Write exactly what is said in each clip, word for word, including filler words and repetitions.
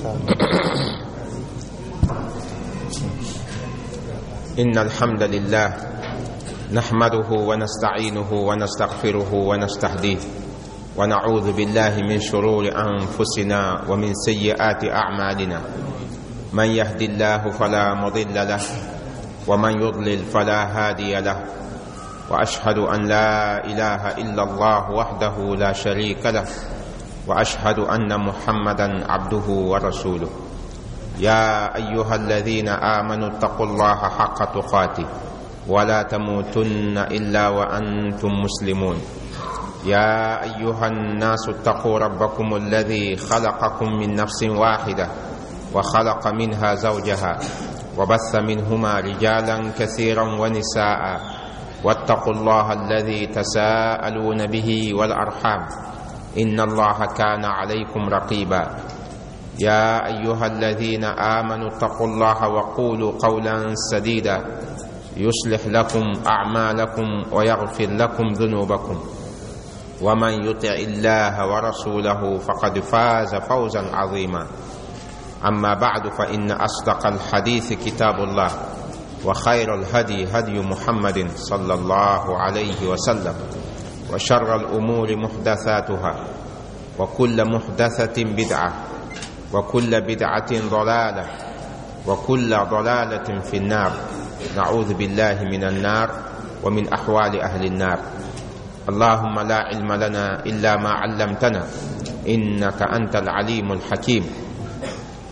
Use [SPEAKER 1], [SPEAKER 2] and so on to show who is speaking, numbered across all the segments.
[SPEAKER 1] إن الحمد لله نحمده ونستعينه ونستغفره ونستهديه ونعوذ بالله من شرور أنفسنا ومن سيئات أعمالنا. من يهد الله فلا مضل له ومن يضلل فلا هادي له، وأشهد أن لا إله إلا الله وحده لا شريك له، وأشهد أن محمدا عبده ورسوله. يا أيها الذين آمنوا اتقوا الله حق تقاته ولا تموتن إلا وأنتم مسلمون. يا أيها الناس اتقوا ربكم الذي خلقكم من نفس واحدة وخلق منها زوجها وبث منهما رجالا كثيرا ونساء، واتقوا الله الذي تساءلون به والأرحام إن الله كان عليكم رقيبا. يا أيها الذين آمنوا اتقوا الله وقولوا قولا سديدا يصلح لكم أعمالكم ويغفر لكم ذنوبكم، ومن يطع الله ورسوله فقد فاز فوزا عظيما. أما بعد، فإن أصدق الحديث كتاب الله، وخير الهدي هدي محمد صلى الله عليه وسلم، وشر الأمور محدثاتها، وكل محدثة بدعة، وكل بدعة ضلالة، وكل ضلالة في النار. نعوذ بالله من النار ومن أحوال أهل النار. اللهم لا علم لنا إلا ما علمتنا إنك أنت العليم الحكيم.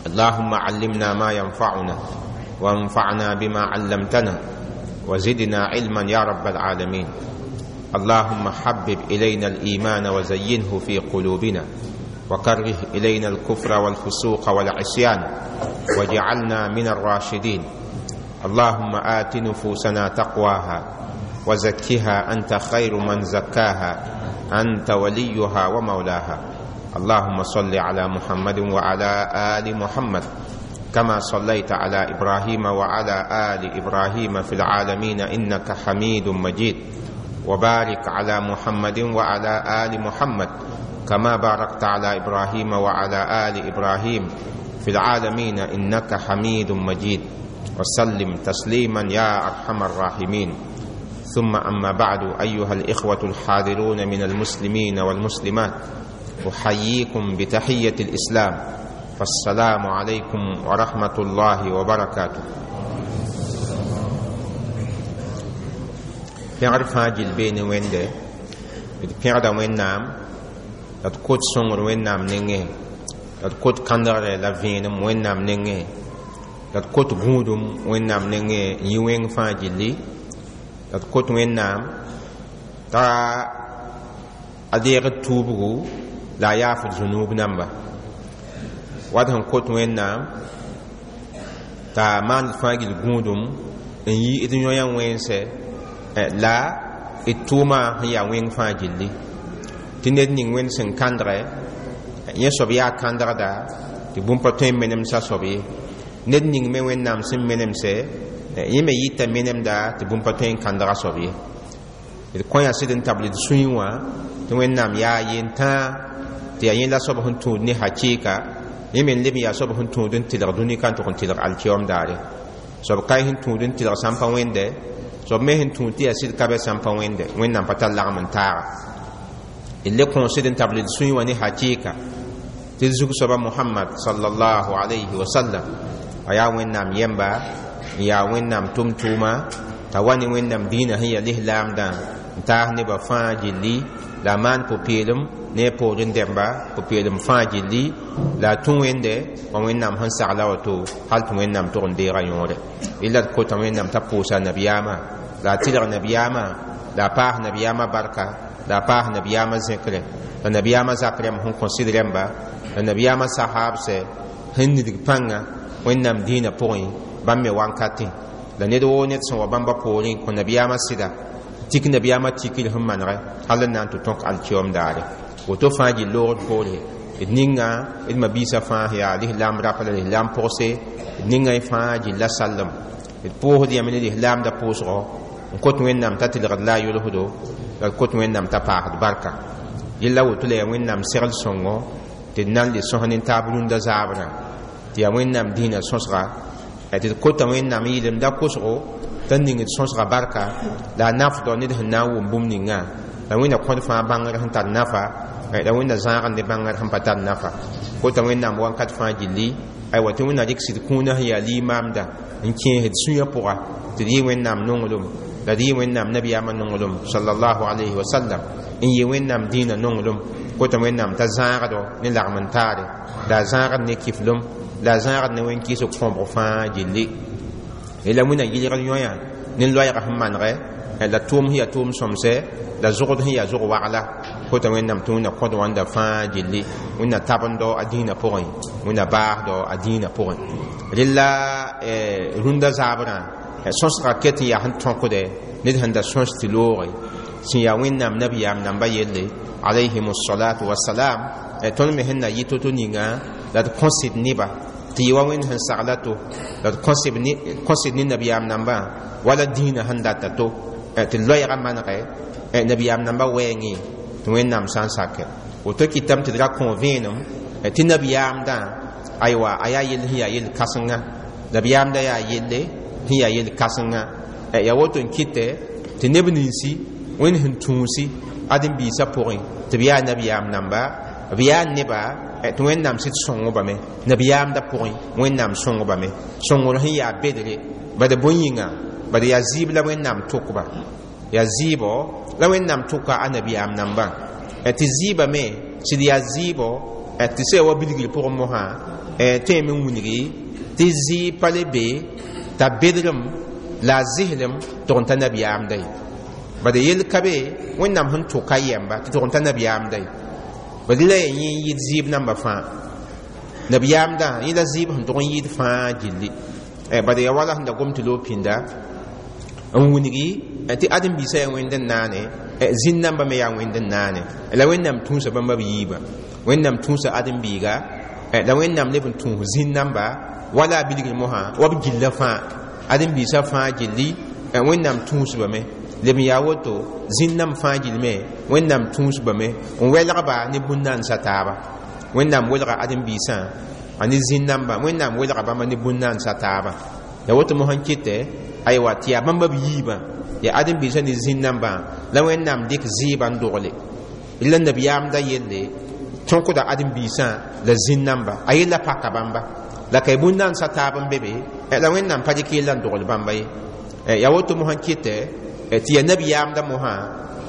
[SPEAKER 1] اللهم علمنا ما ينفعنا، وانفعنا بما علمتنا، وزدنا علما يا رب العالمين. اللهم حبب إلينا الإيمان وزينه في قلوبنا، وكره إلينا الكفر والفسوق والعصيان، واجعلنا من الراشدين. اللهم آت نفوسنا تقواها وزكها أنت خير من زكاها، أنت وليها ومولاها. اللهم صل على محمد وعلى آل محمد كما صليت على إبراهيم وعلى آل إبراهيم في العالمين إنك حميد مجيد، وبارك على محمد وعلى آل محمد كما باركت على إبراهيم وعلى آل إبراهيم في العالمين إنك حميد مجيد، وسلم تسليما يا أرحم الراحمين. ثم أما بعد، أيها الإخوة الحاضرون من المسلمين والمسلمات، أحييكم بتحية الإسلام، فالسلام عليكم ورحمة الله وبركاته. Pẽgd fãa gill bee ne Wẽnde, d pẽgda Wẽnnaam, la d kot sõngr Wẽnnaam nengẽ, la d kot kãndgre la vẽenem Wẽnnaam nengẽ, la d kot gũudum Wẽnnaam nengẽ n yɩ wẽng fãa gilli, la d kot Wẽnnaam t'a a deegd tuubgu la a yaafd zũnuub namba. Wat sẽn kot Wẽnnaam t'a maand fãa gill gũudum n yi d yõ-yã wẽnse la d tʋʋma sẽn yaa wẽng fãa gilli. Tɩ ned ning Wẽnd sẽn kãndgɛ yẽ soab yaa kãndgda tɩ bũmb pa tõe n menemsa soab ye. Ned ning me Wẽnnaam sẽn menemse yẽ me yɩta menemda tɩ bũmb pa tõe n kãndga soab ye. D kõ yaa sɩd n tabl d sũyẽ wã tɩ Wẽnnaam yaa yentãa tɩ yaa yẽ la soab sẽn tũud ne hakɩɩka, yẽ me n leb n yaa soab sẽn tũud n tɩlg dũni ka n tʋg n tɩlg alkiyoom daare. Soab ka sẽn tũud n tɩlg sãn pa wẽnde, soab me sẽn tũud tɩ yaa sɩd ka bɛ sãn pa wẽnde, Wẽnnaam pa tar lagem n taaga. D le kõ sɩd n tabl d sũyẽ wã ne hakɩɩka tɩ d zug soaba Mohamad sallallahu alayhi wa sallam a yaa Wẽnnaam yɛmba n yaa Wẽnnaam tʋm-tʋʋma t'a wa ne Wẽnnaam dĩinã sẽn yaa lislaamdã n taas nebã fãa gilli, la a maan pʋ-peelem ne a poorẽ dẽmba pʋ-peelem fãa gilli, la a tũ Wẽnde wa Wẽnnaam sẽn sagla woto hal tɩ Wẽnnaam tʋg n deega yõore. Illa d kota Wẽnnaam t'a pʋʋsa nabiyaamã, la a tɩlg nabiyaamã, la a paas nabiyaamã barka, la a paas nabiyaamã zẽkre, la nabiyaamã zak rẽmb sẽn kõ sɩd rẽmba, la nabiyaamã sahaabsɛ sẽn nidg pãnga Wẽnnaam dĩinã pʋgẽ bãmb me wankatẽ. La ned woo ned sẽn wa bãmba poorẽ kõ nabiyaamã sɩda tik nabiyaamã tikr sẽn manegɛ hal n na n tɩ tõk alkiyoom daare. Woto fãa gill loogd poore d ninga d mabiisã fãa sẽn yaa lislaam rapa la lislaam pʋgse, d ninga y fãa gilla sallem. D pʋʋsd yame ne lislaamda pʋʋsgɔ n kot Wẽnnaam t'a tɩlgd la a yolsdo, la d kot Wẽnnaam t'a paasd barka. Yella woto la yaa Wẽnnaam segl sõngo tɩ d na n le sõs ne taab rũndã zaabrã. Tɩ yaa Wẽnnaam dĩinã sõsga, tɩ d kota Wẽnnaam n yɩlemda kosgo t'a ning d sõsga barka la a nafdɔ ned sẽn na n wʋm bũmb ninga, la Wẽnna kõd fãa bãngr sẽn tar nafa, la Wẽnna zãagd ne bãngr sẽn pa tar nafa. Kota Wẽnnaam wãnkat fãa gilli, aywa, tɩ Wẽnna rɩk sɩd kũunã sẽn yaa limaamda n kẽesd sũyã pʋga, tɩ d yɩ Wẽnnaam nonglem, la d yɩ Wẽnnaam nabiyaamã nonglem sallallahu alayhi wa sallam, n yɩ Wẽnnaam dĩinã nonglem. Kota Wẽnnaam t'a zãagdo ne lagm n taare, la a zãagd ne kiflem, la a zãagd ne wẽn-kɩɩsg kõbg fãa gilli. La Wẽnna yɩlgd yõya ne loɛɛga sẽn manegɛ, la tʋʋm sẽn yaa tʋʋm sõmsɛ, la zogd sẽn yaa zog wagla. Kota Wẽnnaam tɩ Wẽnna kõd wãnda fãa gilli, Wẽnna tabendo a dĩinã pʋgẽ, Wẽnna baasdɔ a dĩinã pʋgẽ. Rella rũndã zaabrã sõsga ket n yaa sẽn tõkdɛ ned sẽn da sõs tɩ looge sẽn yaa Wẽnnaam nabiyaam namba yelle alayhim salatu wasalam. Tõnd me sẽn na yɩ to-to ninga la d kõsd neba tɩ yɩ wa Wẽnd sẽn sagla to, la d kõsd ne nabiyaam nambã wala dĩinã sẽn data to, tɩ loɛɛga manegɛ nabiyaam nambã wɛɛngẽ, tɩ Wẽnnaam sã n sakɛ woto kɩtame tɩ d ra kõ vẽenem tɩ nabiyaamdã, aywa, a yaa yell sẽn yaa yell kãsenga, nabiyaamdã yaa yelle sẽn yaa yell kãsenga. Yaa woto n kɩtɛ tɩ neb ninsi Wẽnd sẽn tũusi ãdem-biisã pʋgẽ tɩ b yaa nabiyaam namba, b yaa neba tɩ Wẽnnaam sɩd sõng-bame nabiyaamdã pʋgẽ, Wẽnnaam sõng-bame sõngr sẽn yaa bedre bad bõe yĩnga, bad yaa zɩɩb la Wẽnnaam tʋkba, yaa zɩɩbɔ la Wẽnnaam tʋka a nabiyaam nambã, tɩ zɩɩbã me sɩd yaa zɩɩbɔ tɩ sã wa bilgr pʋgẽ mosã tõeme n wilgi tɩ zɩɩb pa le be t'a bedrem la a zɩslem tʋg n ta nabiyaamda ye. Bad yell ka be Wẽnnaam sẽn tʋka yɛmba tɩ tʋg n ta nabiyaamda ye, bad la yaa yẽ n yɩɩd zɩɩb namba fãa, nabiyaamdã yẽ la zɩɩb sẽn tʋg n yɩɩd fãa gilli. Bad yaa wala sẽn da gom tɩ loog pĩnda n wilgi tɩ ãdem-biisã yaa Wẽnd n naane, zĩn nambã me yaa Wẽnd n naane, la Wẽnnaam tũusa bãmba b yiibã, Wẽnnaam tũusa ãdem-biiga, la Wẽnnaam leb n tũus zĩn namba wala a bilgr mosã wa b gilla fãa, ãdem-biisã fãa gilli Wẽnnaam tũusbame. Leb n yaa woto zĩn nam fãa gill me Wẽnnaam tũusbame n welgba ne bũn-naansa taaba. Wẽnnaam welga ãdem-biisã a ne zĩn nambã, Wẽnnaam welga bãmba ne bũn-naansa taaba. Ya woto mosã n kɩtɛ, aywa, tɩ yaa bãmba b yiibã, yaa ãdem-biisã ne zĩn nambã la Wẽnnaam dɩk zɩɩbã n dogle. La nabiyaamdã yelle tõkda ãdem-biisã la zĩn namba, a yella paka bãmba la ka bũn-naansa taab n be be, la Wẽnnaam pa dɩk yella n dogl bãmba ye. Yaa woto mosã n kɩtɛ tɩ yaa nabiyaamdã mosã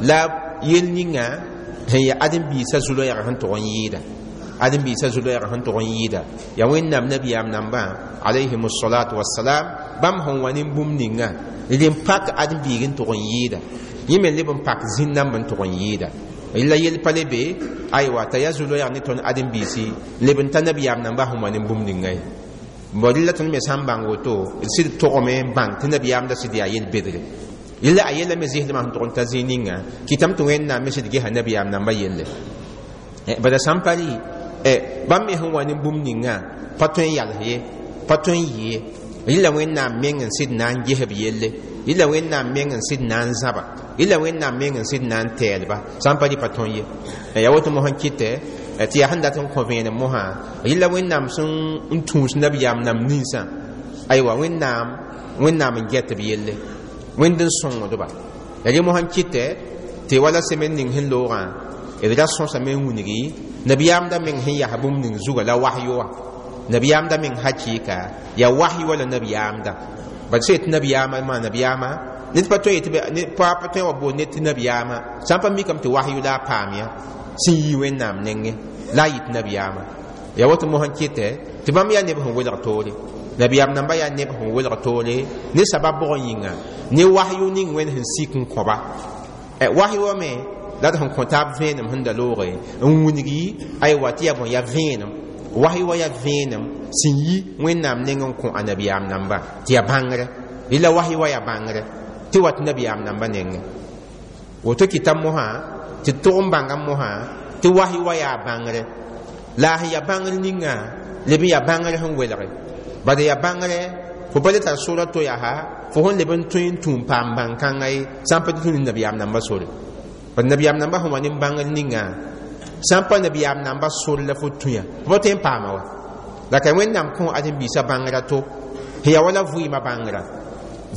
[SPEAKER 1] la yel ninga sẽn yaa ãdem-biisã zu-loɛɛg sẽn tʋg n yɩɩda, ãdem-biisã zu-loɛɛg sẽn tʋg n yɩɩda yaa Wẽnnaam nabiyaam nambã alayhim salatu wasalam, bãmb sẽn wa ne bũmb ninga d n pak ãdem-biig n tʋg n yɩɩda, yẽ me leb n pak zĩn namb n tʋg n yɩɩda. La yel pa le be, aywa, t'a yaa zu-loɛɛg ne tõnd ãdem-biisi leb n ta nabiyaam nambã sẽn wa ne bũmb ninga ye. Bon rɩla tõnd me sã n bãng woto, d sɩd togame n bãng tɩ nabiyaamda sɩd yaa yel-bedre. Yella a yella me zɩslmã sẽn tʋg n ta zĩig ninga kɩtame tɩ Wẽnnaam me sɩd gesa nabiyaam nambã yelle. Bala sã n pa rɩ, bãmb me sẽn wa ne bũmb ninga pa tõe n yals ye, pa tõe n yɩ ye. Rɩla Wẽnnaam meng n sɩd na n ges b yelle, rɩla Wẽnnaam meng n sɩd na n zãba, rɩla Wẽnnaam meng n sɩd na n tɛɛlba, sã n pa rɩ pa tõe ye. Yaa woto mosã n kɩtɛ tɩ yaa sẽn dat n kõ vẽenem mosã, rɩla Wẽnnaam sẽn n tũus nabiyaam nam ninsã, aywa, Wẽnnaam Wẽnnaam n get b yelle, Wẽnd n sõngdba. La rẽ mosã n kɩtɛ tɩ wala semen ning sẽn loogã d ra sõsame n wilgi nabiyaamda meng sẽn yas bũmb ning zuga la wahyo wã, nabiyaamda meng hakɩɩka yaa wahyo wala nabiyaamda. Bad sẽn yetɩ nabiyaamã maa nabiyaamã ned pa tõe yetɩ pa tõe wa boond ned tɩ nabiyaamã sã n pa mikame tɩ wahyo la a paam ya sẽn yi Wẽnnaam nengẽ la a yɩt nabiyaamã. Yaa woto mosã n kɩtɛ tɩ bãmb yaa neb sẽn welg toore, nabiyaam namba yaa neb sẽn welg toore ne sabab bʋgẽ yĩnga ne wahyo ning Wẽnd sẽn sik n kõba. Wahyo wã me la d sẽn kõ taab vẽenem sẽn da looge n wilgi, aywa, tɩ yaa bõe, yaa vẽenem, wahyo wã yaa vẽenem sẽn yi Wẽnnaam neng n kõ a nabiyaam namba tɩ yaa bãngrɛ. Rɩla wahyo wã yaa bãngrɛ tɩ wat nabiyaam namba nengẽ. Woto kɩta mosã tɩ tʋg n bãnga mosã tɩ wahyo wã yaa bãngrɛ, la a sẽn yaa bãngr ninga leb n yaa bãngr sẽn welge, bad yaa bãngrɛ fo pa le tar sora to yaa fo sẽn leb n tõe n tũum paam bãn-kãnga ye sã n pa tɩ tũ ne nabiyaam namba sore. Bad nabiyaam namba sẽn wa ne bãngr ninga sã n pa nabiyaam namba sore la fo tũ ya, fo pa tõe n paama wa. La ka Wẽnnaam kõ ãdem-biisã bãngrã to sẽn yaa wala vɩɩmã bãngrã,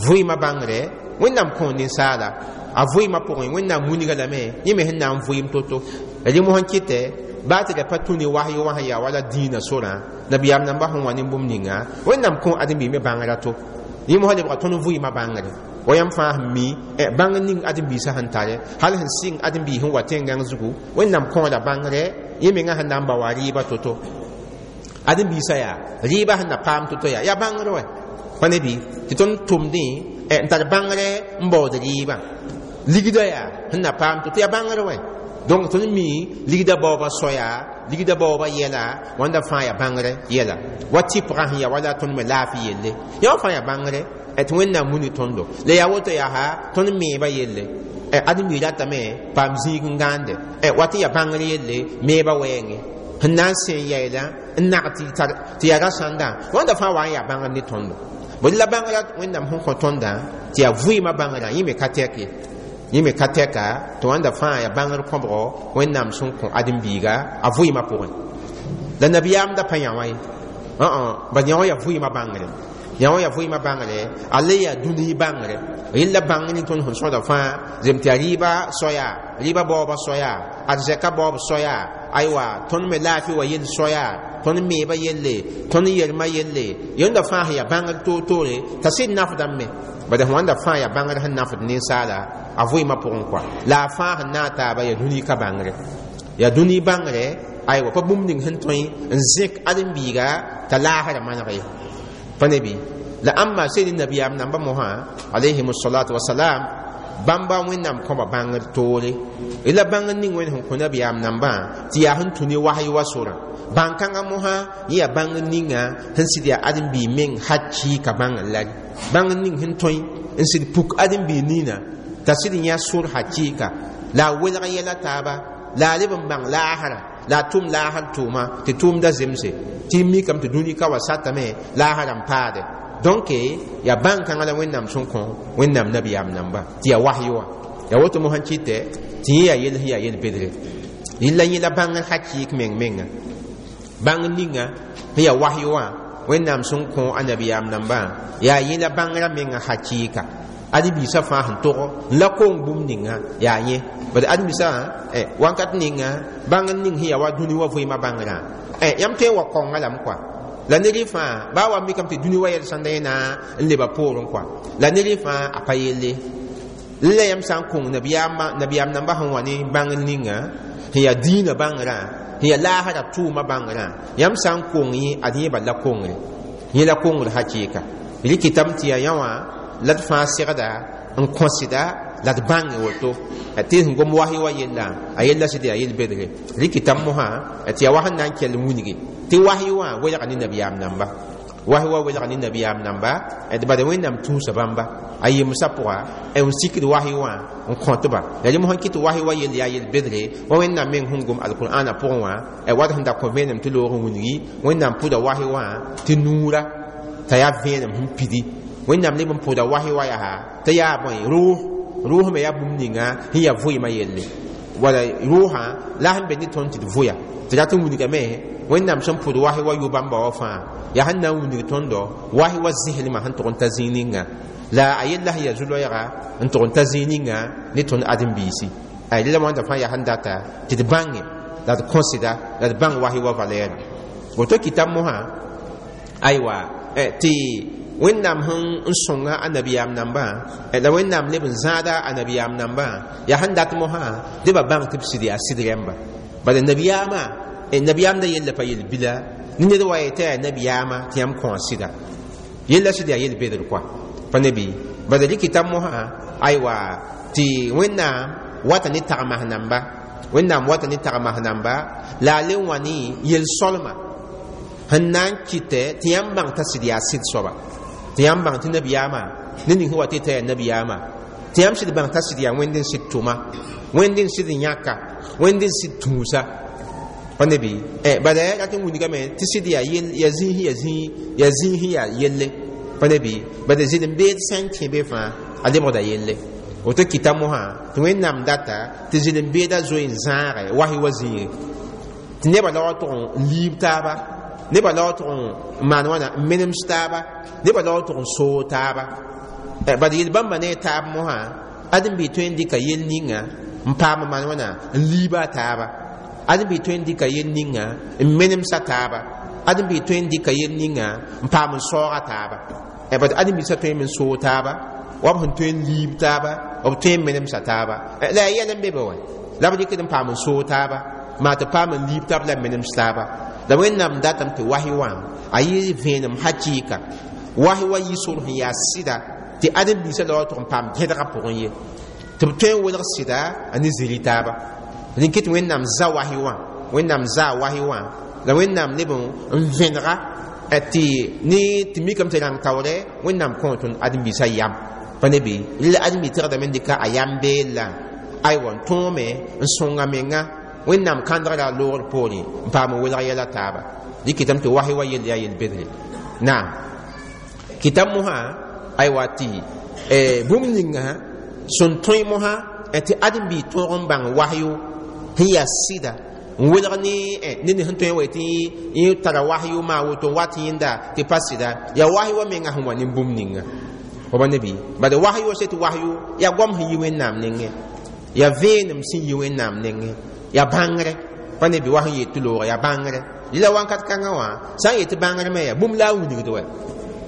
[SPEAKER 1] vɩɩmã bãngre Wẽnnaam kõ ninsaala a vɩɩmã pʋgẽ. Wẽnnaam wilga lame yẽ me sẽn na n vɩɩm to-to. Rẽ mosã n kɩtɛ baa tɩ ra pa tũ ne wasyo wã sẽn yaa wala dĩinã sorã, nabiyaam nambã sẽn wa ne bũmb ninga, Wẽnnaam kõ ãdem-biig me bãngrã to. Yẽ mosã lebga tõnd vɩɩmã bãngre wa yãmb fãa sẽn mi bãngr ning ãdem-biisã sẽn tare, hal sẽn sɩng ãdem-biis sẽn wa tẽn-gãng zugu. Wẽnnaam kõoda bãngre yẽ mengã sẽn na n ba wa rɩɩbã to-to. Ãdem-biisã yaa rɩɩbã sẽn na paam to-to yaa yaa bãngr wɛ pa ne bɩ tɩ tõnd tʋmdẽ n tar bãngre n baood rɩɩbã. Ligda yaa sẽn na paam to-to yaa bãngr wɛ. Donc tõnd mi ligda baoobã soaya, ligda baoobã yɛla wãnda fãa yaa bãngre yɛla. Wa tɩpgã sẽn yaa wala tõnd me laafɩ yelle, yã wã fãa yaa bãngre tɩ Wẽnnaam muni tõndo. La yaa woto yaa ha tõnd meebã yelle, ãdem-biig ratame paam zĩig n gãande wa tɩ yaa bãngr yelle meebã wɛɛngẽ sẽn na n sẽn yɛɛla n nag tɩ yaa rasãndã, wãnda fãa wa n yaa bãngr ne tõndo. Bõe la bãngrã Wẽnnaam sẽn kõ tõndã tɩ yaa vɩɩmã bãngrã, yẽ me ka tɛk ye, yẽ me ka tɛka tɩ wãnda fãa yaa bãngr kõbgo Wẽnnaam sẽn kõ ãdem-biiga a vɩɩmã pʋgẽ. La nabiyaam da pa yã wã ye, bad yã wã yaa vɩɩmã bãngre, yã wã yaa vɩɩmã bãngre, a le yaa dũni bãngre. Yella bãng ning tõnd sẽn sõda fãa zem tɩ yaa rɩɩba soaya, rɩɩba baooba soaya, arzɛka baoob soaya, aywa tõnd me laafɩ wa yell soaya, tõnd meebã yelle, tõnd yelmã yelle, yẽnda fãa sẽn yaa bãngr toor-toore t'a sɩd nafdame. Bad sẽn wãnda fãa yaa bãngr sẽn nafd ninsaala a vɩɩmã pʋgẽ kɔa. La a fãa sẽn na n taaba yaa dũni ka bãngre, yaa dũni bãngre aywa pa bũmb ning sẽn tõe n zẽk ãdem-biiga t'a laasrã maneg ye pa ne bɩ. La ãmba sed nabiyaam nambã mosã alayhim salatu wasalam, bãmba Wẽnnaam kõba bãngr toore. La bãngr ning Wẽnd sẽn kõ nabiyaam nambã tɩ yaa sẽn tũ ne wasy wa sorã, bãn-kãngã mosã yẽ yaa bãngr ninga sẽn sɩd yaa ãdem-biig meng hakɩɩka bãngr lari, bãngr ning sẽn tõe n sɩd puk ãdem-biig nina t'a sɩd yã sor hakɩɩka la a welg yɛla taaba, la a leb n bãng laasrã, la a tʋm laasr tʋʋma tɩ tʋʋmda zemse tɩ mikame tɩ dũni ka wa satame laasrã n paade. Donc yaa bãn-kãngã la Wẽnnaam sẽn kõ Wẽnnaam nabiyaam namba tɩ yaa wasyo wã. Yaa woto mosã kɩtɛ tɩ yẽ yaa yell sẽn yaa yel-bedre yella yẽ la bãngr hakɩɩk meng menga, bãngr ninga sẽn yaa wasyo wã Wẽnnaam sẽn kõ a nabiyaam nambã yaa yẽ la bãngrã menga hakɩɩka. Ãdem-biisã fãa sẽn tog n la kong bũmb ninga yaa yẽ. Bad ãdem-biisã wãnkat ninga bãngr ning sẽn yaa wa dũni wa vɩɩmã bãngrã, yãmb tõe n wa kaongã lame kɔa. La ned fãa baa wa mikame tɩ dũni wa yɛl sãnda yẽ na n leba poorẽ kɔa, la ned fãa a pa yelle. La yãmb sã n kõng nabiyaam nambã sẽn wa ne bãngr ninga sẽn yaa dĩinã bãngrã, sẽn yaa laasrã tʋʋmã bãngrã, yãmb sã n kong yẽ ad yẽ bal la kongre, yẽ la kongr hakɩɩka. Rɩkɩtame tɩ yaa yã wã la d fãa segda n kõsda la d bãnge woto tɩ sẽn gom wasy wa yella a yella sɩd yaa yel-bedre. Rɩkɩtame mosã tɩ yaa wa sẽn na n kell n wilgi tɩ wasy wã welga ne nabiyaam namba, wasy wa welga ne nabiyaam namba d bad Wẽnnaam tũusa bãmba a yemsã pʋga n sikd wasy wã n kõtba. La rẽ mosã kɩ tɩ wasy wa yell yaa yel-bedre wa Wẽnnaam meng sẽn gom alqur'ana pʋgẽ wã wat sẽn da kõ vẽenem tɩ loog n wilgi Wẽnnaam pʋda wasy wã tɩ nuura t'a yaa vẽenem sẽn pidi. Wẽnnaam leb n pʋda wasy wa yaa t'a yaa bõe rʋʋs, rʋʋs me yaa bũmb ninga sẽn yaa vʋɩɩmã yelle wala rʋʋsã la sẽn be ne tõnd tɩ d vʋya tɩ rat n wilgame. Wẽnnaam sẽn pʋd wasy wa yʋ bãmba wa fãa yaa sẽn na n wilg tõndo wasy wa zẽslmã sẽn tʋg n ta zĩig ninga, la a yella sẽn yaa zu-loɛɛga n tʋg n ta zĩig ninga ne tõnd ãdem-biisi. La wãnda fãa yaa sẽn data tɩ d bãnge la d kõsda la d bãng wasy wa valɛɛrã. Woto kɩtam mosã aywa tɩ Wẽnnaam sẽn n sõnga a nabiyaam nambã la Wẽnnaam leb n zãada a nabiyaam nambã yaa sẽn dat mosã dɩ ba bãng tɩ b sɩd yaa sɩd rẽmba. Bala nabiyaamã nabiyaam da yella pa yel-bila ne ned wa yetɩ yaa nabiyaamã tɩ yãmb kõ a sɩda yella sɩd yaa yel-bedr kɔa pa ne bɩ. Bala rɩkɩtam mosã aywa tɩ Wẽnnaam wata ne tagmas namba, Wẽnnaam wata ne tagmas namba la a le wã ne yel-sõlma sẽn na n kɩtɛ tɩ yãmb bãng t'a sɩd yaa sɩd soaba, tɩ yãmb bãng tɩ nabiyaamã ne ning sẽn wa tɩ t'a yaa nabiyaamã, tɩ yãmb sɩd bãng t'a sɩd yaa Wẽnd n sɩd tʋma, Wẽnd n sɩd n yãka, Wẽnd n sɩd tũusa pa ne bɩ. Bala yaa rat n wilgame tɩ sɩd yaa yaa zĩis yaa zĩig yaa zĩis yaa yelle pa ne bɩ. Bala zɩlem-beed sã n kẽ be fãa a lebgda yelle. Woto kɩta mosã tɩ Wẽnnaam data tɩ zɩlem-beedã zoe n zãage wasy wa zĩige tɩ nebã la wa tʋg n liib taaba. nebã la wa tʋg n maan wãna n menems taaba nebã la wa tʋg n soog taaba bad yel bãmba ne taab mosã ãdem-bi tõe n dɩka yel ninga n paam n maan wãna n liiba a taaba ãdem-bi tõe n dɩka yel ninga n menemsa taaba ãdem-bi tõe n dɩka yel ninga n paam n saooga taaba bad ãdem-biisã tõe n soog taaba wa b sẽn tõe n liib taaba b tõe n menemsa taaba la yaa yɛl n be be wa la b dɩkd n paam n soog taaba maa tɩ paam n liib taab la menems taaba la wẽnnaam datame tɩ wasi wã a yɩ vẽenem hakɩɩka wasi wa yɩ sor sẽn yaa sɩda tɩ ãdem-biisã la wa tʋg n paam gẽdgã pʋgẽ ye tɩ b tõe n welg sɩda a ne zĩri taaba rẽn kɩ tɩ wẽnnaam za wasi wã wẽnnaam zaa wasi wã la wẽnnaam leb n vẽnega tɩ ne tɩ mikame tɩ rãng taoorɛ wẽnnaam kõ tõnd ãdem-biisã yam pa ne bɩ la ãdem-bi tɩgdame n dɩka a yam beella aywa n tõome n sõnga menga wẽnnaam kãndgra a loogr poore n paam n welg yɛla taaba dɩ kɩtame tɩ wasi wa yell yaa yel-bedre naam kɩtam mosã aywa tɩ bũmb ninga sẽn tõe mosã tɩ ãdem-bi tõog n bãng wasyo sẽn yaa sɩda n welg ne ned sẽn tõe n wa tɩ yẽ tara wasyo maa woto n wat yẽnda tɩ pa sɩda yaa wasy wa menga sẽn wa ne bũmb ninga fa ne bɩ bad wasyo se tɩ wasyo yaa goam sẽn yi wẽnnaam nengẽ yaa vẽenem sẽn yi wẽnnaam nengẽ yaa bãngre pa ne bɩ wa sẽn yet tɩ looga yaa bãngre lila wãnkat kãngã wã sã n yet tɩ bãngr me yaa bũmb la a wilgd wa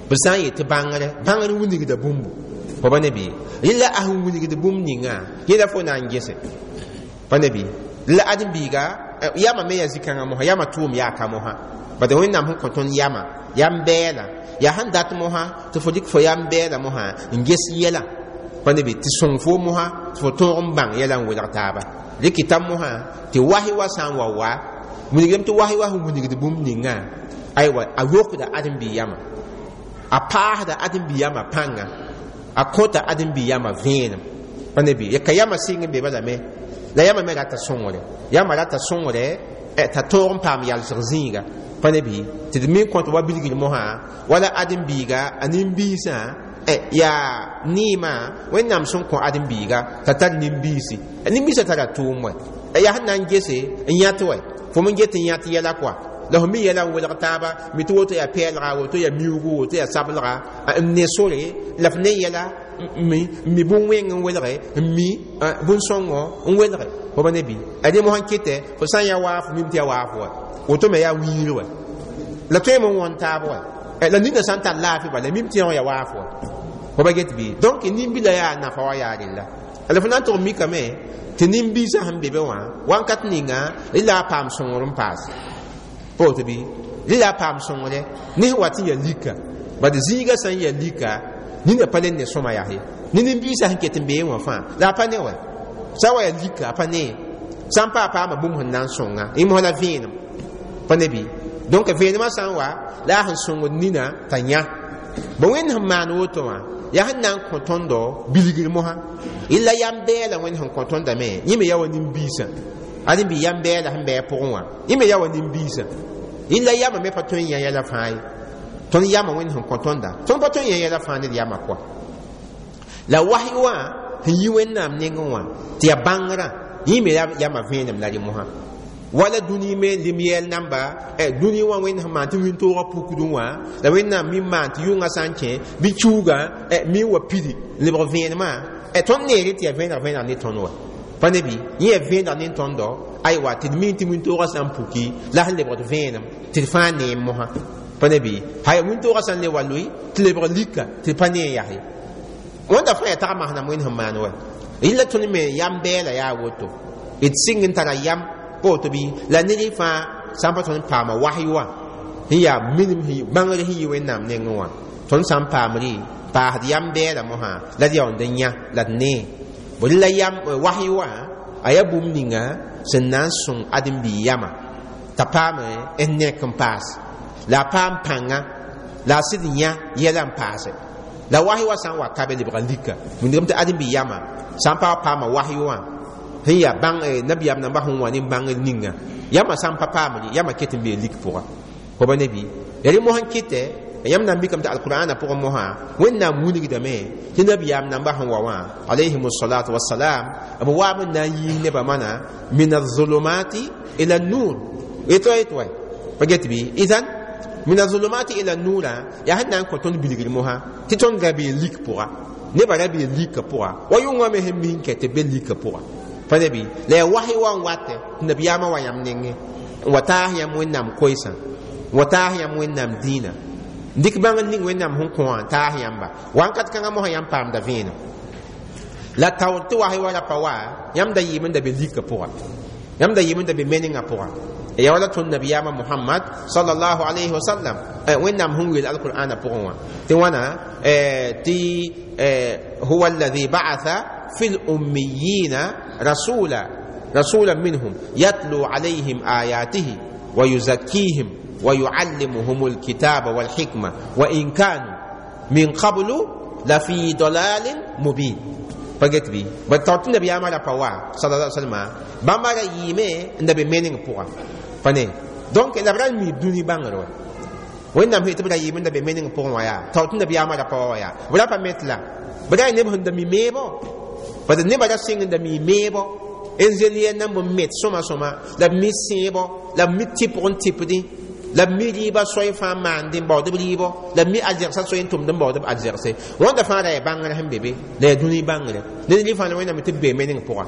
[SPEAKER 1] b sã n yet tɩ bãngre bãngr wilgda bũmbu fa ba ne bɩ rɩla a sẽn wilgd bũmb ninga yẽla fo na n gese pa ne bɩ la ãdem-biiga yama me yaa zĩ-kãngã mosã yama tʋʋm yaa ka mosã bad wẽnnaam sẽn kõ tõnd yama yam bɛɛla yaa sẽn dat mosã tɩ fo dɩk fo yam bɛɛla mosã n ges yɛla pa ne bɩ tɩ sõng fo mosã tɩ fo tõog n bãng yɛla n welg taaba rɩ kɩta mosã tɩ wasi wa sã n wa wa wilgdame tɩ wasi wa sẽn wilgd bũmb ninga aywa a yokda ãdem-bi yama a paasda ãdem-bi yama pãnga a kõta ãdem-bi yama vẽenem pa ne bɩ ka yama sɩng n be balame la yama me rata sõngre yama rata sõngre t'a tõog n paam yalsg zĩiga pa ne bɩ tɩ d me kõt wa bilgr mosã wala ãdem-biiga a nin-biisã yaa neemã wẽnnaam sẽn kõ ãdem-biiga t'a tar nin-biisi nin-biisã tara tʋʋm wɛ yaa sẽn na n gese n yãt wɛ fo me get n yãt yɛla kɔa la fo mi yɛla n welg taaba mi tɩ woto yaa pɛɛlga woto yaa miuugu woto yaa sablga n ne sore la f ne yɛla n mi bũn-wẽng n welge n mi bũn-sõngo n welge fo ba ne bɩ a rẽ mosã kɩtɛ fo sã n yaa waafo mim tɩ yaa waafo wa woto me yaa wiir wa la tõeme n wõn taab wa la nina sã n tar laafɩ bala mim tɩ yaa waafo wa fo ba get bɩ donc nin-bila yaa nafa wa yaa rella la fo na n tʋg mikame tɩ nin-biisã sẽn be be wã wãnkat ninga rɩ la a paam sõngr n paas pa woto bɩ rɩ la a paam sõngre ne sẽn wat n yaa lika bad zĩigã sã n yaa lika nina pa le ne sõma yaa ye ne nin-biisã sẽn ket n bee wã fãa la a pa ne wa sã wa yaa lika a pa ne sã n pa a paama bũmb sẽn na n sõnga y mos la vẽenem pa ne bɩ donc vẽenemã sã n wa la a sẽn sõngd nina t'a yã bõ wẽnd sẽn maan woto wã yaa sẽn na n kõ tõndo bilgr mosã illa yam bɛɛla wẽnd sẽn kõ tõndame yẽ me yaa wa nin-biisã ãdem-bi yam bɛɛla sẽn bɩ a pʋgẽ wã yẽ me yaa wa nin-biisã illa yama me pa tõe n yã yɛla fãa ye tõnd yama wẽnd sẽn kõ tõnda tõnd pa tõe n yã yɛla fãa ned yama kɔa la wasi wã sẽn yi wẽnnaam nengẽ wã tɩ yaa bãngrã yẽ me yama vẽenem la rẽ mosã wala dũni me lim-yɛl namba dũni wã wẽnd sẽn maan tɩ wĩntoogã pukdẽ wã la wẽnnaam mi maan tɩ yʋngã sã n kẽ bɩ kiuugã mi wa pidi n lebg vẽenemã tõnd neere tɩ yaa vẽeneg vẽeneg ne tõnd wa pa ne bɩ yẽ yaa vẽeneg ne tõndo aywa tɩ d mi tɩ wĩntoogã sã n puki la sẽn lebgd vẽenem tɩ d fãa neem mosã pa ne bɩ hay wĩntoogã sã n le wa loe tɩ lebg lika tɩ d pa nee yaa ye wẽnda fãa yaa tag masnam wẽnd sẽn maan wa rɩla tõnd me yam bɛɛla yaa woto d sɩng n tara yam pa woto bɩ la ned fãa sã n pa tõnd paama wasy wã sẽn yaa minim bãngr sẽn yi wẽnnaam nengẽ wã tõnd sã n paamre paasd yam bɛɛla mosã la d yaoond n yã la d nee bõ la yam wasy wã a yaa bũmb ninga sẽn na n sõng ãdem-biig yama t'a paam n nek n paas la a paam pãnga la a sɩd yã yɛla n paase la wasy wa sã n wa ka be lebga lika wĩndgame tɩ ãdem-biig yama sã n pa paama wasy wã sẽn yaa bãng nabiyaam nambã sẽn wa ne bãngr ninga yama sã n pa paamre yama ket n bee lik pʋga fo ba ne bɩ ya rẽ mosã n kɩtɛ yãmb na n mikame tɩ alqur'ana pʋgẽ mosã wẽnnaam wilgdame tɩ nabiyaam nambã sẽn wa wã alayhim salatu wasalam b waam n na n yiis nebã mana min azulumati ila nur yetwa yetwa pa get bɩ idan من الظلمات إلى النور yaa sẽn na n kõ tõnd bilgr mosã tɩ tõnd ra bee lik pʋga nebã ra bee lika pʋga wa yʋngã me sẽn mink tɩ be lika pʋga pa ne bɩ la yaa wasy wa n watɛ tɩ nabiyaamã wa yãmb nengẽ n wa taas yãmb wẽnnaam koeesã n wa taas yãmb wẽnnaam dĩinã n dɩk bãngr ning wẽnnaam sẽn kõ wã n taas yãmba wãnkat kãngã mosã yãmb paamda vẽenem la taoor tɩ wasy wa ra pa wa yãmb da yɩɩm n da be lika pʋga yãmb da yɩɩm n da be menengã pʋga ya wala tõnd nabiyaamã Muhammad sallallahu alayhi wa sallam wẽnnaam sẽn weel alqur'ana pʋgẽ wã tɩ wãna tɩ huwa alladhi ba'atha fi lummiyina rasula رسولا منهم يتلو عليهم آياته ويزكيهم ويعلمهم الكتاب والحكمة وإن كانوا من قبل لفي ضلال مبين pa get bɩ ba taoor tɩ nabiyaamã ra pa wa صلى الله عليه وسلم bãmba ra yɩɩme n da be meneng pʋga pa ne donc la b ra n miib dũni bãngr wa wẽnnaam sẽn tɩ b ra yɩɩm n da be meneng pʋgẽ wã yaa taoor tɩ nabiyaamã ra pa wa wa yaa b ra pa met la b ra yaa neb sẽn da mi meebo bad nebã ra sɩng n da mi meebo n zel yɛl nan b met sõma sõma la b mi sẽebo la b mi tɩpg n tɩpdẽ la b mi rɩɩbã soay fãa maandẽ n baood b rɩɩbɔ la b mi alzegsã soay n tʋmd n baood b alzegse wãnda fãa ra yaa bãngr sẽn be be la yaa dũni bãngrɛ ned rɩ fãa la wẽnnaam tɩ b bee meneng pʋga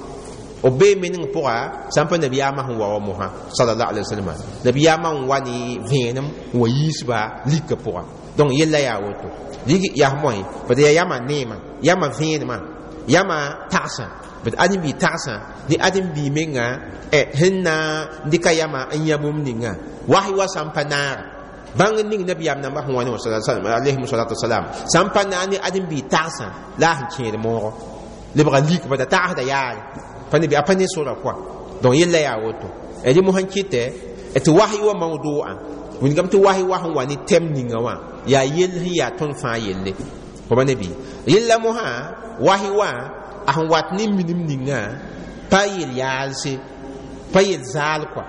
[SPEAKER 1] b bee meneng pʋga sã n pa nabiyaamã sẽn wa wa mosã صلى الله عليه وسلم nabiyaamã n wa ne vẽenem n wa yiisba lika pʋga donc yella yaa woto yaa moẽ bad yaa yama neemã yama vẽenemã yama tagsã bd ãdem-bi tagsã ne ãdem-bi menga sẽn na n dɩka yama n yã bũmb ninga wasy wa sã n pa naaga bãng ning nabiyaam nambã sẽn wa ne alayhim salatu wasalam sã n pa naag ne ãdem-bi tagsã la a sẽn kẽed moogo lebga lik bada tagsda yaare pa ne bɩ a pa ne sora koa donc yella yaa woto rẽ mosã n kɩtɛ tɩ wasy wa mawdʋa wilgame tɩ wasy wa sẽn wa ne tɛm ninga wã yaa yell sẽn yaa tõnd fãa yelle fo pa ne bɩ yella mosã wasy wa a sẽn wat ne minim ninga pa yel yaalse pa yel zaal kɔa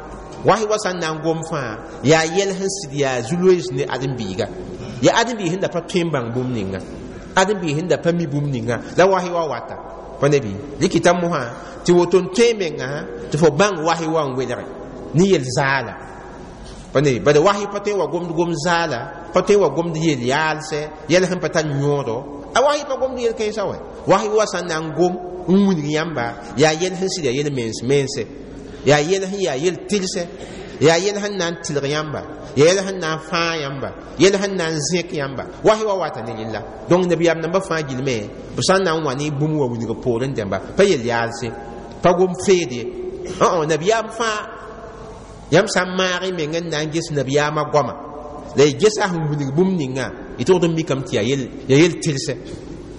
[SPEAKER 1] wasy wa sã n na n gom fãa yaa yɛl sẽn sɩd yaa zu-loees ne ãdem-biiga yaa ãdem-biig sẽn da pa tõe n bãng bũmb ninga ãdem-biig sẽn da pa mi bũmb ninga la wasy wa wata pa ne bɩ rɩkɩta mosã tɩ woto n tõe menga tɩ fo bãng wasy wa n welge ne yel zaala pa ne bad wasy pa tõe n wa gomd gom zaala pa tõe n wa gomd yel yaalsɛ yɛl sẽn pa tar yõodo a wasy pa gomd yel kãensã wɛ wasy wa sã n na n gom n wilg yãmba yaa yɛl sẽn sɩd yaa yel mens mense yaa yɛl sẽn yaa yel tɩlsɛ yaa yɛl sẽn na n tɩlg yãmba yaa yɛl sẽn na n fãag yãmba yɛl sẽn na n zẽk yãmba wasy wa wata ne rella donc nabiyaam nambã fãa gilme b sã n na n wa ne bũmb wa wilg poorẽ dẽmba pa yel yaalse pa gom feed ye nabiyaam fãa yãmb sã n maag y meng n na n ges nabiyaamã goama la y gesa sẽn wilg bũmb ninga y togd n mikame tɩ yaa yel tɩlsɛ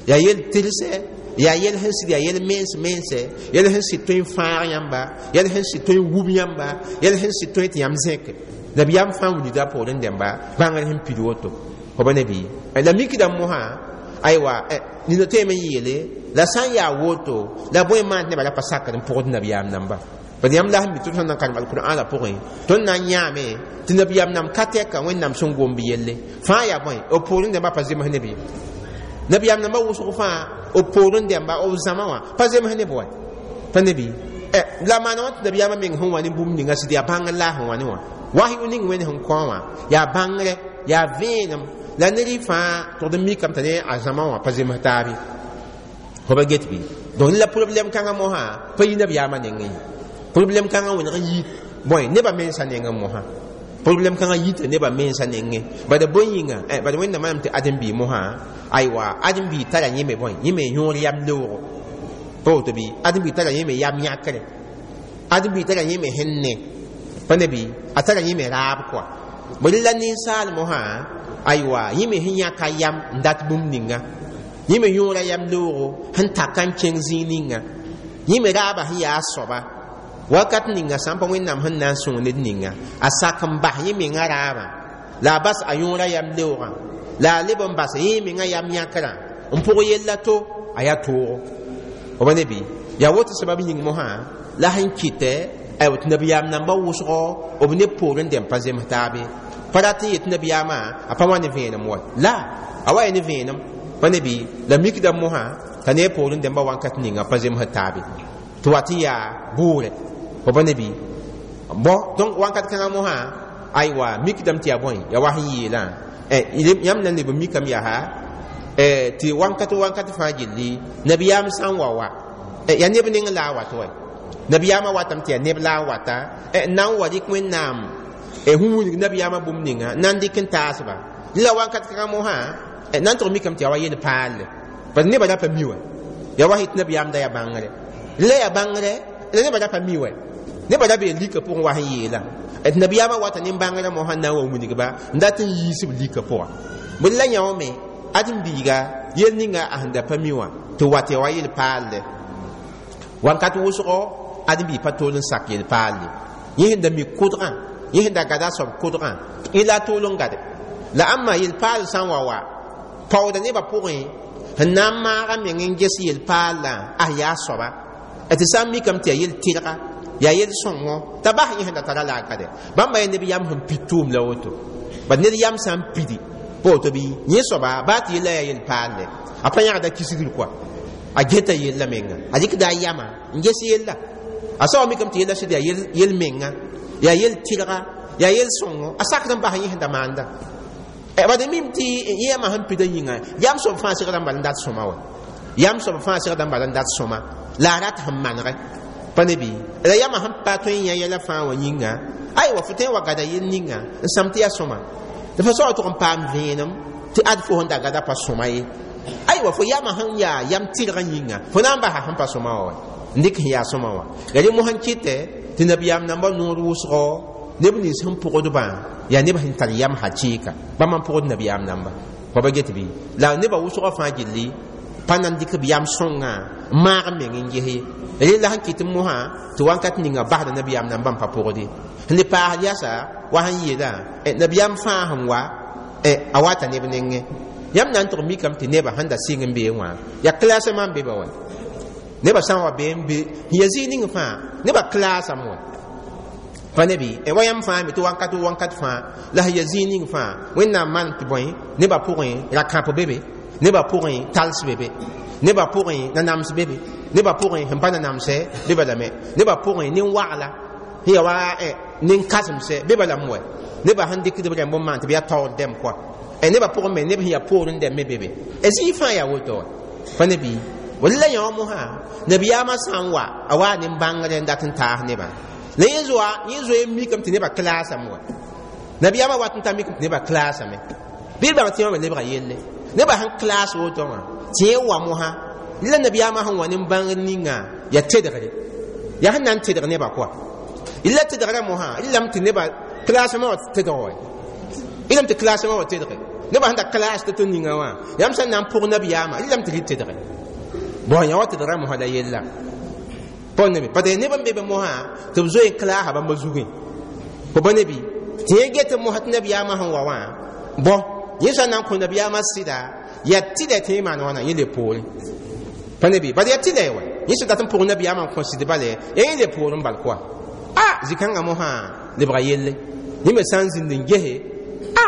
[SPEAKER 1] yaa yel tɩlsɛ yaa yɛl sẽn sɩd yaa yɛl mens mense yɛl sẽn sɩd tõe n fãag yãmba yɛl sẽn sɩd tõe n wub yãmba yɛl sẽn sɩd tõe tɩ yãmb zẽke nabiyaam fãa wilgda poorẽ dẽmba bãngr sẽn pid woto fo pa ne bɩ la mikdame mosã aywa nina tõeme n yeele la sã n yaa woto la bõe maan tɩ nebã ra pa sakd n pʋgd nabiyaam namba bad yãmb la sẽn mi tɩ tõnd na n karem alqur'ana pʋgẽ tõnd na n yãame tɩ nabiyaam nam ka tɛka wẽnnaam sẽn gomb yelle fãa yaa bõe b poorẽ dẽmba pa zems ne bɩ nabiyaam nambã wʋsg fãa b poorẽ dẽmba b zãma wã pa zems ne b wa pa ne bɩ la maana wã tɩ nabiyaamã meng sẽn wa ne bũmb ninga sɩd yaa bãngr la a sẽn wa ne wã wasy ning wẽnd sẽn kõ wã yaa bãngrɛ yaa vẽenem la ned fãa tʋgd n mikame t'a ne a zãma wã pa zems taabe fo pa get bɩ donc la problème kãngã mosã pa yi nabiyaamã nengẽ ye problème kãngã wẽneg n yi bõe nebã mensã nengẽ mosã problème kãngã yita nebã mensã nengẽ bad bõe yĩnga bad wẽnnaam manam tɩ ãdem-biig mosã aywa ãdem-biig tara yẽme bõe yẽme yõor yam leoogo pa woto bɩ ãdem-biig tara yẽme yam yãkre ãdem-biig tara yẽme sẽn ne pa ne bɩ a tara yẽme raab kɔa bõe la ninsaal mosã aywa yẽme sẽn yãka yam n dat bũmb ninga yẽme yõora yam leoogo sẽn taka n kẽng zĩig ninga yẽme raabã sẽn yaa a soaba wakat ninga sã n pa wẽnnaam sẽn na n sõng ned ninga a sak n bas yẽ mengã raabã la a bas a yõora yam leoogã la a leb n bas yẽ mengã yam yãkrã n pʋg yella to a yaa toogo f pa ne bɩ yaa woto sabab yĩng mosã la sẽn kɩtɛ aywa tɩ nabiyaam nambã wʋsgo b ne poorẽ dẽmb pa zems taabe pa rat n yet nabiyaamã a pa wa ne vẽenem wa la a wa ya ne vẽenem pa ne bɩ la mikdame mosã t'a ne poorẽ dẽmbã wãnkat ninga pa zems taabe tɩ wat n yaa bʋʋrɛ fo pa ne bɩ bon donc wãnkat kãngã mosã aywa mikdame tɩ yaa bõe ya wa sẽn yeelã yãmb na leb n mikame yaa tɩ wãnkat wãnkat fãa gilli nabiyaam sã n wa wa yaa neb neng la a wat wa nabiyaamã watame tɩ yaa neb la a wata n na n wa rɩk wẽnnaam sẽn wilg nabiyaamã bũmb ninga na n dɩk n taasba la wãnkat kãngã mosã na n tʋg mikame tɩ yaa wa yel paalle bad nebã ra pa mi wa yaa wa yet nabiyaam da yaa bãngre la yaa bãngre la nebã ra pa mi wa nebã ra bee lika pʋgẽ wa sẽn yeelã tɩ nabiyaamã wata nin-bãngrã mosã na n wa wilgba n dat n yiis b lika pʋga bõe la yã wã me ãdem-biiga yel ninga a sẽn da pa mi wã tɩ wat ya wa yel paalle wãnkat wʋsgo ãdem-biig pa tool n sak yel paalle yẽ sẽn da mi kʋdgã yẽ sẽn da gada a soab kʋdgã yẽ la a tool n gade la ãmba yel paal sã n wa wa paooda nebã pʋgẽ sẽn na n maaga meng n ges yel paallã a yaa soaba tɩ sã n mikame tɩ yaa yel tɩrga yaa yel sõngo t'a bas yẽ sẽn da tara la a gade bãmba yaa neb yam sẽn pid tʋʋm la woto bad ned yam sã n pidi pa woto bɩ yẽ soaba baa tɩ yella yaa yel paalle a pa yãgda kisgr kɔa a geta yella menga a dɩkda a yama n ges yella a soaba mikame tɩ yella sɩd yaa yel menga yaa yel tɩrga yaa yel sõngo a sakd n bas yẽ sẽn da maanda bad mim tɩ yẽ yamã sẽn pida yĩnga yam soab fãa segda n bal n dat sõma wa yam soab fãa segda n bal n dat sõma la a rat sẽn manege pa ne bɩ la yamã sẽn pa tõe n yã yɛla fãa wã yĩnga aywa fo tõe n wa gada yel ninga n sãm tɩ yaa sõma tɩ fo soaba tʋg n paam vẽenem tɩ ad fo sẽn da gada pa sõma ye aywa fo yamã sẽn yaa yam tɩrgã yĩnga fo na n basa sẽn pa sõma wã wa n dɩk sẽn yaa sõma wã yaa rẽ mosã n kɩtɛ tɩ nabiyaam nambã noor wʋsgo neb nins sẽn pʋgdbã yaa neb sẽn tar yam hakɩɩka bãmb n pʋgd nabiyaam namba fa ba get bɩ la nebã wʋsgã fãa gilli pa na n dɩk b yam sõngã n maag n meng n ges ye rela sẽn kɩt mosã tɩ wãnkat ninga basda nabiyaam nambã n pa pʋgd ye sẽn le paasd yasa wa sẽn yeelã nabiyaam fãa sẽn wa a wata neb nengẽ yãmb na n tʋg mikame tɩ nebã sẽn da sɩng n bee wã yaa klasẽmã n be ba wa nebã sã n wa bee n be sẽn ya zĩig ning fãa nebã klasame wa pa ne bɩ wa yãmb fãa me tɩ wãnkat wãnkat fãa la sẽn ya zĩig ning fãa wẽnnaam maan tɩ bõe nebã pʋgẽ rakãp be be nebã pʋgẽ tals be be nebã pʋgẽ nanams be be nebã pʋgẽ sẽn pa nanamsɛ be balame nebã pʋgẽ nin-wagla sẽn ya wa nin-kazemsɛ be balame wa nebã sẽn dɩkd b rẽmb n maan tɩ b yaa taoor dɛm kɔa nebã pʋgẽ me neb sẽn yaa poorẽ dɛm me be be zĩig fãa yaa woto wa pa ne bɩ la yã wã mosã nabiyaamã sã n wa a waa nin-bãngr n dat n taas nebã la yẽ zoa yẽ zoe n mikame tɩ nebã klasame wa nabiyaamã wat n ta mikame tɩ nebã klasame bɩ d bãng tɩ yã me lebga yelle nebã sẽn klas woto wã tɩ yẽ wa mosã la nabiyaamã sẽn wa nin-bãngr ninga yaa tedgre yaa sẽn na n tedg nebã kɔa la tedgrã mosã lame tɩ nebã klasmã wa tedg wa lame tɩ klasmã wa tedge nebã sẽn da klas tɩ tɩ ninga wã yãmb sẽn na n pʋg nabiyaamã lame tɩ rɩ tedge bõn yã wa tedgrã mosã la yella pa ne bɩ parce neb n be be mosã tɩ b zoe n klaasa bãmba zugẽ fo ba ne bɩ tɩ yẽ get mosã tɩ nabiyaamã sẽn wa wã bõ yẽ sã n na n kõ nabiyaamã sɩda yaa tɩlɛ tɩ yẽ maan wãna yẽ le poorẽ pa ne bɩ bala yaa tɩlɛ wa yẽ sẽn dat n pʋg nabiyaamã n kõ sɩd bale yaa yẽ le poorẽ bal kɔa a zĩ-kãngã mosã lebga yelle yẽ me sã n zĩnd n gese a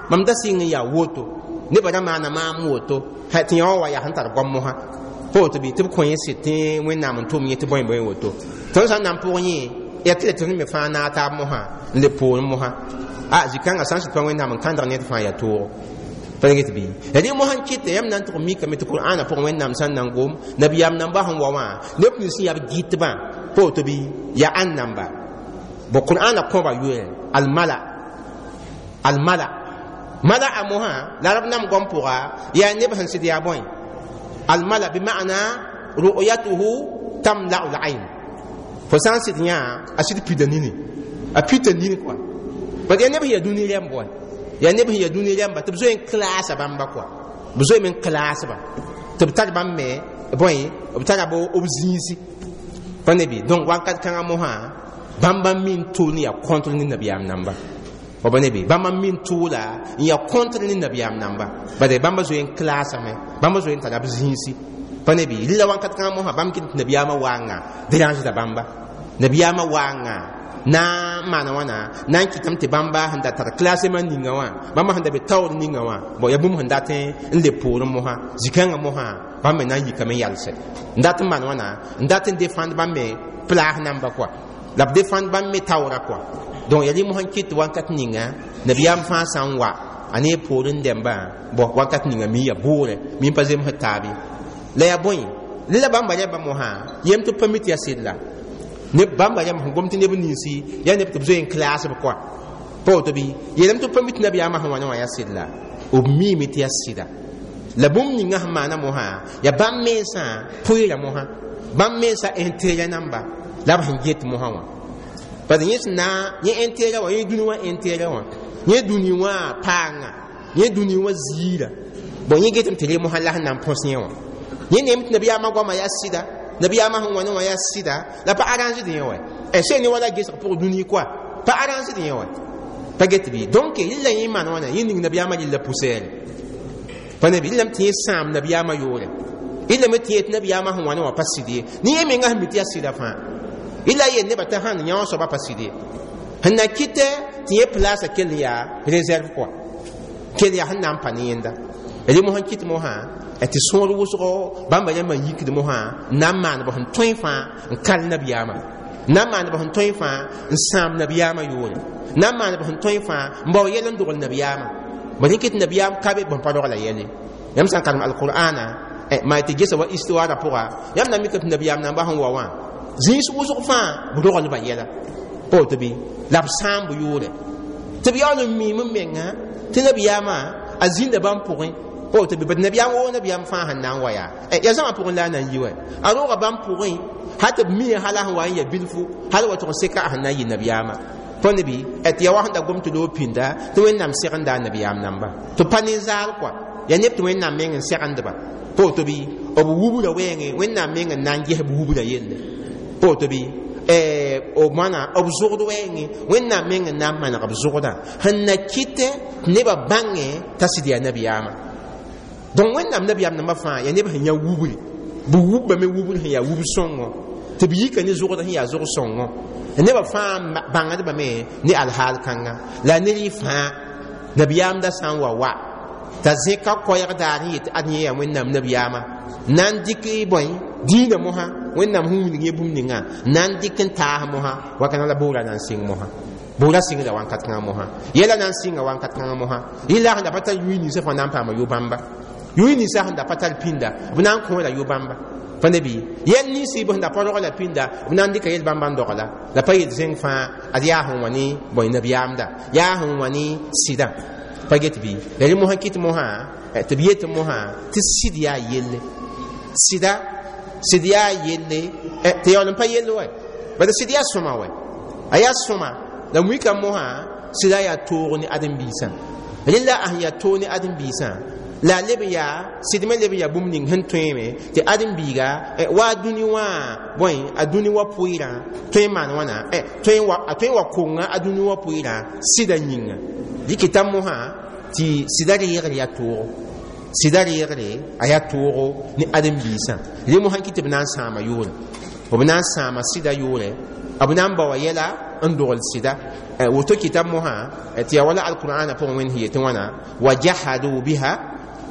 [SPEAKER 1] mam da sɩng n yaa woto nebã ra maana maam woto tɩ yã wã wa yaa sẽn tar goam mosã pa woto bɩ tɩ b kõ yẽ sɩd tɩ wẽnnaam n tʋm yẽ tɩ bõe bõe woto tõnd sã n na n pʋg yẽ yaa tɩ tɩ me fãa naag taab mosã n le poorẽ mosã a zĩ-kãngã sã n sɩd pa wẽnnaam n kãndg ned fãa yaa toogo pa get bɩ rẽ mosã n kɩtɛ yãmb na n tʋg mikame tɩ qur'aana pʋgẽ wẽnnaam sã n na n gom nabiyaam nambã sẽn wa wã neb nins sẽn yaa b gɩtbã pa woto bɩ yaa ãn namba bõ qur'aana kõba yoɛɛ almala almala mala a mosã la rab nam gom pʋga yaa neb sẽn sɩd yaa bõe almala bi ma'ana ru'yatuhu tamla'u al-ayn fo sã n sɩd yã a sɩd pida nini a pita nini kɔa bad yaa neb sẽn yaa dũni rɛmb wa yaa neb sẽn yaa dũni rɛmba tɩ b zoe n klaasa bãmba kɔa b zoe n klaasba tɩ b tar bãmb me bõe b tara b b zĩisi pa ne bɩ donc wãnkat kãngã mosã bãmba min tʋʋl n yaa contre ne nabiyaam namba wa ba ne bɩ bãmba min tʋʋla n yaa contre ne nabiyaam namba bade bãmba zoe n klaasame bãmba zoe n tara b zĩisi pa ne bɩ rɩla wãnkat kãngã mosã bãmb kɩt tɩ nabiyaamã waanga dérangeda bãmba nabiyaamã waanga na n maana wãna na n kɩtame tɩ bãmba sẽn da tar klasema ninga wã bãmba sẽn da be taoor ninga wã bon yaa bũmb sẽn dat n le poorẽ mosã zĩ-kãngã mosã bãmb me na n yikame n yalsɛ n dat n maan wãna n dat n défendre bãmb me plaas namba kɔa la b défendre bãmb me taoora kɔa Donc yaa rẽ mosã n kɩt wakat ninga nabiyaam fãa sã n wa a ne poorẽ dẽmbã bõ wakat ninga mi ya boore mi n pa zemsd taab ye la yaa bõe la bãmba rẽmba mosã yem tɩ b pa mi tɩ yaa sɩd la neb bãmba rẽmb sẽn gom tɩ neb ninsi yaa neb tɩ b zoe n klaasb kɔa pa woto bɩ yeelame tɩ b pa mi tɩ nabiyaamã sẽn wa ne wã yaa sɩd la b miime tɩ yaa sɩda la bũmb ninga sẽn maana mosã yaa bãmb mensã pʋɩɩra mosã bãmb mensã intérêt namba la b sẽn get mosã wã parce que yẽ sẽn na yẽ intérêt wã yẽ dũni wã intérêt wã yẽ dũni wã paanga yẽ dũni wã ziira bon yẽ getame tɩ re mosã la sẽn na n põs yẽ wã yẽ neem tɩ nabiyaamã goamã yaa sɩda nabiyaamã sẽn wa ne wã yaa sɩda la pa arranged yẽ wa sẽn ne wala gesg pʋg dũni koa pa arranged yẽ wa pa get bɩ donc rɩla yẽ maan wãna yẽ ning nabiyaamã rɩlla poussière pa nabi rɩlame tɩ yẽ sãam nabiyaamã yoore rɩlame tɩ yẽ tɩ nabiyaamã sẽn wa ne wã pa sɩd ye ne yẽ menga sẽn mi tɩ yaa sɩda fãa rɩla yel nebã t'a sãn yã wã soaba pa sɩd ye sẽn na kɩtɛ tɩ yẽ place kell n yaa réserve kɔa kell yaa sẽn na n pa ne yẽnda rẽ mosã n kɩt mosã tɩ sõor wʋsgo bãmba rãmbã n yikd mosã n na n maan b sẽn tõe fãa n kal nabiyaamã n na n maan b sẽn tõe fãa n sãam nabiyaamã yoore n na n maan b sẽn tõe fãa n bao yɛl n dogl nabiyaamã ba rẽ kɩt nabiyaam ka be bõn pa rogla yɛle yãmb sã n karem alqur'ana maa tɩ gesa wa histoire pʋga yãmb na mika tɩ nabiyaam namba sẽn wa wã zĩis wʋsg fãa b roglba yɛla pa woto bɩ la b sãam b yʋʋre tɩ b yaool n miim n menga tɩ nabiyaamã a zĩnda bãmb pʋgẽ pa woto bɩ bad nabiyaam woo nabiyaam fãa sẽn na n wa yaa yaa zãma pʋgẽ la a na n yi wa a rooga bãmb pʋgẽ hal tɩ b mii hala sẽn wa n ya bilfu hal wa tʋg n seka a sẽn na n yɩ nabiyaamã tõnd bɩ tɩ yaa wa sẽn da gom tɩ loog pĩnda tɩ Wẽnnaam segenda a nabiyaam namba tɩ pa ne zaal kɔa yaa neb tɩ Wẽnnaam meng n segendba pa woto bɩ b wubra wɛɛngẽ Wẽnnaam meng n na n ges b wubra yelle pa woto bɩ b moana b zʋgd wɛɛngẽ Wẽnnaam meng n na n maneg b zʋgdã sẽn na kɩtɛ tɩ nebã bãngẽ t'a sɩd yaa nabiyaamã donc Wẽnnaam nabiyaam nambã fãa yaa neb sẽn yã wubri b wubbame wubr sẽn yaa wub sõngo tɩ b yika ne zʋgd sẽn yaa zʋg sõngo nebã fãa bãngdbame ne alhaal kãnga la ned y fãa nabiyaamda sã n wa wa t'a zẽka koɛɛg daar n yet ad yẽ yaa Wẽnnaam nabiyaamã na n dɩk bõe dĩinã mosã Wẽnnaam sẽn wilg yẽ bũmb ninga na n dɩk n taas mosã wakana la boora na n sɩng mosã boora sɩngda wankat kãngã mosã yɛla na n sɩnga wankat kãngã mosã rɩla sẽn da pa tar yʋɩ ninsã fãa na n paama yo-bãmba yʋɩ ninsã sẽn da pa tar pĩnda b na n kõ la yo-bãmba pa ne bɩ yɛl ninsi b sẽn da pa rogla pĩnda b na n dɩka yel bãmba n dogla la pa yel zẽng fãa ad yaa sẽn wa ne bõe nabiyaamda yaa sẽn wa ne sɩdã pa get bɩ la rẽ mosã kɩt mosã tɩ b yet mosã tɩ sɩd yaa yelle sɩda sɩd yaa yelle tɩ yaool n pa yell wa bad sɩd yaa sõma wa a yaa sõma la wika mosã sɩda yaa toog ne ãdem-biisã rẽla a sẽn yaa toog ne ãdem-biisã la leb yaa sɩd me leb yaa bũmb ning sẽn tõeeme tɩ ãdem-biiga wa a dũni wã bõe a dũni wã pʋɩɩrã tõe n maan wãna tõe a tõe n wa konga a dũni wã pʋɩɩrã sɩda yĩnga dɩkɩta mosã tɩ sɩda reegr yaa toogo sɩda reegre a yaa toogo ne ãdem-biisã rẽ mosã kɩ tɩ b na n sãama yʋʋre b na n sãama sɩda yʋʋre b na n baoa yɛla n dogl sɩda woto kɩta mosã tɩ yaa wala alqur'ana pʋgẽ Wẽnd sẽn yetɩ wãna wa jahadu biha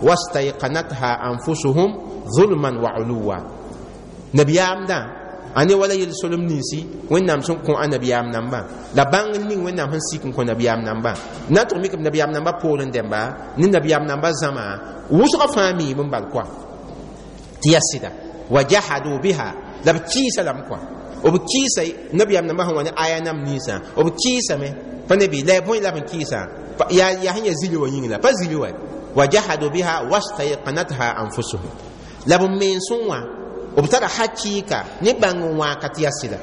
[SPEAKER 1] wastayqanatha anfusuhum zulman wa uluwa nabiyaamdã a ne wala yel-solem ninsi Wẽnnaam sẽn kõ a nabiyaam nambã la bãng ning Wẽnnaam sẽn sik n kõ nabiyaam nambã na n tʋg mik b nabiyaam nambã poorẽ dẽmba ne nabiyaam nambã zãma wʋsgã fãa miime n bal koa tɩ yaa sɩda wa jahadu biha la b kɩɩsa lame koa b kɩɩsa nabiyaam nambã sẽn wa ne aya nam ninsã b kɩɩsame pa ne bɩ la ya bõe la b n kɩɩsã yaa sẽn yaa zili wã yĩng la pa zili wa wa jahadu biha wastayqanatha anfusuhum la b mensẽ wã b tara hakɩɩka ne bãng n wãaka tɩ yaa sɩda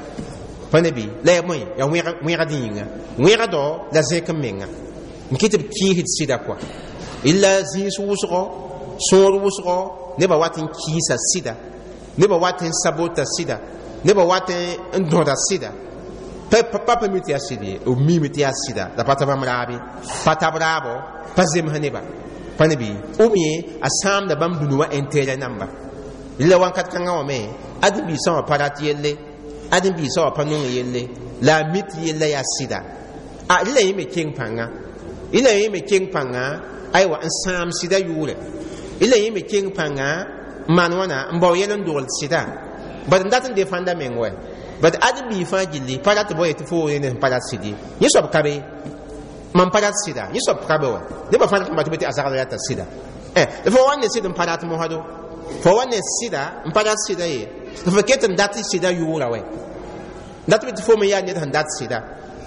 [SPEAKER 1] pa ne bɩ la ya bõe yaa wẽgd yĩnga wẽgdɔ la zẽk n menga n kɩ tɩ b kɩɩsd sɩda kɔa illa zĩis wʋsgɔ sõor wʋsgɔ nebã wat n kɩɩsa sɩda nebã wat n sabota sɩda nebã wat n dõda sɩda pa pa mi tɩ yaa sɩd ye b miime tɩ yaa sɩda la pa tab m raabe pa tab raabo pa zems neba pa ne bɩ ou bien a sãamda bãmb dũni wã intérêt namba la wãnkat kãngã wã me ãdem-biisã wã pa rat yelle ãdem-biisã wã pa nong yelle la a mi tɩ yella yaa sɩda a rɩla yẽ me keng pãnga rɩla yẽ me keng pãnga aywa n sãam sɩda yʋʋrɛ rɩla yẽ me keng pãnga n maan wãna n bao yɛl n dogl sɩda bad n dat n defãnda meng wɛ Bat ad bi fãa gilli pa rat bɩ tɩ fo ne pa rat sɩd ye. Yẽ soab ka be, mam pa rat sɩda, yẽ soab ka be wa. Nebã fãa rat n bate tɩ a zagl rata sɩda. Fo wa ne sɩd n pa rat mosado, fo wa ne sɩda n pa rat sɩda ye, tɩ fo ket n dat sɩda yʋʋra wɛ. Dat bɩ tɩ fo me yaa ned sẽn dat sɩda,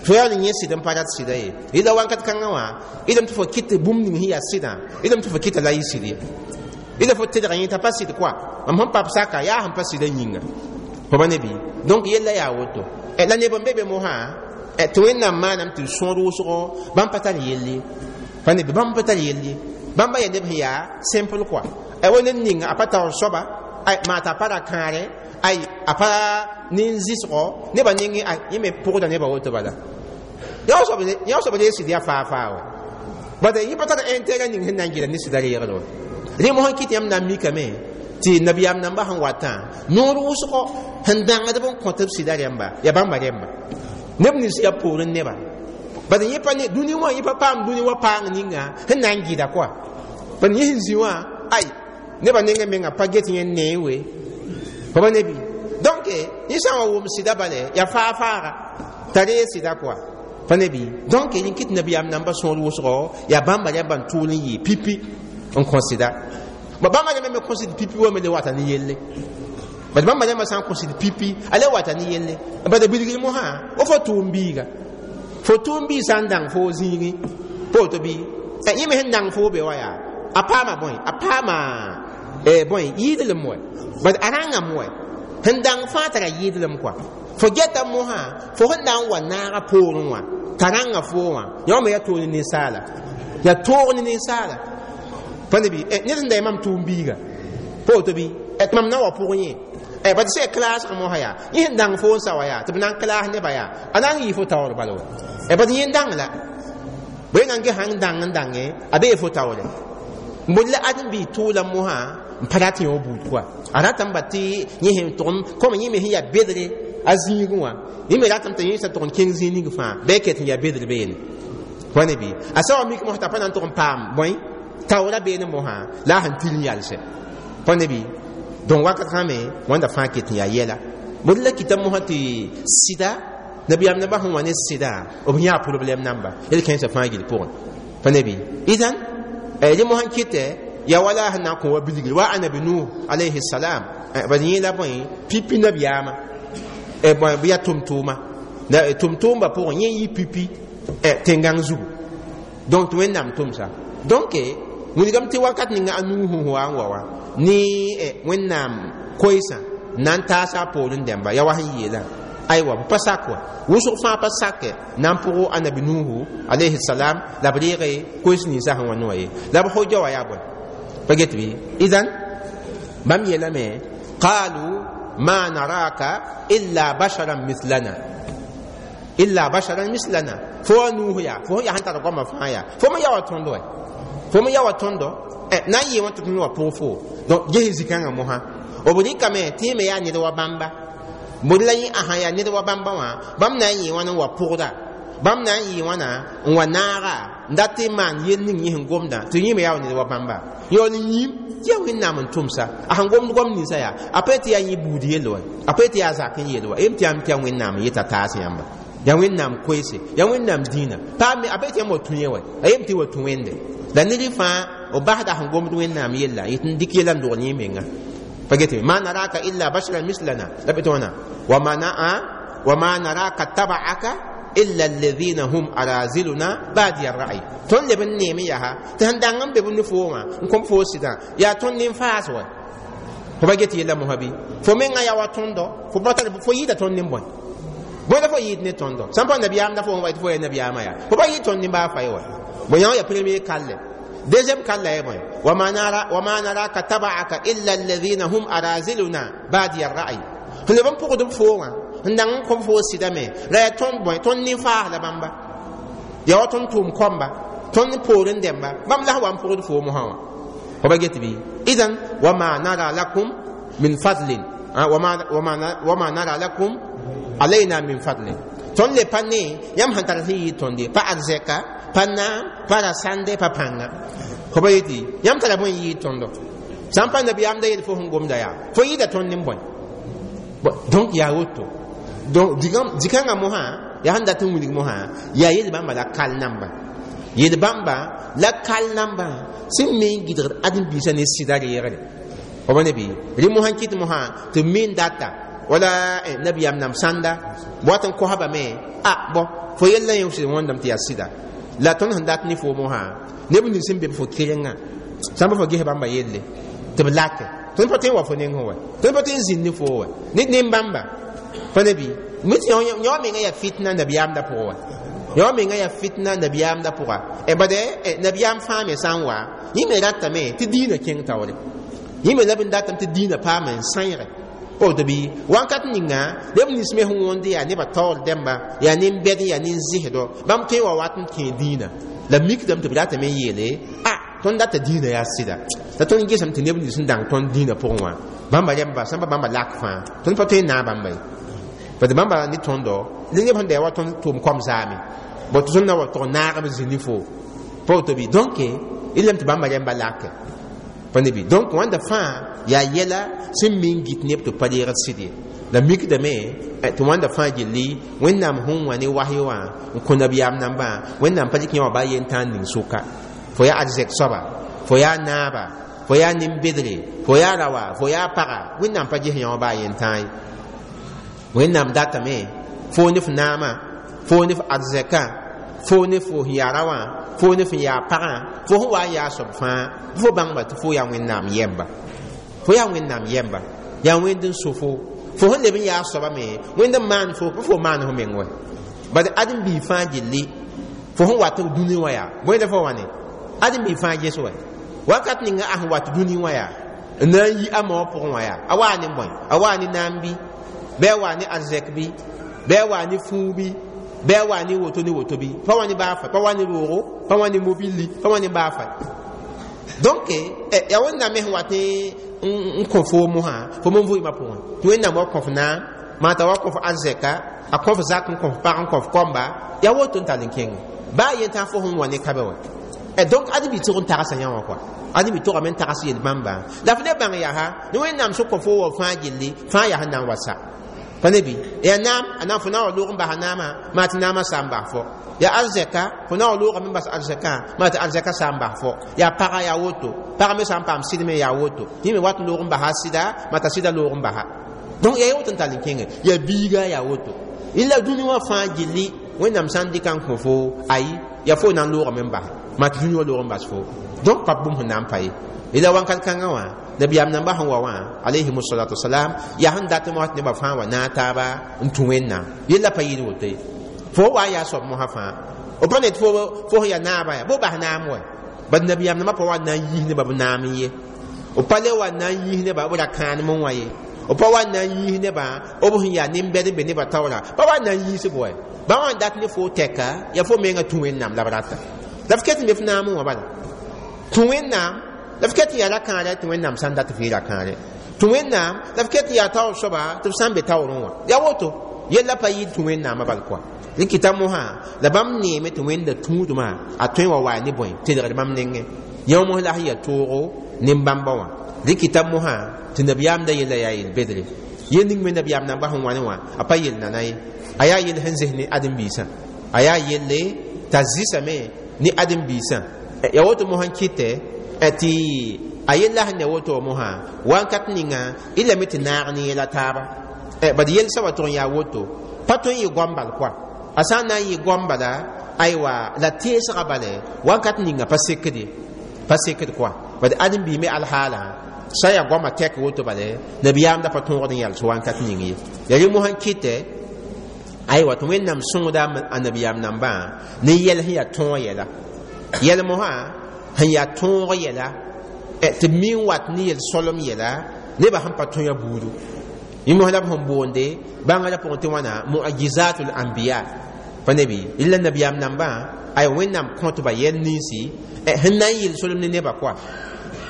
[SPEAKER 1] fo yaa ne yẽ sɩd n pa rat sɩda ye. Yẽla wakat kãngã wã, ɩdame tɩ fo kɩt bũmb ning sẽn yaa sɩdã, ɩdame tɩ fo kɩta la yɩ sɩd ye. Ɩla fo tedg yẽ t'a pa sɩd koa, mam sẽn pa saka yaa sẽn pa sɩda yĩnga. Fo pa ne bɩ? Donc yella yaa woto. La neb n be be mosã tɩ Wẽnnaam maanam tɩ sõor wʋsgo, bãmb pa tar yelle. Pa ne bɩ? Bãmb pa tar yelle. Bãmba yaa neb sẽn yaa simple koa. Wa ned ninga a pa taoor soaba, maa t'a pa ra kãare, ay a pa nin-zɩsgo nebã nengẽ, yẽ me pʋgda nebã woto bala. Yã soab ree sɩd yaa faa faa wa. Bad yẽ pa tar intérêt ning sẽn na n gɩla ne sɩda reegr wa. Rẽ mosã kɩt yãmb na n mikame tɩ nabiyaam nambã sẽn watã noor wʋsgo sẽn dãngdb n kõt b sɩda rẽmba yaa bãmba rẽmba. Neb nins yaa poorẽ neba. Bad yẽ pa ne dũni wã, yẽ pa paam dũni wã paang ninga sẽn na n gɩda koa. Bad yẽ sẽn zĩ wã, ay nebã nengã menga pa get yẽ nee we. Fo pa ne bɩ? Donc yẽ sã n wa wʋm sɩda bale yaa faa faaga t'a ree sɩda koa. Pa ne bɩ? Donc yẽ kɩt nabiyaam nambã sõor wʋsgo yaa bãmba rẽmba n tʋʋl n yɩ pipi n kõ sɩda. Ba bãmba rẽmba me kõ sɩd pipi wa me le wata ne yelle. Bad bãmba rẽmba sã n kõ sɩd pipi, a le wata ne yelle. Bad bilgr mosã, fo tʋʋm biiga. Fo tʋʋm biig sã n dãng fo zĩigẽ, pa woto bɩ? Yẽ me sẽn dãng fo be wa yaa, a paama bõe? A paama bõe? Yɩɩdlem wɛ. Bad a rãngame wɛ. Sẽn dãng fãa tara yɩɩdlem koa. Fo geta mosã, fo sẽn na n wa naaga poorẽ wã, t'a rãnga foo wã, yã me yaa toog ne ninsaala. Yaa toog ne ninsaala. Pa ne bɩ? Ned sẽn da yaa mam tʋʋm biiga. Pa woto bɩ? Tɩ mam na wa pʋgẽ yẽ. Bad sã klaasg mosã yaa, yẽ sẽn dãng fo n sa wa yaa, tɩ b na n klaas nebã yaa, a na n yɩ fo taoor bala wa. Bad yẽ n dãng la. Bõe na n ges sãn dãng n dãnge, a bee fo taoore. Bõe la ãdem-biig tʋʋla mosã n pa rat yõ buud koa. A ratame ba tɩ yẽ sẽn tʋgem, kom yẽ me sẽn yaa bedre a zĩigẽ wã, yẽ me ratame tɩ yẽ sã tʋg n kẽng zĩig ning fãa, bɩ a ket n yaa bedr beene. Pa ne bɩ? A sã wa mik mosã t'a pa na n tʋg n paam bõe taoora beene mosã la a sẽn til n yalsɛ. Pa ne bɩ? Donc wakat sã me wãnda fãa ket n yaa yɛla. Bõe la kɩta mosã tɩ sɩda nabiyaam nabã sẽn wa ne sɩda, b yãa problɛm namba yel kẽensã fãa gill pʋgẽ. Pa ne bɩ? Idan rẽ mosã kɩtɛ yaa wala sẽn na n kõ wa bilgr wa anabi Nuh alayhi salam. Bad yẽ la bõe pipi nabiyaamã, bɩ yaa tʋm-tʋʋma. La tʋm-tʋʋmbã pʋgẽ yẽ yɩ pipi tẽn-gãng zugu. Donc tɩ Wẽnnaam tʋmsa. Donc wilgame tɩ wakat ninga a Nuh sẽn wa n wa wã ne Wẽnnaam koeesã na n taasa a poorẽ dẽmba yaa wa sẽn yeelã. Aywa, b pa sak wa, wʋsg fãa pa sake na n pʋg anabi Nuhu alayhi salam la b reege koees ninsã sẽn wa ne wã ye. La b hoja wa yaa bõe? Pa get bɩ? Idan bãmb yeelame qalu ma naraka illa basharan mithlana, illa basharan mislana. Fo wa Nuhu yaa, fo sẽn yaa sẽn tar goamã fãa yaa, fo me yaa wa tõndo wɛ, fo me yaa wa tõndo na n yɩ wã tɩ tõnd wa pʋg fo. Donc ges zĩ-kãngã mosã b rɩkame tɩ yẽ me yaa ned wa bãmba. Bõe la yẽ ãsã yaa ned wa bãmba wã, bãmb na n yɩ wãna n wa pʋgda, bãmb na n yɩ wãna n wa naaga n dat tɩ maan yel ning yẽ sẽn gomdã tɩ yẽ me yaa wa ned wa bãmba. Yaool n yĩm tɩ yaa Wẽnnaam n tʋmsa, a sẽn gomd goam ninsã yaa, a pa tɩ yaa yẽ buud yell wa, a pa tɩ yaa zak n yel wa, yem tɩ yãmb tɩ yaa Wẽnnaam n yeta taas yãmba, yaa Wẽnnaam koeese, yaa Wẽnnaam dĩinã. Paam a pa tɩ yãmb wa tũ yẽ wa, a yem tɩ wa tũ Wẽnde. La ned fãa b basda sẽn gomd Wẽnnaam yella, yetɩ n dɩk yɛla n dogl yẽ menga. Pa get ma naraka illa basharan mislana, la bɩ tɩ wãna wa ma naraka taba'aka illa alladhina hum araziluna badiya ar-ra'y. Tõnd leb n neeme yaa tɩ sẽn dãng n be b ne foo wã n kõm foo sɩdã yaa tõnd nin-faas wa. Fo pa get yella mosã bɩ? Fo mengã yaa wa tõndo, fo pa tar fo yɩɩda tõnd nin-bõe? Bõe la fo yɩɩd ne tõndo? Sã n pa nabiyaam la fo n wa tɩ fo yaa nabiyaamã yaa, fo pa yɩɩd tõnd nin-baa fay wa. Bõe yã wã yaa premier kalle. Deuxième kalle yaa bõe? Wa ma naraka taba'aka illa alladhina hum araziluna badiya ar-ra'y. Sẽn leb n pʋgd b foo wã n dãng n kõm foo sɩdame la yaa tõnd bõe, tõnd nin-faas la bãmba, yaa wa tõnd tʋʋm kõmba, tõnd poorẽ dẽmba, bãmb la sẽn wa n pʋgd foo mosã wã. Fo pa get bɩ? Idan wa ma nara lakum min fadlin, wa ma nara lakum alayna min fadlin. Tõnd le pa ne yãmb sẽn tar sẽn yɩɩd tõnd ye, pa arzɛka, pa naam, pa rasãnde, pa pãnga. Fo pa yetɩ yãmb tara bõe n yɩɩd tõndo? Sã n pa nabiyaam da yel fo sẽn gomda yaa, fo yɩɩda tõnd nin-bõe? Donc yaa woto. Donc dikãngã mosã yaa sẽn dat n wilg mosã yaa yel bãmba la kal namba yel bãmba la kal nambã sẽn me n gɩdgd ãdem-biisã ne sɩda reegre f ne bɩ rẽ mosã n kɩt mosã tɩ b me n data wala nabiyaam nam sãnda wat n kosbame a bõ fo yella yẽ sɩd wõndame tɩ yaa sɩda la tõnd sẽn dat ne fo mosã neb nins sẽn be b fo kerengã sãn pa fo ges bãmba yelle tɩ b lake tõnd pa tõe n wa fo nengẽ wa tõnd pa tõe n zĩnd ne fo wa ned nen-bãmba pa ne bɩ mit yõ menga yaa fitna nabiyaamda pʋgẽ wa yõ menga yaa fitna nabiyaamda pʋga bad nabiyaam fãa me sã n wa yẽ me ratame tɩ diinã kẽng taoore yẽ me la b n datame tɩ diinã paame n sãeege woto bɩ wãnkat ninga neb nins me sẽn wõnd yaa nebã taoor dẽmba yaa nin-bɛd yaa nin-zɩsdɔ bãmb tõe n wa wat n kẽ diinã la mikdame tɩ b ratame n yeele a tõnd data diinã yaa sɩda la tõnd gesame tɩ neb nins sẽn dãng tõnd diinã pʋgẽ wã bãmba rẽmba sãn pa bãmba lak fãa tõnd pa tõe n naag bãmba ye parce bãmba ne tõndo ne neb sẽn da wa tõnd tʋʋm kom zaame bõ tɩ tõnd na wa tog naagb zĩ ne fo pa woto bɩ donc ilame tɩ bãmba rẽmba lake pa ne bɩ donc wãnda fãa yaa yɛla sẽn me n git neb tɩ pa reegd sɩd ye la mikdame tɩ wãnda fãa gilli wẽnnaam sẽn wã ne wasy wã n kõ nabiyaam nambã wẽnnaam pa dɩk yã wã baa yen tãag ning sʋka fo yaa arzɛk soaba fo yaa naaba fo yaa nin-bedre fo yaa rawa fo yaa paga wẽnnaam pa ges yã wã baa yen tãag ye wẽnnaam datame fo ne f naamã fo ne f arzɛkã fo ne fo sẽn yaa ra wã fo ne f yaa pagã fo sẽn wa n yaa soab fãa fo bãngba tɩ fo yaa wẽnnaam yɛmba fo yaa wẽnnaam yɛmba yaa wẽnd n so fo fo sẽn leb n yaa soaba me wẽnd n maan fo pa fo maan fo meng wɛ bad ãdem-biig fãa gilli fo sẽn wat dũni wã yaa bõe la fo wã ne ãdem-biig fãa ges wɛ wakat ninga a sẽn wat dũni wã yaa n na n yi a maoog pʋgẽ wã yaa a waa ne bõe a waa ne naam bɩ bɩ a waa ne arzɛk bɩ bɩ a waa ne fũu bɩ bɩ a waa ne woto ne woto bɩ pa wa ne baa fa pa wa ne roogo pa wa ne mobilli pa wa ne baa fa donc yaa wẽnnaam me sẽn wat n kõ fo mosã fo me n vʋɩmã pʋgẽ tɩ wẽnnaam wa kõf naam maa t'a wa kõf arzɛka a kõf zak n kõf pag n kõf kɔmba yaa woto n tall n kẽnge baa yen tã fo sẽn wa ne kabɛ wɛ donc ãdem-bi tʋg n tagsa yã wã kɔa ãdem-bi tʋgame n tags yel-bãmba la f le bãng yaa ne wẽnnaam sẽn kõ fo wa fãa gilli fãa yaa sẽn na n wa sa pa ne bɩ yaa naam a na n fo na n wa loog n basa naamã maa tɩ naamã sa n bas fo yaa arzɛka fo na n wa loogame n bas arzɛkã maa tɩ arzɛka sa n bas fo yaa paga yaa woto pag me sã n paam sɩd me yaa woto yẽ me wat n loog n basa a sɩda maa t'a sɩda loog n basa donc yaa woto n tall n kẽnge yaa biiga yaa woto la dũni wã fãa gilli wẽnnaam sã n dɩka n kõ fo ayi yaa fo na n loogame n basa maa tɩ dũni wã loog n bas fo donc pa bũmb sẽn na n pa ye la wãnkat kãngã wã nabiyaam nambã sẽn wa wã alayhim salatu wasalam yaa sẽn dat mosã tɩ nebã fãa wa naag taaba n tũ wẽnnaam yella pa yɩɩd woto ye fo wa n yaa soab mosã fãa b pa ned fo sẽn yaa naabã yaa bo bas naam wɛ bad nabiyaam nambã pa wa n na n yiis nebã b naam n ye b pa le wa n na n yiis nebã b ra kãanem wã ye b pa wa n na n yiis nebã b sẽn yaa nin-bɛd n be nebã taoora pa wa n na n yiis b wɛ bã wã n dat ne fo tɛka yaa fo menga tũ wẽnnaam la b rata la f ket n be f naam wã bala tũ wẽnnaam la f ket n yaa ra-kãarɛ tɩ wẽnnaam sã n dat f yɩ ra-kãarɛ tũ wẽnnaam la f ket n yaa taoor soaba tɩ b sã n be taoorẽ wã yaa woto yella pa yɩɩd tũ wẽnnaamã bal kɔa rẽ kɩta mosã la bãmb neeme tɩ wẽnda tũudmã a tõe wa waa ne bõe telgd bãmb nengẽ yã mos la sẽn yaa toogo nin-bãmba wã rẽ kɩta mosã tɩ nabiyaam da yella yaa yel-bedre yel ning me nabiyaam namba sẽn wã ne wã a pa yel nana ye a yaa yell sẽn zes ne ãdem-biisã a yaa yelle t'a zɩsame ne ãdem-biisã ya woto mosã n kɩtɛ tɩ a yella sẽn ne woto mosã wãnkat ninga y lame tɩ naag ne yɛla taaba bad yel soaba tʋg n yaa woto pa tõe n yɩ goam bal kɔa a sã n na n yɩ goam bala aywa la teesga bale wãnkat ninga pa sekd ye pa sekd kɔa bad ãdem-biig me alhaalã sã n yaa goamã tɛk woto bale nabiyaam da pa tõogd n yals wãnkat ning ye ya rẽ mosã n kɩtɛ aywa tɩ wẽnnaam sõngda a nabiyaam nambã ne yɛl sẽn yaa tõog yɛla yɛl mosã sẽn yaa tõog yɛla tɩ b mi n wat ne yel-solem yɛla nebã sẽn pa tõe a buudu yẽ mos la b sẽn boonde bãngrã pʋgẽ tɩ wãna muajizatul anbiya pa ne bɩ la nabiyaam nambã ay wẽnnaam kõtba yɛl ninsi sẽn na n yel solem ne nebã kɔa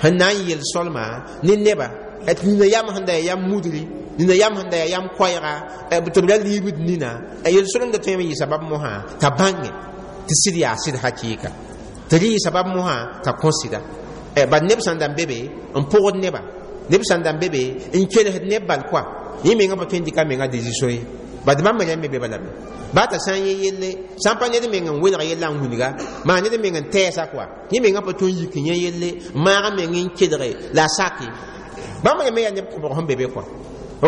[SPEAKER 1] sẽn na n yel solma ne neba tɩ nina yam sẽn da yaa yam mudri nina yam sẽn da yaa yam koɛɛga tɩ b ra liibd nina yel solemda tõeme n yɩ sabab mosã t'a bãnge tɩ sɩd yaa sɩd hakɩɩka tɩ rɩ yɩ sabab mosã t'a kõ sɩda bad neb sẽn da n be be n pʋgd neba neb sẽn da n be be n kelsd neb bal kɔa yẽ menga pa tõe n dɩka menga décision ye Bad bãmb me me be bala be ba t'a sã n yẽ yelle sã n pa ned meng n welg yella n wilga maa ned meng n tɛɛsa koa yẽ mengã pa tõe n yik n yẽ yelle n maag meng n kelge la a sake bãmb rẽmbe yaa neb kõbg sẽn be be koa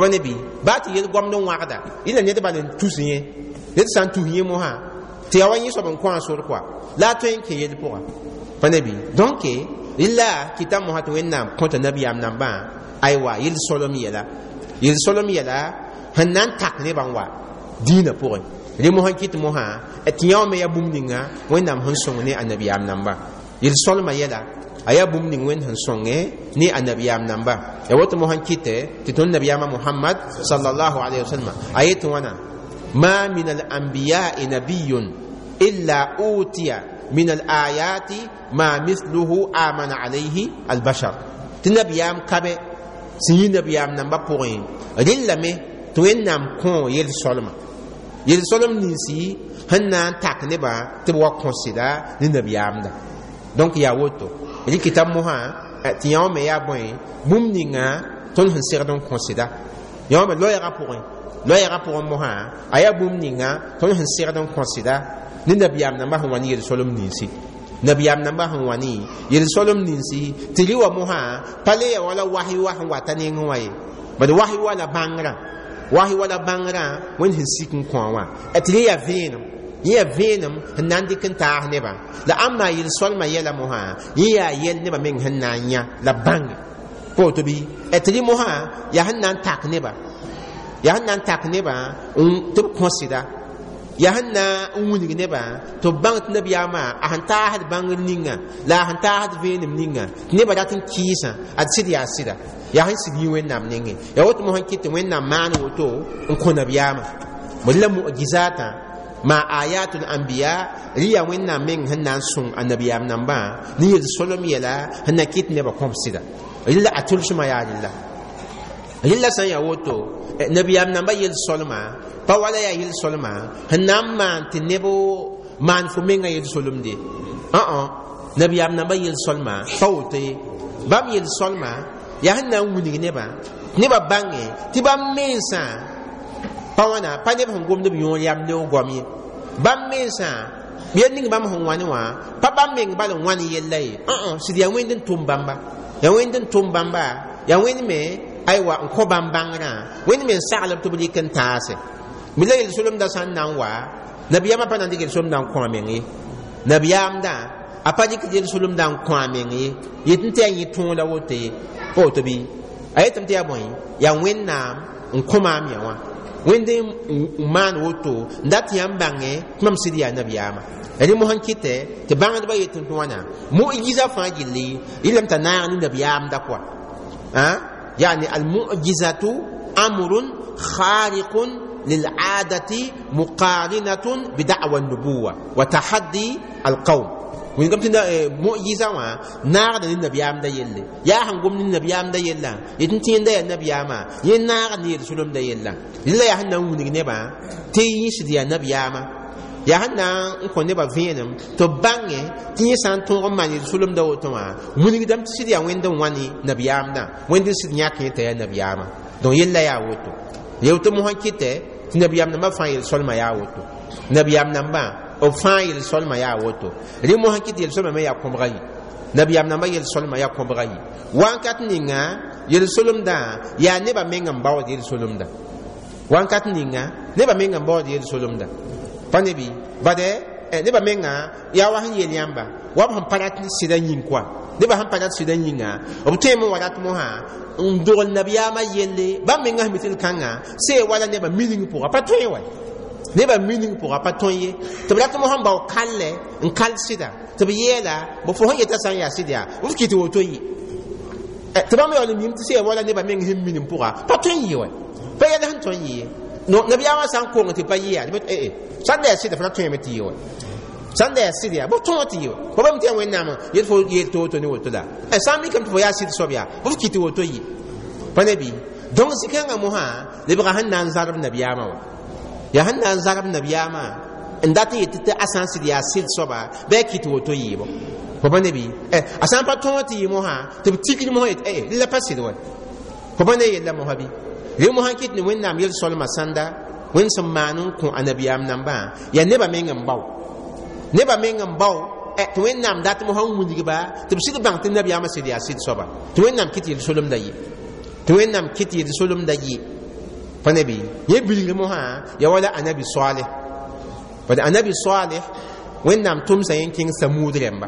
[SPEAKER 1] pa ne bɩ baa tɩ yel goamd n wãgda yẽla ned bal n tus yẽ ned sã n tus yẽ mosã tɩ yaa wa yẽ soab n kõ a sor koa la a tõe n kẽ yel pʋga pa ne bɩ donc rɩla kɩta mosã tɩ Wẽnnaam kõta nabiyaam nambã aywa yel solem yɛla yel solem yɛla sẽn na n tak nebã n wa dĩinã pʋgẽ rẽ mosã kɩt mosã tɩ yã wã me yaa bũmb ninga Wẽnnaam sẽn sõng ne a nabiyaam nambã yel solmã yɛla a yaa bũmb ning Wẽnd sẽn sõnge ne a nabiyaam namba ya woto mosã kɩtɛ tɩ tõnd nabiyaamã Muhammad sallallahu alayhi wa sallam a yet wãna ma min al anbiya'i nabiyyun illa utiya min al ayati ma mithluhu amana alayhi al bashar tɩ nabiyaam kabe sẽn yi nabiyaam nambã pʋgẽ rɩllame tɩ Wẽnnaam kõ yel solma yel solem ninsi sẽn na n tak nebã tɩ b wa kõ sɩda ne nabiyaamda donc yaa woto rɩkɩta mosã tɩ yã wã me yaa bõe bũmb ninga tõnd sẽn segd n kõ sɩda yã wã me loɛɛgã pʋgẽ loɛɛgã pʋgẽ mosã a yaa bũmb ninga tõnd sẽn segd n kõ sɩda ne nabiyaam nambã sẽn wa ne yel-solem ninsi nabiyaam nambã sẽn wa ne yel-solem ninsi tɩ rɩ wa mosã pa le ya wala wahi wa sẽn wata nengẽ wã ye bad wahi wa la bãngrã wahi wa la bãngrã Wẽnd sẽn sik n kõ wã tɩ rẽ yaa vẽenem yẽ yaa vẽenem sẽn na n dɩk n taas nebã la ãmba yel-solmã yɛla mosã yẽ yaa yɛl nebã meng sẽn na n yã la bãnge pa woto bɩ tɩ rẽ mosã yaa sẽn na n tak nebã yaa sẽn na n tak nebã tɩ b kõ sɩda yaa sẽn na n wilg nebã tɩ b bãng tɩ nabiyaamã a sẽn taasd bãngr ninga la a sẽn taasd vẽenem ninga tɩ nebã rat n kɩɩsã ad sɩd yaa sɩda yaa sẽn sɩd yĩ Wẽnnaam nengẽ yaa woto mosã kɩt tɩ Wẽnnaam maan woto n kõ nabiyaamã bd la mu'jizatã ma ayatul anbiya rɩ yaa Wẽnnaam meng sẽn na n sõng a nabiyaam nambã ne yel-solem yɛla sẽn na kɩt nebã kõb sɩda rɩla a tʋlsmã yaa rɩla rɩla sã n yaa woto nabiyaam nambã yel-solmã pa wala yaa yel-solmã sẽn na n maan tɩ neb maan fo mengã yel-solemde ã nabiyaam nambã yel-solmã pa woto ye bãmb yel-solmã yaa sẽn na n wilg nebã nebã bãnge tɩ bãmb mensã pa wãna pa neb sẽn gomd b yõor yam neoog goam ye bãmb mensã yel ning bãmb sẽn wãne wã pa bãmb meng bal n wãn yella ye ã sɩd yaa Wẽnd n tʋm bãmba yaa Wẽnd n tʋm bãmba yaa Wẽnd me aywa n kõ bãmb bãngrã Wẽnd me n saglb tɩ b rɩk n taase mi la yel-solemdã sã n na n wa nabiyaamã pa na n dɩk yel-solemdã n kõ a meng ye nabiyaamdã a pa dɩk yel-solemdã n kõ a meng ye yet n tɩ yaa yẽ tõog la woto ye pa woto bɩ a yetame tɩ yaa bõe yaa Wẽnnaam n kõ maam yã wã Wẽnd n maan woto n dat yãmb bãnge tɩ mam sɩd yaa nabiyaamã rẽ mosã n kɩtɛ tɩ bãngdbã yet tɩ wãna mu'jiza fãa gilli rɩlame t'a naag ne nabiyaamda koa yani almu'jizatu amrun khariqun للعادة مقارنة بدعوى النبوة وتحدي القوم wĩngame tɩ mu'jiza wã naagda ne nabiyaamda yelle yaa sẽn gom ne nabiyaamda yella yet n tẽenda yaa nabiyaamã yẽ naagd ne yel-solemda yella rɩla yaa sẽn na n wilg nebã tɩ yẽ sɩd yaa nabiyaamã yaa sẽn na n kõ nebã vẽenem tɩ b bãnge tɩ yẽ sã n tõog n maan yel-solemda woto wã wilgdame tɩ sɩd yaa Wẽnd n wa ne nabiyaamdã Wẽnd n sɩd yãk yẽ t'a yaa nabiyaamã donc yella yaa woto yeoto mosã kɩtɛ tɩ nabiyaam nambã fãa yel-solmã yaa woto nabiyaam nambã b fãa yel-solmã yaa woto rẽ mosã kɩt yel-solmã me yaa kõbga yi nabiyaam nambã yel-solmã yaa kõbga yi wãnkat ninga yel-solemdã yaa nebã meng n baood yel-solemda wãnkat ninga nebã meng n baood yel-solemda pa ne bɩ bade nebã menga yaa wa sẽn yel yãmba wa b sẽn pa rat sɩda yĩng koa nebã sẽn pa rat sɩda yĩnga b tõeme n wa rat mosã n dogl nabiyaamã yelle bãmb menga sẽn mi tɩ d kãnga see wala nebã mining pʋga pa tõe wa nebã mining pʋga pa tõe ye tɩ b rat mosã n bao kallɛ n kal sɩda tɩ b yeela b fo sẽn yeta sã n yaa sɩd yaa b kɩ tɩ woto yɩ tɩ bãmb yaool n mim tɩ see wala nebã meng sẽn minim pʋga pa tõe n yɩ wa pa yɛl sẽn tõe n yɩ ye nabiyaamã sã n kong tɩ pa yɩ yaa sãn da yaa sɩda fo ra tõeme tɩ yɩ wa sãn da yaa sɩd yaa b tõog tɩ yɩ wa pa bame tɩ yaa Wẽnnaam yet fo yeel tɩ woto ne woto la sã n mikame tɩ fo yaa sɩd soab yaa b f kɩ tɩ woto yɩ pa ne bɩ donc zĩ-kãngã mosã lebga sẽn na n zarb nabiyaamã wa yaa sẽn na n zarb nabiyaamã n dat n yet tɩ a sã n sɩd yaa sɩd soaba bɩ a kɩ tɩ woto yɩɩbo fo pa ne bɩ a sã n pa tõog tɩ yɩ mosã tɩ b tikd mosã yet la pa sɩd wa fo pa ne yella mosã bɩ rẽ mosã kɩt ne Wẽnnaam yel-solmã sãnda Wẽnd sẽn maan n kõ a nabiyaam nambã yaa nebã meng n bao nebã meng n bao tɩ Wẽnnaam dat mosã n wilgba tɩ b sɩd bãng tɩ nabiyaamã sɩd yaa sɩd soaba tɩ Wẽnnaam kɩt yel-solemda ye tɩ Wẽnnaam kɩt yel-solemda ye pa ne bɩ yẽ bilgr mosã ya wala anabi Saleh bad anabi Saleh Wẽnnaam tʋmsa yẽ kẽng Samuud rẽmba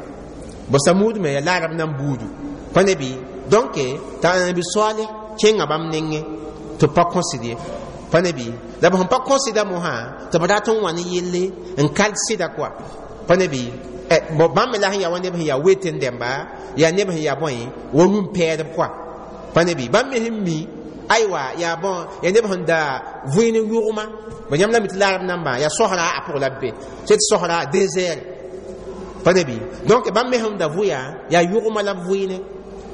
[SPEAKER 1] bo Samuud me ya laarab nan buudu pa ne bɩ donc t'a anabi Saleh kẽnga bãmb nengẽ tɩ b pa kõsd ye pa ne bɩ la b sẽn pa kõsda mosã tɩ b rat n wa ne yelle n kal sɩda koa pa ne bɩ bãmb me la sẽn yaa wa neb sẽn yaa wetẽ dẽmba yaa neb sẽn yaa bõe wa rũm-pɛɛdb koa pa ne bɩ bãmb me sẽn mi aywa yaa bõn yaa neb sẽn da vẽen yʋgma ba yãmb la mi tɩ laarb nambã yaa sosra a pʋg la b be tɩ sosra désert pa ne bɩ donc bãmb me sẽn da vʋya yaa yʋgma la b vʋɩne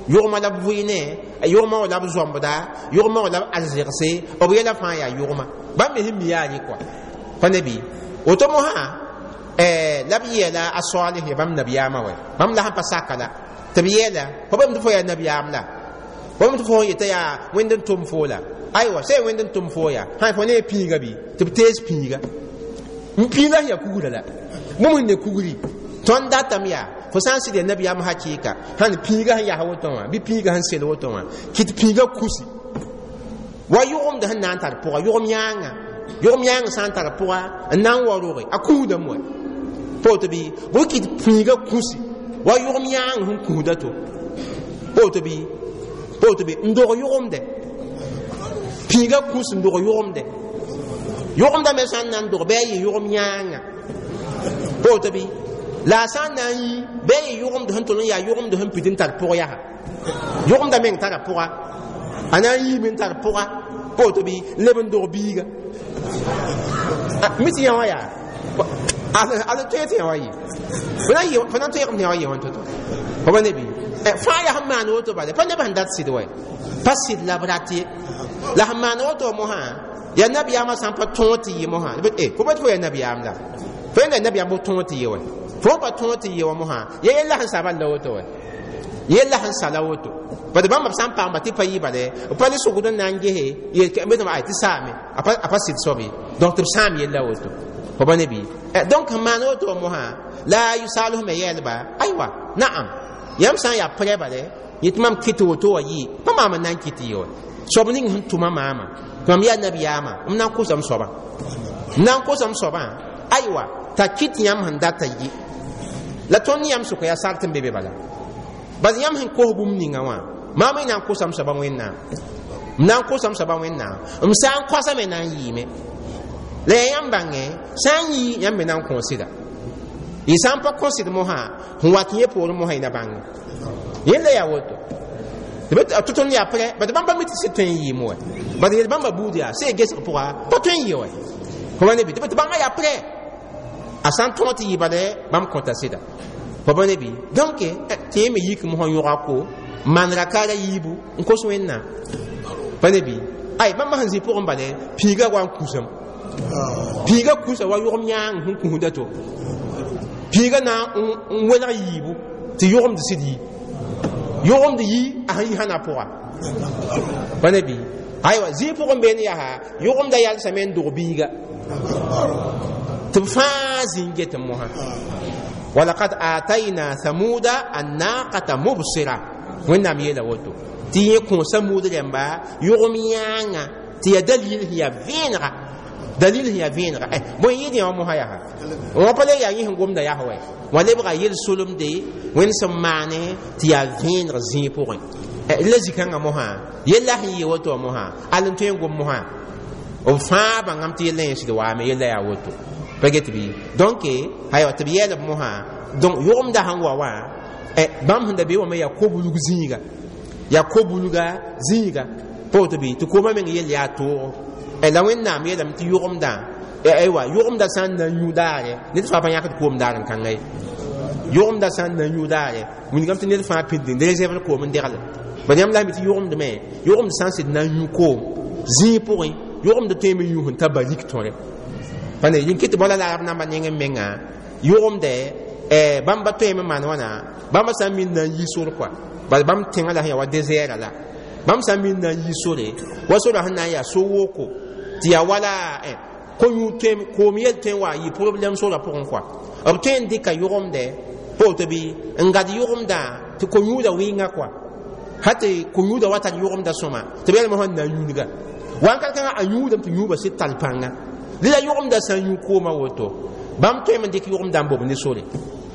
[SPEAKER 1] yʋgma la b vʋɩne yʋgma wa la b zõmbda yʋgma wa la b arzegse b yɛla fãa yaa yʋgma bãmb me sẽn mi yaa rɩ koa pa ne bɩ woto mosã la b yeela a Saleh ya bãmb nabiyaamã wɛ bãmb la sẽn pa saka la tɩ b yeela fo bame tɩ fo yaa nabiyaam la fo bame tɩ fo yeta yaa Wẽnd n tʋm foo la aywa sã Wẽnd n tʋm foo yaa sã fo ne pĩiga bɩ tɩ b tees pĩiga n pĩiga sẽn yaa kugrã la bũmb sẽn ne kugri tõnd datame yaa fo sã n sɩd yaa nabiyaam hakɩɩka sãn pĩiga sẽn yas woto wã bɩ pĩiga sẽn sel woto wã kɩt pĩiga kusi wa yʋgemd sẽn na n tar pʋga yʋgem yãanga yʋgem yãang sã n tar pʋga n na n wa roge a kũudame wa poto bɩ bʋ kɩt pĩiga kũsi wa yʋgem yãang sẽn kũuda to poto bɩ poto bɩ n dog yʋgemdɛ pĩiga kũs n dog yʋgemdɛ yʋgemda me sã n na n dog bɩ a yɩ yʋgem yãanga poto bɩ la a sã n na n yi bɩ a yɩ yʋgemd sẽn tol n yaa yʋgemd sẽn pid n tar pʋg yaa yʋgemda meng tara pʋga a na n yiime n tar pʋga poto bɩ n leb n dog biiga mi tɩ yã wã yaa ala tõe tɩ yã wa yɩ fo na n tõegem tɩ yã wa yɩ wã to-to fo pa ne bɩ fãa yaa sẽn maan woto bale pa neb sẽn dat sɩd wa pa sɩd la b rat ye la sẽn maan woto mosã yaa nabiyaamã sã n pa tõog tɩ yɩ mosã fo pa tɩ fo yaa nabiyaam la fo yẽnda nabiyaam b tõog tɩ yɩ wa fo pa tõog tɩ yɩ wa mosã ya yella sẽn sa bal la woto wa yella sẽn sa la woto bad bãmb b sã n paamba tɩ pa yɩ bale b pa le sʋgd n na n gese yel ay tɩ saame a pa sɩd soab ye donc tɩ b sãam yella woto fo pa ne bɩ donc sẽn maan woto mosã la Salh me yɛɛlba aywa naam yãmb sã n yaa prɛ bale yetɩ mam kɩt woto wa yɩ pa maam n na n kɩt yɩ wa soab ning sẽn tʋma maama tɩ mam yaa nabiyaamã m na n kosam soabã m na n kosam soabã aywa t'a kɩt yãmb sẽn data yɩ la tõnd yãmb sʋka yaa sart n be be bala bas yãmb sẽn kos bũmb ninga wã maam y na n kosam soabã Wẽnnaam m na n kosam soabã Wẽnnaam m sã n kosame na n yɩɩme la yaa yãmb bãngẽ sã n yɩ yãmb me na n kõ sɩda y sã n pa kõ sɩd mosã sẽn wat yẽ poorẽ mosã y na bãnge yẽlla yaa woto tɩ tõnd yaa prɛ bad bãmb pa mi tɩ sɩd tõe n yɩɩm wɛ bad yel bãmba buud yaa sẽn gesg pʋga pa tõe n yɩ wɛ fo pa ne bɩ tɩ bãngã yaa prɛ a sã n tõog tɩ yɩ bale bãmb kõta sɩda fo pa ne bɩ donc tɩ yẽ me yik mosã yõga ko maan rakaara yiibu n kos Wẽnnaam pa ne bɩ ay bãmb sẽn zĩ pʋgẽ bale pĩiga wa n kũsam pĩiga kũsa wa yʋgem yãang sẽn kũsda to pĩiga na n welg yiibu tɩ yʋgemd sɩd yi yʋgemd yi a sẽn yi sãna pʋga pa ne bɩ aywa zĩig pʋgẽ beene yaa yʋgemda yalsame n dog biiga tɩ b fãa zĩ n get mosã walaqad atayna thamuda annaqata mubsira Wẽnnaam yeela woto tɩ yẽ kõ Samuud rẽmba yʋgem yãanga tɩ yaa dalil sẽn yaa vẽenega dalil sẽn yaa vẽenega bõe yɩɩd yã wã mosã yaa wã pa le yaa yẽ sẽn gomda yaa wɛ wã lebga yel-solemde Wẽnd sẽn maane tɩ yaa vẽeneg zĩig pʋgẽ la zĩ-kãngã mosã yella sẽn yɩ woto wã mosã al n tõe n gom mosã b fãa bãngame tɩ yella yẽ sɩd waame yella yaa woto pa get bɩ donc aywa tɩ b yɛɛl b mosã donc yʋgemda sẽn wa wã bãmb sẽn da be wã me yaa ko-bulg zĩiga yaa ko-bulga zĩiga pa woto bɩ tɩ koomã meng yell yaa toogo la Wẽnnaam yeelame tɩ yʋgemdã aywa yʋgemda sã n na n yũ daare ned fãa pa yãkd koom daar n kãnga ye yʋgemda sã n na n yũ daare wilgame tɩ ned fãa pĩnd n réserve koom n degle bad yãmb la mi tɩ yʋgemdme yʋgemd sã n sɩd na n yũ koom zĩig pʋgẽ yʋgemd tõeme yũ sẽn ta barik tõre pa ne yĩn kɩ tɩ bala la arab nambã neng n menga yʋgemdɛ bãmb pa tõeme n maan wãna bãmb sã n min na n yi sor kɔa bala bãmb tẽngã la sẽn yaa wa désert la bãmb sã n min na n yi sore wa sora sẽn na n yaa so-woko tɩ yaa wala Ko-yũud tõe koom yel tõe n wa yɩ problɛm sora pʋgẽ kɔa b tõe n dɩka yʋgemdɛ pa woto bɩ n gad yʋgemdã tɩ ko-yũudã wɩnga kɔa ha tɩ ko-yũudã wa tar yʋgemdã sõma tɩ b yɛlmã sẽn na n yũudga wãnkat kãngã a yũudame tɩ yũubã sɩd tar pãnga la yʋgemdã sã n yũ koomã woto bãmb tõeme n dɩk yʋgemdã n bob ne sore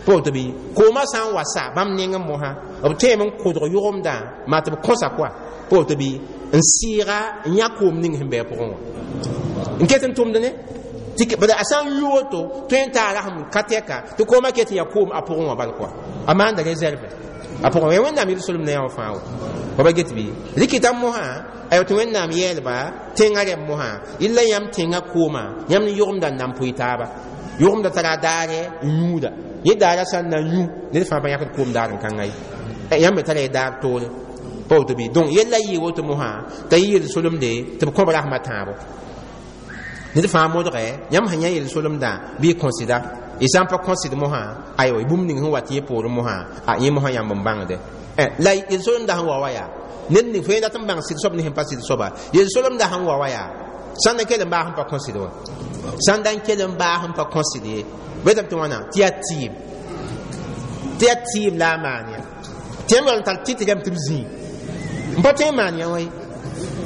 [SPEAKER 1] pa woto bɩ koomã sã n wa sa bãmb nengẽ mosã b tõeme n kʋdg yʋgemdã maa tɩ b kõsa kɔa pa woto bɩ n sɩɩga n yã koom ning sẽn bɩ a pʋgẽ wã n ket n tʋmd ne bala a sã n yũ woto tõe n taa rasem ka tɛka tɩ koomã ket n yaa koom a pʋgẽ wã bal kɔa a maanda réserve a pʋgẽ wã Wẽnnaam yel-solem na yã wã fãa wa wa ba get bɩ rɩkɩta mosã aywa tɩ Wẽnnaam yɛɛlba tẽngã rɛm mosã yella yãmb tẽngã koomã yãmb ne yʋgemda n na n pʋɩ taaba yʋgemda tara daare n yũuda yẽ daara sã n na n yũ ned fãa pa yãkd koom daar n kãnga ye yãmb me tara y daar toore pa woto bɩ donc yella yɩɩ woto mosã t'a yɩ yel-solemde tɩ b kõb rasmã tãabo ned fãa modgɛ yãmb sẽn yã yel-solemdã bɩ y kõsɩda y sã n pa kõsɩd mosã aywa bũmb ning sẽn wat yẽ poorẽ mosã a yẽ mosã yãmb n bãngde la yel-solemdã sẽn wa wa yaa ned ning fo yẽ dat n bãng sɩd soab ne sẽn pa sɩd soaba yel-solemdã sẽn wa wa yaa sãn da kell n baas n pa kõsɩd wa sãn da n kell n baas n pa kõsɩd ye betame tɩ wãna tɩ yaa tɩɩm tɩ yaa tɩɩm la a maan ya tɩ yãmb yaool n tar tɩt rɛm tɩ b zĩig n pa tõe n maan yã wã ye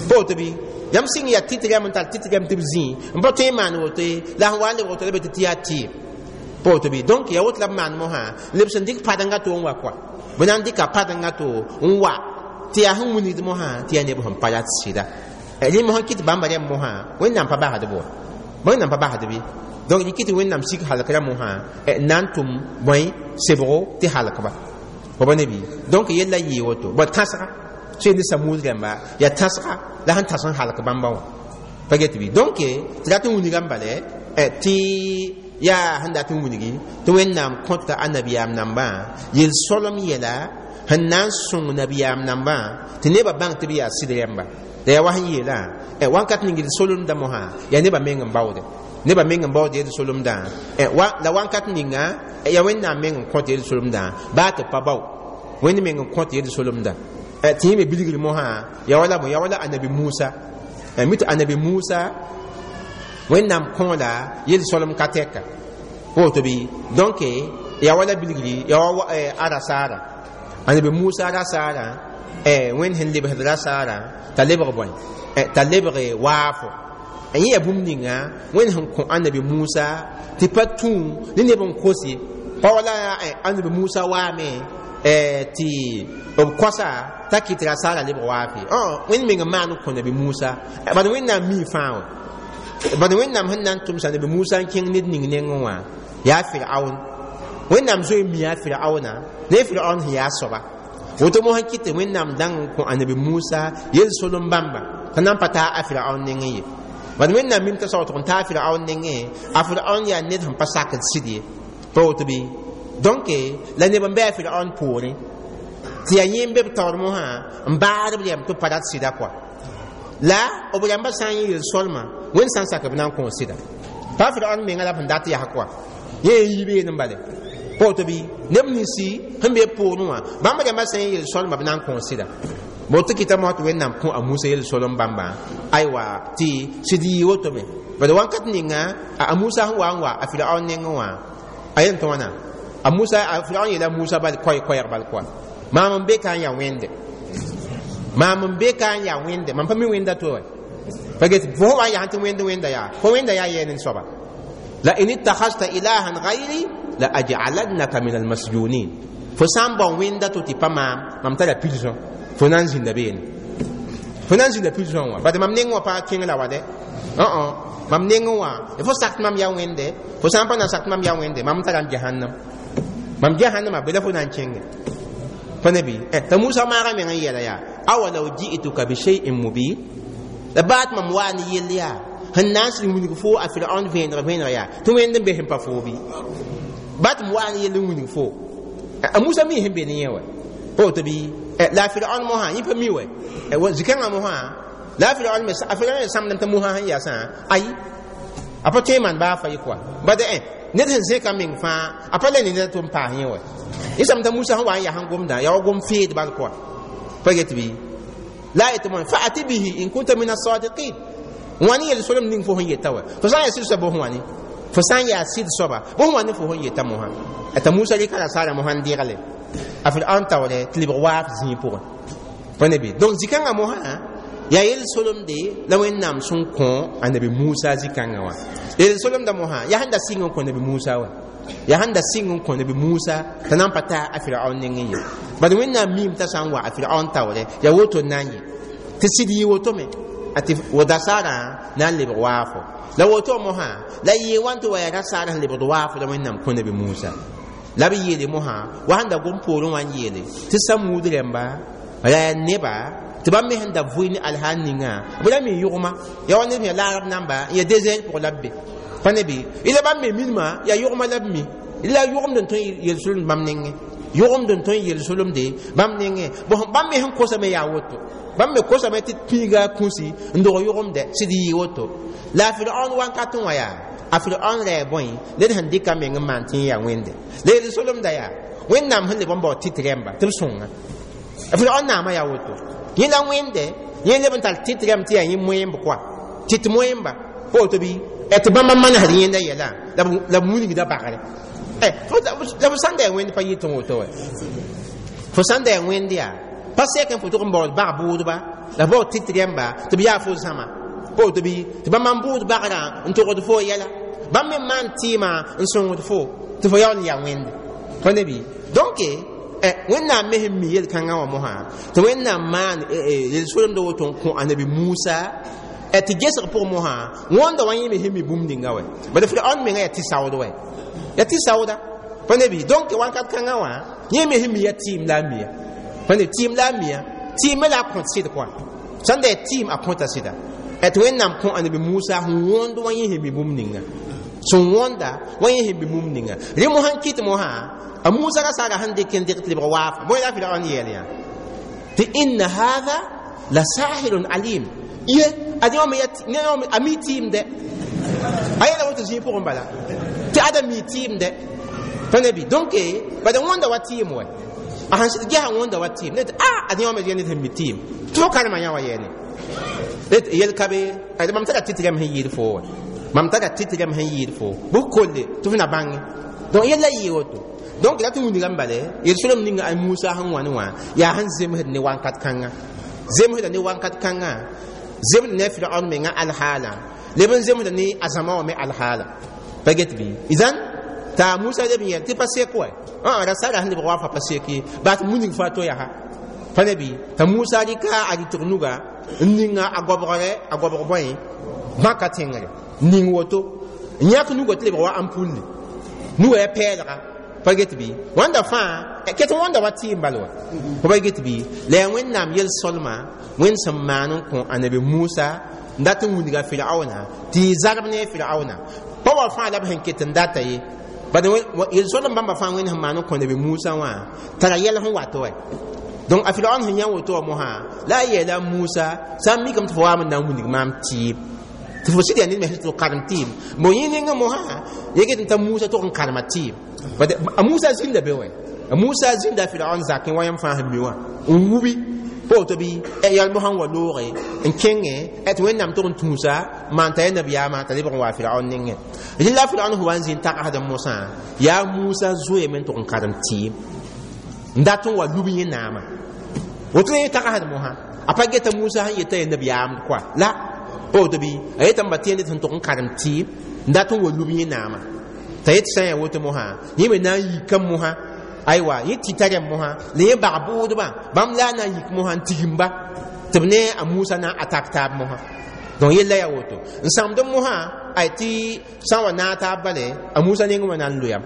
[SPEAKER 1] pa woto bɩ yãmb sɩng yaa tɩt rɛm n tar tɩt rɛm tɩ b zĩig n pa tõe n maan woto ye la sẽn wa n lebg woto la be tɩ tɩ yaa tɩɩm pa woto bɩ donc yaa woto la b maan mosã leb sẽn dɩk padenga to n wa kɔa b na n dɩka padenga to n wa tɩ yaa sẽn wilgd mosã tɩ yaa neb sẽn pa rat sɩda rẽ mosã kɩt bãmba rɛm mosã Wẽnnaam pa basd bo Wẽnnaam pa basd bɩ donc rɩ kɩt Wẽnnaam sik halkra mosã n na n tʋm bõe sebgo tɩ halkba fo ba ne bɩ donc yella yɩɩ woto bõ tãsga sẽn ne Samud rãmba yaa tãsga la sẽn tãs n halk bãmba wã pa get bɩ donc tɩ rat n wilgame bale tɩ yaa sẽn dat n wilgi tɩ Wẽnnaam kõta a nabiyaam nambã yel-solem yɛla sẽn na n sõng nabiyaam nambã tɩ nebã bãng tɩ b yaa sɩd rɛmba la yaa wa sẽn yeelã wãnkat ning yel-solemdã mosã yaa nebã meng n baoode nebã meng n baood yel-solemdã la wãnkat ninga yaa Wẽnnaam meng n kõt yel-solemdã baa tɩ pa bao Wẽnd meng n kõt yel-solemdã tɩ yẽ me bilgr mosã yaa wala bõe yaa wala Anabi Musa mi tɩ Anabi Musa Wẽnnaam kõola yel-solem ka tɛka woto bɩ donc yaa wala bilgri yaa wa a rasaara Anabi Musa rasaarã Wẽnd sẽn lebsd rasaarã t'a lebg bõe t'a lebg waafo yẽ yaa bũmb ninga Wẽnd sẽn kõ Anabi Musa tɩ pa tũ ne neb n kos ye pa wala Anabi Musa waame tɩ b kosa t'a kɩt rasaarã lebg waafe Wẽnd meng n maan n kõ Nabi Musa bad Wẽnnaam mii fãa wã bad Wẽnnaam sẽn na n tʋmsa Nabi Musa n kẽng ned ning nengẽ wã yaa Firaun Wẽnnaam zoe n mi yaa Firauna ne Firaun sẽn yaa soaba woto mosã kɩt tɩ Wẽnnaam dãng n kõ Anabi Musa yel-solem bãmba t'a na n pa taa a Firaun nengẽ ye bad Wẽnnaam mim t'a saootg n taa Firaun nengẽ a Firaun yaa ned sẽn pa sakd sɩd ye pa woto bɩ donc la neb n bɩ a Firaun poorẽ tɩ yaa yẽ n be b taoor mosã n baad b rɛm tɩ b pa rat sɩda kɔa la b rãmbã sã n yẽ yel-solmã Wẽnd sã n sak b na n kõ sɩda pa Firaun menga la b sẽn dat yaa kɔa yẽ n yi beene n bale pa woto bɩ neb ninsi sẽn be poorẽ wã bãmb rãmbã sã n yẽ yel-solmã b na n kõ sɩda bo tɩ kɩta mosã tɩ Wẽnnaam kõ a Musa yel-solem bãmbã aywa tɩ sɩd yɩ woto me bad wãnkat ninga a Musa sẽn wa n wa a Firaun nengẽ wã a yel tɩ wãna a Musa a Firaun yeela Musa bal koɛɛ koɛɛg bal kɔa maam n be ka n yaa Wẽnde maam n be ka n yaa Wẽnde mam pa mi Wẽnda to wa pa get fo wa yaa tɩ Wẽnd Wẽnda yaa fo Wẽnda yaa yɛɛ nen soaba la in ittakhadta ilahan ghayri la aj'alannaka min almasjunin fo sã n bao Wẽnda to tɩ pa maam mam tara prison fo na n zĩnda beene fo na n zĩnda prison wã bad mam neng wã pa kẽng la wa dɛ mam nengẽ wã fo sak tɩ mam yaa Wẽnde fo sã n pa na n sak tɩ mam yaa Wẽnde mam tara m jahannam mam jahannama be la fo na n kẽnge pa ne bɩ t'a Musa maaga meng n yɛla yaa awalaw ji'tuka bi shay'in mubin la baat mam waa ne yell yaa sẽn na n sɩd wilg fo a Firaun vẽeneg vẽeneg yaa tɩ Wẽnd n be sẽn pa foo bɩ bat m waa ne yell n wilg fo a Musa mi sẽn be ne yẽ wa pa woto bɩ la a Firaun mosã yẽ pa mi wa zikãngã mosã la a Firaun me a Firaun sãmdame t'a Musa sẽn yaasã ayi a pa tõe n maan baa fa ye kɔa bad ned sẽn zẽka meng fãa a pa le ne ned tɩ n paas yẽ wa yẽ sãm t'a Musa sẽn wa n yaa sẽn gomdã yaa wa gom feed bal kɔa pa get bɩ la yetɩ moẽ fa'ati bihi in kunta min as-sadiqin Wãni yel solem ning fo sẽn yeta wa fo sã n yaa sɩd soaba bõs wãni fo sã n yaa sɩd soaba bõs wãni fo sẽn yeta mosã t'a Musa rɩka rasaara mosã n degle a Firaon taoore tɩ lebg waaf zĩig pʋgẽ pa ne bɩ donc zĩ-kãngã mosã yaa yel solemde la Wẽnnaam sẽn kõ a nabi Musa zĩ-kãngã wã yel solemda mosã yaa sẽn da sɩng n kõ nabi Musa wa yaa sẽn da sɩng n kõ nabi Musa t'a na n pa ta a Firaon nengẽ ye bad Wẽnnaam miime t'a sã n wa a Firaon taoore yaa woto n na n yẽ tɩ sɩd yɩ woto me tɩ wo-dasaarã na n lebg waafo la woto mosã la yɩ wãn tɩ wa yaa rasaar sẽn lebgd waafo la Wẽnnaam kõ nabi Musa la b yeele mosã wa sẽn da gom poorẽ wã n yeele tɩ Samuud rẽmba la yaa neba tɩ bãmb me sẽn da vʋɩ ne alhaal ninga b ra mi yʋgma yaa wa ned yaa laarb namba n yaa désert pʋgẽ la b be pa ne bɩ la bãmb me minimã yaa yʋgma la b mi la yʋgemd n tõe yel-solemd bãmb nengẽ yʋgemd n tõe n yel-solemde bãmb nengẽ bãmb me sẽn kosame yaa woto bãmb me kosame tɩ pĩiga kũsi n dog yʋgemdɛ sɩd yɩ woto la a Firaon wakat wã yaa a Firaon rɛɛ bõe ned sẽn dɩka meng n maan tɩ yaa wẽnde la yel-solemda yaa Wẽnnaam sẽn leb n bao tɩt rẽmba tɩ b sõnga a Firaon naamã yaa woto yẽ la wẽnde yẽ leb n tar tɩt rẽmb tɩ yaa yẽ moẽmb koa tɩt moẽmba pa woto bɩ tɩ bãmba manesd yẽnda yɛla la b wilgda bagre la fo sãn da yaa wẽnd pa yɩ tɩ woto wɛ fo sãn da yaa wẽnd yaa pa sɛk n fo tʋg n baood bag bʋʋdba la baood tɩt rẽmba tɩ b yaa fo zãma pa woto bɩ tɩ bãmba n bʋʋd bagrã n togd fo yɛla bãmb me maan tɩɩmã n sõngd fo tɩ fo yaool n yaa wẽnde pa ne bɩ donc Wẽnnaam me sẽn mi yel-kãngã wã mosã tɩ Wẽnnaam maan yel-solemda woto n kõ a nabi Musa tɩ gesg pʋgẽ mosã wãnda wã yẽ me sẽn mi bũmb ninga wɛ bala Firaon menga yaa tɩ saood wɛ yaa tɩ saooda pa ne bɩ donc wakat kãngã wã yẽ me sẽn mi yaa tɩɩm la a miya pa ne tɩɩm la a miya tɩɩm me la a kõt sɩd kɔa sãn da yaa tɩɩm a kõta sɩda tɩ Wẽnnaam kõ a nabi Musa sẽn wõnd wã yẽ sẽn mi bũmb ninga sẽn wõnda wã yẽ sẽn mi bũmb ninga rẽ mosã n kɩt mosã a Musa rasaara sẽn dɩk n dɩg tɩ lebg waafa bõe la Firaon yeel yã tɩ inna haadha la sahirun alim ye ad yã a mi tɩɩmdɛ a yɛla woto zĩig pʋgẽ bala tɩ ada mi tɩɩmdɛ pa ne bɩ donc bad wõnda wa tɩɩm wɛ a sãn sɩd gɛsa wõnda wa tɩɩm ne tɩ a ad yã me yɛ ned sẽn mi tɩɩm tɩ fo karema yã wa yɛɛne yel ka be mam tara tɩt rẽmb sẽn yɩɩd fo wɛ mam tara tɩt rẽmb sẽn yɩɩd fo bʋ kolle tɩ f na bãnge donc yella yɩɩ woto donc la tɩ wilgame bale yel-solem ninga a Musa sẽn wãne wã yaa sẽn zemsd ne wakat kãnga zemsda ne wakat kãnga zemd ne Firaon menga alhaala leb n zemsda ne a zãma wã me alhaala pa get bɩ izan t'a Musa leb n yɛl tɩ pa sek wɛ rasara sẽn lebg wa fa pa sek ye baa tɩ muning fo a to yaa pa ne bɩ t'a Musa rɩka a rɩtg nuga n ninga a gobgre a gobg bõe bãka tẽngre ning woto n yãk nuga tɩ lebg wa ampulli nuga ya pɛɛlga pa get bɩ wãnda fãa ket wãnda wa tɩɩm bal wa fo pa get bɩ la yaa Wẽnnaam yel-solma Wẽnd sẽn maan n kõ a nabi Musa n dat n wilga Firaona tɩ yɩ zarb ne Firaona pa wa fãa la b sẽn ket n data ye bad yel-solem bãmba fãa Wẽnd sẽn maan n kõ nabi Musa wã tara yɛl sẽn wat wɛ donc a Firaon sẽn yã woto wã mosã la a yeela Musa sã n mikame tɩ fo waam n na n wilg maam tɩɩm tɩ fo sɩd yaa ned me sẽn tɩ karem tɩɩm bon yẽ nengẽ mosã ye get n t'a Musa tʋg n karema tɩɩm a Musa zĩnda be wɛ a Musa zĩnda Firaon zakẽ wa yãmb fãa sẽn mi wã n wubi pa woto bɩ yal mosã n wa looge n kẽngẽ tɩ Wẽnnaam tʋg n tũusa maan t'a yaa nabiyaamã t'a lebg n wa Firaon nengẽ rɩla Firaon sẽn wa n zĩ n tagsd mosã yaa Musa zoeeme n tʋg n karem tɩɩm n dat n wa lub yẽ naamã woto yẽ tagsd mosã a pa geta Musa sẽn yeta yaa nabiyaamd koa la pa woto bɩ a yetame ba tẽende sẽn tʋg n karem tɩɩm n dat n wa lub yẽ naamã t'a yet sã n yaa woto mosã yẽ me na n yika mosã aywa yẽ tɩta rẽmb mosã la yẽ bag bʋʋdbã bãmb la a na n yik mosã n tigimba tɩ b ne a Musa na n atak taab mosã donc yella yaa woto n sãmd mosã ay tɩ sã n wa naag taab bale a Musa neng wã na n loyam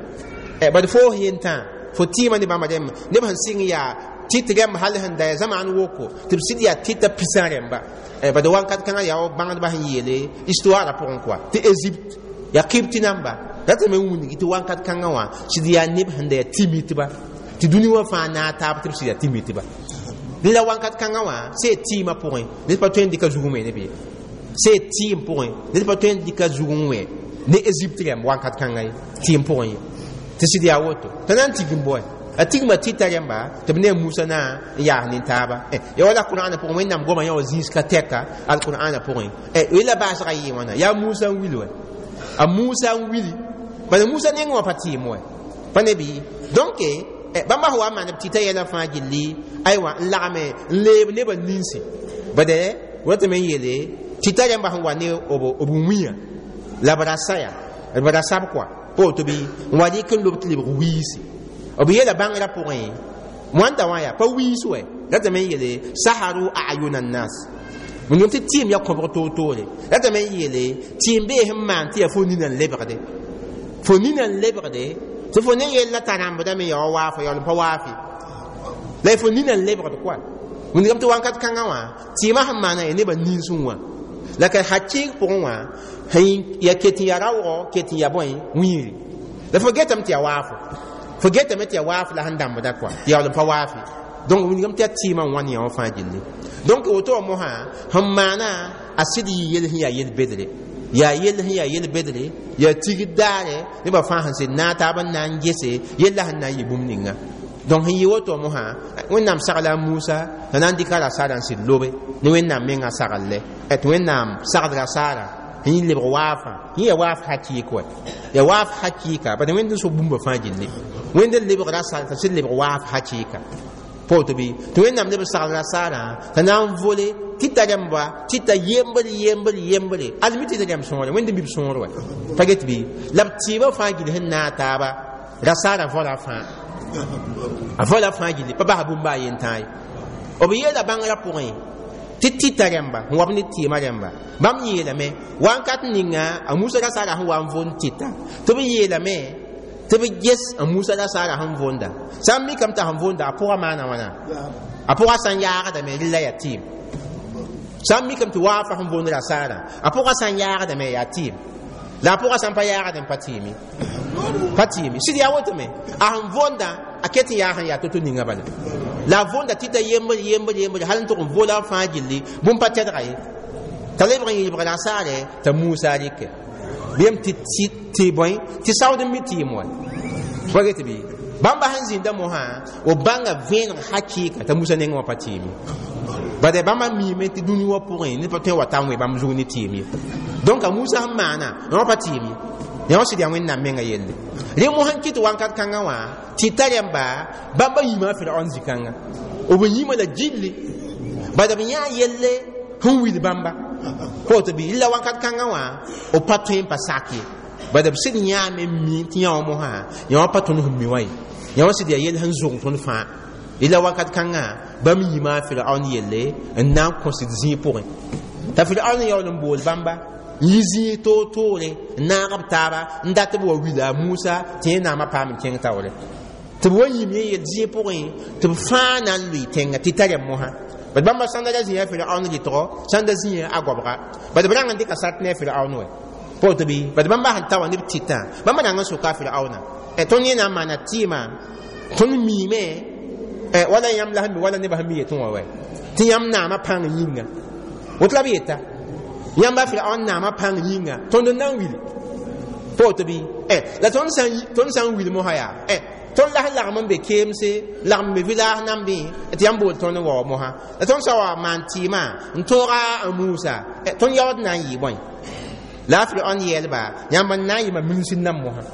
[SPEAKER 1] bad foos yentã fo tɩɩmã ne bãmba rẽmb neb sẽn sɩng yaa tɩt rẽmb hal sẽn da yaa zamaan woko tɩ b sɩd yaa tɩta pisã rẽmba bad wakat kãngã yaa wa bãngdbã sẽn yeele histoire pʋgẽ koa tɩ Égypte yaa Kibti namba ratame n wilgi tɩ wakat kãngã wã sɩd yaa neb sẽn da yaa tɩ-mitba tɩ dũni wã fãa naag taab tɩ b sɩd yaa tɩ-mitba la wakat kãngã wã see tɩɩmã pʋgẽ ned pa tõe n dɩka zug wẽ ne bee see tɩɩm pʋgẽ ned pa tõe n dɩka zug n wẽ ne Égypte rẽmb wakat kãngã ye tɩɩm pʋgẽ ye tɩ sɩd yaa woto t'a na n tigim bõe A tigma tɩta rẽmba tɩ b ne a Musa na n yaas nin-taaba. Ya wala Qur'ana pʋgẽ, Wẽnnaam goma yã wa zĩis ka tɛka al-Qur'ana pʋgẽ. Yella baasgã yɩ wãna? Yaa Musa n wil wɛ, a Musa n wili, bala Musa nengẽ wã pa tɩɩm wɛ, pa ne bɩ? Donc bãmba sẽn wa n maan b tɩta yɛlã fãa gilli, aywa, n lagme n leeb nebã ninsi. Bade ratame n yeele tɩta rẽmba sẽn wa ne b wĩyã la b ra saya, b ra sab kɔa pa woto bɩ, n wa rɩk n lob tɩ lebg wiisi. B yeela bãngrã pʋgẽ wãnda wã yaa pa wiis wɛ. Ratame n yeele saharu ayuna nnas, wẽnnaam tɩ tɩɩm ya kõbg toor-toore. Ratame n yeele tɩɩm bee sẽn maan tɩ yaa fo nina n lebgde, fo nina n lebgde, tɩ fo ne yella t'a rãmbdame ya wa waafo yaool n pa waafe la fo nina n lebgd kɔa. Wẽnnaam tɩ wãnkat kãngã wã tɩɩmã sẽn maana ya nebã ninsẽ wã la ka hakɩɩg pʋgẽ wã ya ket n ya raoogɔ, ket n ya bõe wĩiri, la fo getame tɩ ya waafo, fo getame tɩ ya waaf la sẽn dãmbda kɔa tɩ yaool n pa waafe. Donc wĩnigame tɩ yaa tɩɩmã n wãn yã wã fãa gilli. Donc woto wã mosã sẽn maana a sɩd yɩ yel sẽn yaa yel-bedre, yaa yell sẽn yaa yel-bedre, yaa tigd daare nebã fãa sẽn sed naag taab n na n gese yella sẽn na n yɩ bũmb ninga. Donc sẽn yɩ woto mosã, Wẽnnaam sagla a Musa t'a na n dɩka rasaarã n sɩd lobe ne Wẽnnaam mengã sagl-le, tɩ Wẽnnaam sagd rasaarã sẽn yɩ lebg waafã. Yẽ yaa waaf hakɩɩk wɛ, yaa waaf hakɩɩka, bad Wẽnd n so bũmba fãa gilli. Wẽnd n lebg rasaar t'a sɩd lebg waaf hakɩɩka, pa woto bɩ? Tɩ Wẽnnaam leb sagl rasaarã t'a na n vole tɩta rẽmba, tɩta yembr yembr yembre almi tɩta rẽmb sõore, Wẽnd n bib sõor wɛ, pa get bɩ? La b tɩɩbã fãa gill sẽn naag taaba, rasaarã vola fãa, a vola fãa gilli, pa basa bũmba a yen tãa ye. B yeela bãngrã pʋgẽ tɩ tɩta rẽmba sẽn wa b ne tɩɩmã rẽmba, bãmb yeelame wãnkat ninga a Musa rasaarã sẽn wa n vond tɩta, tɩ b yeelame tɩ b ges a Musa rasaarã sẽn vonda. Sã n mikame t'a sẽn vonda, a pʋgã maana wãna? A pʋgã sã n yaagdame, rɩla yaa tɩɩm. Sã n mikame tɩ waafa sẽn vond rasaarã, a pʋgã sã n yaagdame, yaa tɩɩm. La a pʋgã sã n pa yaagdẽ, pa tɩɩme, pa tɩɩme. Sɩd yaa wotome, a sẽn vonda a ket n yaa sẽn yaa to-to ninga bala. La a vonda tɩta yembr yembr yembr hal n tʋg n vola fãa gilli, bũmb pa tɛdga ye, t'a lebg n yɩlbg rasaarɛ t'a Musa rɩkɛ bɩm tɩ tɩ bõe tɩ saood n mi tɩɩm wa pa get bɩ? Bãmba sẽn zĩnda mosã, b bãnga vẽeneg hakɩɩka t'a Musa nengẽ wã pa tɩɩm ye. Bad bãmba miime tɩ dũni wã pʋgẽ ned pa tõe n wa ta n wẽ bãmb zug ne tɩɩm ye. Donc a Musa sẽn maana wã pa tɩɩm ye, yã wã sɩd yaa Wẽnnaam menga yelle. Rẽ mosã n kɩt wãnkat kãngã wã tɩ ta rẽmba bãmba yĩma Firaon zĩ-kãnga, b yĩma la gilli, bad b yãa yelle sẽn wil bãmba pa woto bɩ? La wãnkat kãngã wã b pa tõe n pa sak ye, bad b sɩd yãame n mi tɩ yã wã mosã yã wã pa tõnd sẽn mi wã ye, yã wã sɩd yaa yell sẽn zʋg tõnd fãa. La wakat kãngã bãmb yĩma Firaon yelle n na n kõsd zĩig pʋgẽ, t'a Firaon yaool n bool bãmba n yi zĩig toor-toore n naag b taaba n dat b wa wila a Musa tɩ yẽ naamã paam n kẽng taoore, tɩ b wa yĩm yẽ yel zĩig pʋgẽ tɩ b fãa na n lʋɩ tẽnga tɩ ta rẽmb mosã. Bad bãmba sãn da ra zĩiga Firaon rɩtgɔ, sãn da zĩiga a goabga, bad b rãng n dɩka sart ne a Firaon wɛ, pa woto bɩ? Bad bãmba sẽn ta wã ne b tɩtã, bãmba rãng n soka a Firaoona: tõnd yẽ na n maana tɩɩmã, tõnd miime wala yãmb la sẽn mi, wala nebã sẽn mi yetẽ wã wɛ, tɩ yãmb naamã pãng yĩnga, woto la b yeta, yãmba Firaon naamã pãng yĩnga, tõnd n na n wili, pa woto bɩ? La tõnd sã n wil mosã yaa tõnd la sẽn lagm n be keemse, lagm be village nambẽ tɩ yãmb bool tõnd n wa wa mosã, la tõnd sã wa maan tɩɩmã n tõoga a Musa, tõnd yaood na n yɩ bõe? La a Firaon yeelba: yãmb n na n yɩ mam minsd nam mosã,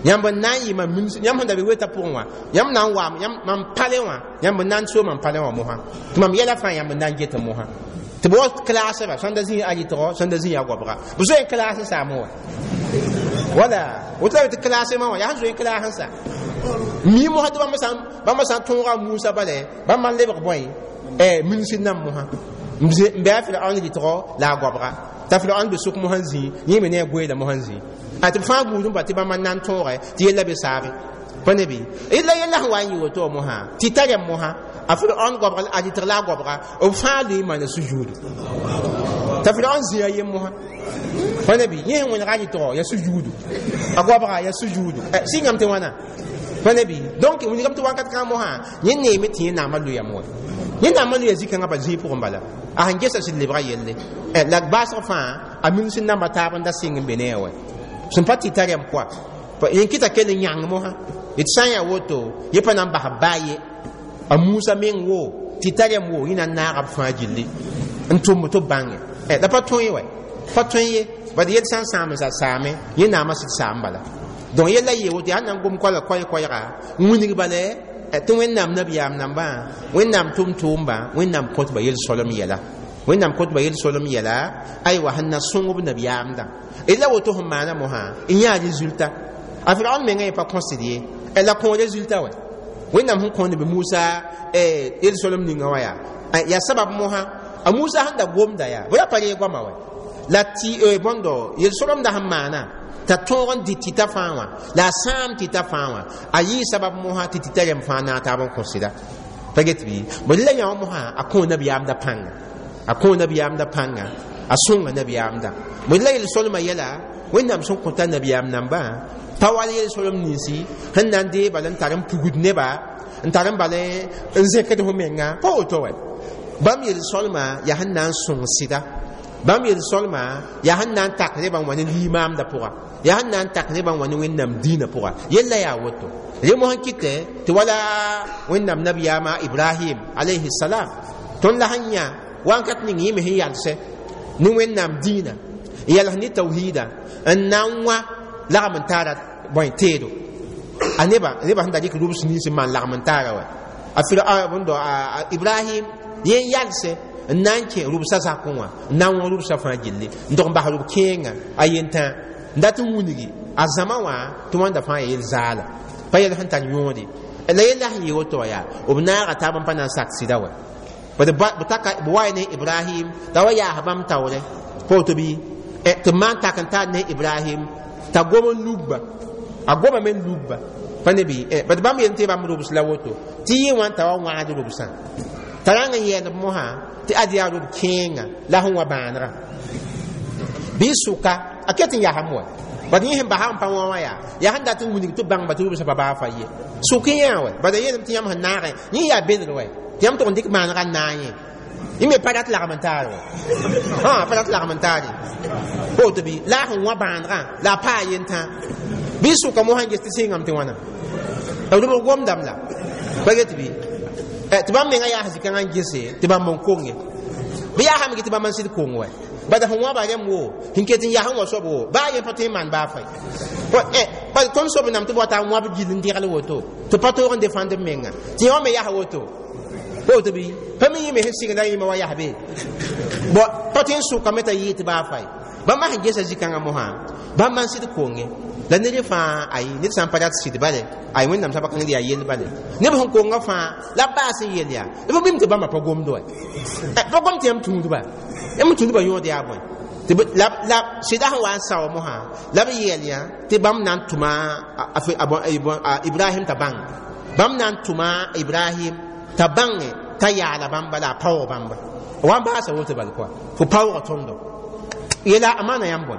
[SPEAKER 1] yãmb n na n yɩ mam minsd, yãmb sẽn da be weta pʋgẽ wã, yãmb na n waam mam palẽ wã, yãmb n na n so mam palẽ wã mosã, tɩ mam yɛla fãa yãmb n na n get mosã, tɩ b wa klaasba sãn da zĩ a rɩtgɔ, sãn da zĩ a goabga, b zoe n klaas n saam wã wala woto la tɩ klaasmã wã yaa sẽn zoe n klaas n sa mi mosã, tɩ bãmba sã n tõoga a Musa bale, bãmba n lebg bõe minsd nam mosã n bɩ a Firaon rɩtgɔ la a goabga, t'a Firaon be sʋk mosã n zĩ, yẽ me ne a goeela mosã n zĩ, a tɩ b fãa gũud n pa tɩ bãmba n na n tõoge tɩ yella be saage, pa ne bɩ? La yella sẽn wa n yɩ woto mosã tɩ ta rẽmb mosã a Firaon goabg, a rɩtg la a goabga, b fãa lʋɩ n maana sujuudu, t'a Firaon zĩ a yem mosã, pa ne bɩ? Yẽ sẽn wẽnega a rɩtgɔ ya sujuudu, a goabga ya sujuudu, sɩngame tɩ wãna, pa ne bɩ? Donc wilgame tɩ wãnkat kãng mosã yẽ neeme tɩ yẽ naamã lʋyame wɛ, yẽ naamã lʋya zĩ-kãngã pa zĩig pʋgẽ bala, a sẽn gesa sɩd lebga yelle la baasg fãa a minsd namba taab n da sɩng n be ne a wɛ sẽn pa tɩ ta rẽmb kɔa yẽ kɩta kell n yãng mosã. d sã n yaa woto yẽ pa na n bas baa ye a Musa meng wo tɩ tar yam wo yẽ na n naaga b fãa gilli n tʋmb tɩ b bãnge la pa tõe wɛ pa tõe ye bad yel sã n sãam sa saame yẽ naamã sɩd saam bala donc yella yee woto yaa na n gom koala koɛɛ-koɛɛga n wilg bala tɩ Wẽnnaam nabiyaam nambã Wẽnnaam tʋm-tʋʋmba Wẽnnaam kõtba yel-solem yɛla Wẽnnaam kõtba yel-solem yɛla aywa sẽn na sõng b nabiyaamdã d la woto sẽn maana mosã n yãa résultat a Firaon mengã yẽ pa kõsd ye la kõ résultat wɛ Wẽnnaam sẽn kõ neb Musa yel-solem ninga wã yaa yaa sabab mosã a Musa sẽn da gomda yaa bɩ ra pa reeg goama wɛ la tɩ bõndo yel-solemda sẽn maana t'a tõog n dɩ tɩta fãa wã la a sãam tɩta fãa wã a yɩɩ sabab mosã tɩ tɩta rẽmb fãa naag taab n kõ sɩda pa get bɩ bõe la yã wã mosã a kõ nabiyaamda pãnga a kõ nabiyaamda pãnga a sõnga nabiyaamda bõe la yel-solmã yɛla Wẽnnaam sẽn kõta nabiyaam nambã pa wall yel-solem ninsi sẽn na n dee bala n tar n pugd neba n tar n bala n zẽkd fo menga pa woto wɛ bãmb yel-solmã yaa sẽn na n sõng sɩda bãmb yel-solmã yaa sẽn na n tak nebã n wa ne limaamda pʋga yaa sẽn na n tak nebã n wa ne Wẽnnaam dĩinã pʋga yella yaa woto re mosã kɩtɛ tɩ wala Wẽnnaam nabiyaamã Ibrahim alayhi salam tõnd la sẽn yã wãnkat ning yẽ me sẽn yalsɛ ne Wẽnnaam dĩinã n yals ne tawhiida n na n wã lagm n taara bõe teedo a neba neba sẽn da rɩk rubs nins n maan lagm n taara wɛ a fir bõndo Ibrahim yẽ n yalsɛ n na n kẽ rubsã zakẽ wã n na n wã rubsã fãa gilli n dog n bas rub kẽenga a yentã n dat n wilgi a zãma wã tɩ wãnda fãa ya yel-zaala pa yɛl sẽn tar yõode la yella sẽn yɩ woto wã yaa b naaga taab n pa na n sak sɩda wɛ b taka b wa ne Ibrahim t'a wa yaas bãmb taoorɛ pa woto bɩ tɩ b maan tak n taar ne Ibrahim t'a gom n lugba a gomame n lugba pa ne bɩ bad bãmb yel tɩ bãmb rubs la woto tɩ yɩ wã t'a wa wãgd rubsã t'a rãng n yɛɛnd b mosã tɩ ad yaa rub kẽenga la sẽn wa bãanegã bɩ sʋka a ket n yasam wɛ bad yẽ sẽn basa n pa wã wã yaa yaa sẽn dat n wilg tɩ bãngba tɩ rubsã pa baa fa ye sʋk yã wɛ bad a yeelame tɩ yãmb sẽn naagẽ yẽ yaa belg wɛ tɩ yãmb tʋg n dɩk maanegã n naag yẽ yẽ me pa rat lagm n taar wɛ pa rat lagm n taar ye pa woto bɩ la a sẽn wã bãanegã la a paa yentã bɩ sʋka mosã n ges tɩ sɩngame tɩ wãna b rʋbg gomdame la pa get bɩ tɩ bãmb menga yaas zĩ-kãngã n gese tɩ bãmb n konge bɩ yaasame tɩ bãmb n sɩd kong wɛ bad sẽn wãba rẽmb wo sẽn ket n yas n wa soab wo baa yẽ pa tõe n maan baa fãy bad tõnd soab nam tɩ b wata n wãb gill n degl woto tɩ pa toog n defãnd b menga tɩ yẽ wã me yas woto pa woto bɩ pa mi yẽ me sẽn sɩgda yẽma wa yas be bõ pa tõe n sʋkame t'a yɩɩ tɩ baa fãy bãmba sẽn gesa zĩ-kãngã mosã bãmb n sɩd konge la ned fãa ayi ned sã n pa rat sɩd bale ay Wẽnnaam sã pa kãngd yaa yell bale neb sẽn konga fãa la b baas n yel yaa b bɩm tɩ bãmba pa gomd wɛ pa gom tɩ yãmb tũudba yãmb tũudba yõod yaa bõe la la sɩda sẽn wa n sao mosã la b yeel yã tɩ bãmb na n tʋma Ibrahim t'a bãng bãmb na n tʋma Ibrahim t'a bãnge t'a yaala bãmba la a paoog bãmba wa n baasa woto bal kɔa fo paooga tõndo yela a maana yãmb bõe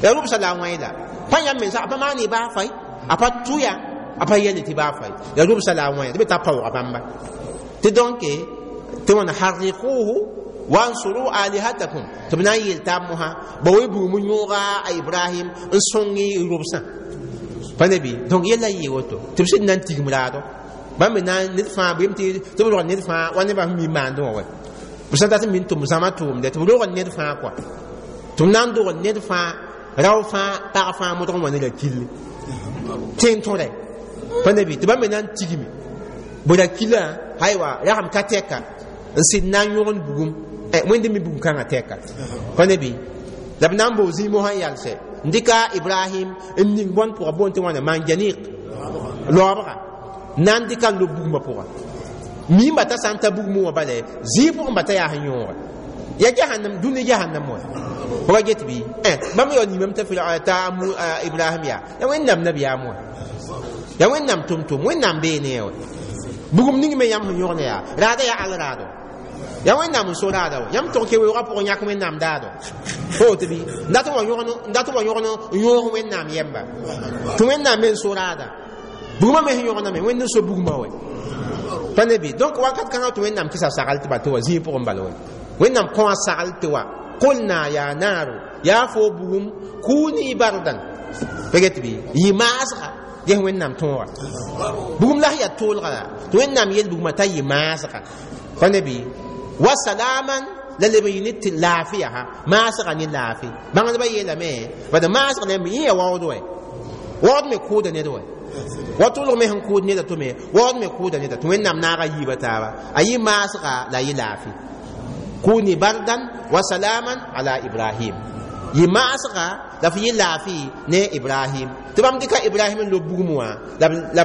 [SPEAKER 1] ya rubsã la a wãe la pa yãmb mensa a pa maan y baa fay a pa tʋya a pa yɛl tɩ baa fay ya rubsã la a wãe tɩ be t'a paooga bãmba tɩ donc tɩ wãna harriquhu wansuru alihatakum tɩ b na n yeel taab mosã ba wa buum yõoga a Ibrahim n sõng y rubsã pa ne bɩ donc yella yɩ woto tɩ b sɩd na n tigim raado bãmb me na ned fãa bɩ tɩ b rog ned fãa wa nebã sẽn mi maandẽ wã wɛ b sã dat n min tʋm zãma tʋʋmdɛ tɩ b rog ned fãa kɔa tɩ b na n dog ned fãa rao fãa pag fãa modg n wa ne ra killi tẽn tõre pa ne bɩ tɩ bãmb me na n tigime bõ ra kila aywa ragem ka tɛka n sɩd na n yõgend bugum Wẽnd mi bugum kãngã tɛka pa ne bɩ la b na n boog zĩig mosã n yalsɛ n dɩka Ibrahim n ning bõnd pʋga boond tɩ wãna manjanik laoobga na n dɩka n lob bugmã pʋga miimba t'a sã n ta bugmẽ wã bala zĩig pʋgẽ ba t'a yaa sẽn yõoga ya jahannam dũni jahannam wã fo wa get bɩ bãmb yaool nimame t'a t'a Ibrahim yaa ya Wẽnnaam nabiyaam wã ya Wẽnnaam tʋm-tʋm Wẽnnaam bee ne wã bugum ning me yãmb sẽn yõgd yaa raada yaa al raado ya Wẽnnaam n so raada wã yãmb tʋg ke weoogã pʋgẽ yãk Wẽnnaam daado pa woto bɩ n dat n wa yõgn n dat n wa yõgn n yõog Wẽnnaam yɛmba tɩ Wẽnnaam me n so raada bugmã me sẽn yõgdame Wẽnd n so bugmã wɛ pa ne bɩ donc wakat kãngã tɩ Wẽnnaam kɩsa sagl tɩ ba tɩ wa zĩig pʋgẽ bala wɛ Wẽnnaam kõ a sagl tɩ wa qulna ya naaru yaa fo bugum kuni bardan pa get bɩ yɩ maasga ges wẽnnaam tõoga bugum la sẽn yaa toolga la tɩ wẽnnaam yel bugmã t'a yɩ maasga pa ne bɩ wa salaman la leb n yɩ ne tɩ laafɩya ha maasga ne laafɩ bãngdbã yeelame bad maasg la yẽ ya waood wɛ waood me kʋʋda ned wɛ wa tʋlg me sẽn kʋʋd neda to me waood me kʋʋda neda tɩ wẽnnaam naaga yiiba taaba a yɩ maasga la a yɩ laafɩ kuni bardan wa salaman ala ibrahim yɩ maasga la f yɩ laafɩ ne ibrahim tɩ bãmb dɩka ibrahim n lob bugum wã la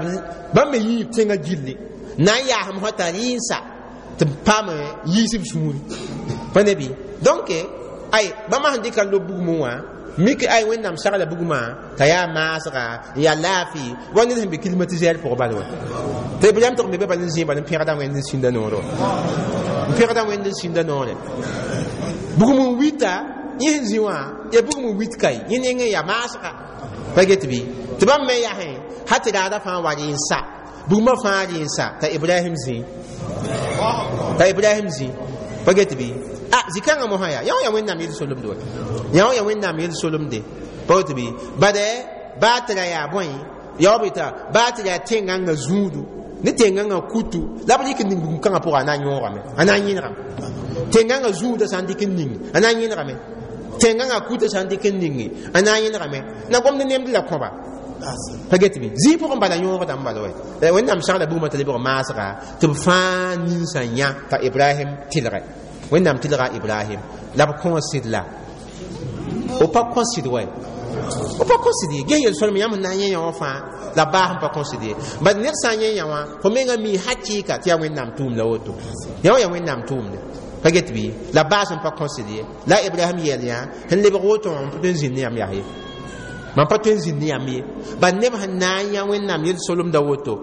[SPEAKER 1] bãmb me yiib tẽngã gilli na n yaasem sã t'a rɩɩnsa tɩ b paam yiis b sũuri pa ne bɩ donc ay bãmb sẽn dɩka n lob bugumẽ wã mik ay wẽnnaam sagla bugmã t'a yaa maasga n yaa laafɩ wa ned sẽn be climatiseur pʋgã bal wã tɩ ibrahim tɩg n be bal n zĩig bal n pẽgda wẽnd n sĩnda noore n pẽgda wẽnd n sĩnda noore bugum n wita yẽ sẽn zĩ wã ya bugum n wit kai yẽ nengẽ yaa maasga pa get bɩ tɩ bãmb me yasẽ ha tɩ raada fãa wa rɩ n sa bugmã fãa rɩ n sa t'a ibrahim zĩ t'a ibrahim zĩ pa get bɩ ah zĩ-kãngã mosã yaa yã wã yaa wẽnnaam yel-solemde wa yã wã yaa wẽnnaam yel-solemde pa woto bɩ bad baa tɩ ra yaa bõe yaob yeta baa tɩ yaa tẽngãngã zũudu ne tẽngãngã kutu la b rɩk n ning bugum kãngã pʋga a na n yõogame a na n yẽnegame tẽngãngã zũudã sã n dɩk n ning a na n yẽnegame tẽngãngã kutã sã n dɩk n ninge a na n yẽnegame na gomd nemd la kõba pa get bɩ zĩig pʋgẽ bala yõogdame bala wɛ wẽnnaam sagla bugmã t'a lebg maasga tɩ b fãa ninsã yã t'a ibrahim tɩlgɛ wẽnnaam tɩlga ibrahim la b kõosd la b pa kõsd wɛ b pa kõsd ye ges yel-solem yãmb sẽn na n yẽ yã wã fãa la baas n pa kõsd ye bad ned sã n yẽ yã wã fo menga mi hakɩɩka tɩ yaa wẽnnaam tʋʋm la woto yã wã yaa wẽnnaam tʋʋmde pa get bɩ la baas n pa kõsd ye la ibrahim yɛl yã sẽn lebg woto wã mam pa tõe n zĩnd ne yãmb yaa ye mam pa tõe n zĩnd ne yãmb ye bad neb sẽn na n yã wẽnnaam yel-solemda woto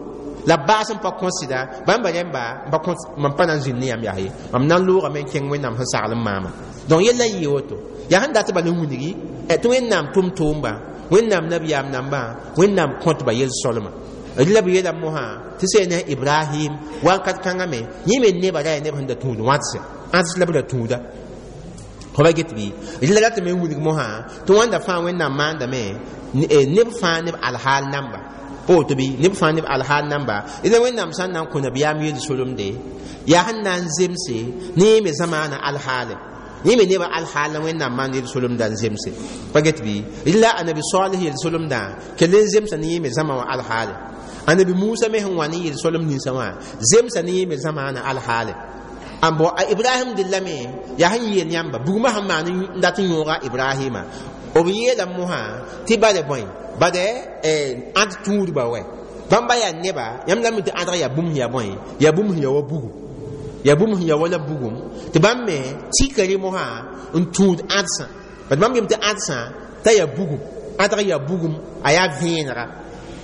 [SPEAKER 1] la baas n pa kõsda bãmba rẽmba mam pa na n zĩnd ne yãmb yaa ye mam na n loogame n kẽng wẽnnaam sẽn sagl n maama donc yella yɩ woto yaa sẽn dat bal n wilgi tɩ wẽnnaam tʋm-tʋʋmba wẽnnaam nabiyaam nambã wẽnnaam kõtba yel-solma la b yeelame mosã tɩ sẽn ne ibrahim wakat kãngã me yẽ me nebã ra yaa neb sẽn da tũud wãdse ãds la b da tũuda fo ba get bɩ la ratame n wilg mosã tɩ wãnda fãa wẽnnaam maandame neb fãa neb alhaal namba pa woto bɩ neb fãa neb alhaal namba la wẽnnaam sã n na n kõ nabiyaam yel-solemde yaa sẽn na n zemse ne yẽ me zamaana alhaale yẽ me nebã alhaal la wẽnnaam maan yel-solemda n zemse pa get bɩ la anabi salih yel-solemdã kell n zemsa ne yẽ me zãma wã alhaale anabi musa me sẽn wa ne yel-solem ninsã wã zemsa ne yẽ me zamaana alhaale n bo a ibrahim dilla me yaa sẽn yeel yãmba bugmã sẽn maan n dat n yõoga ibrahima b yeela mosã tɩ bale bõe bade ãd tũudba wɛ bãmba yaa neba yãmb la mi tɩ ãdg yaa bũmb sẽn yaa bõe yaa bũmb sẽn yaa wa bugum yaa bũmb sẽn yaa wala bugum tɩ bãmb me tikre mosã n tũud ãdsã bad bãmb yem tɩ ãdsã t'a yaa bugum ãdg yaa bugum a yaa vẽenega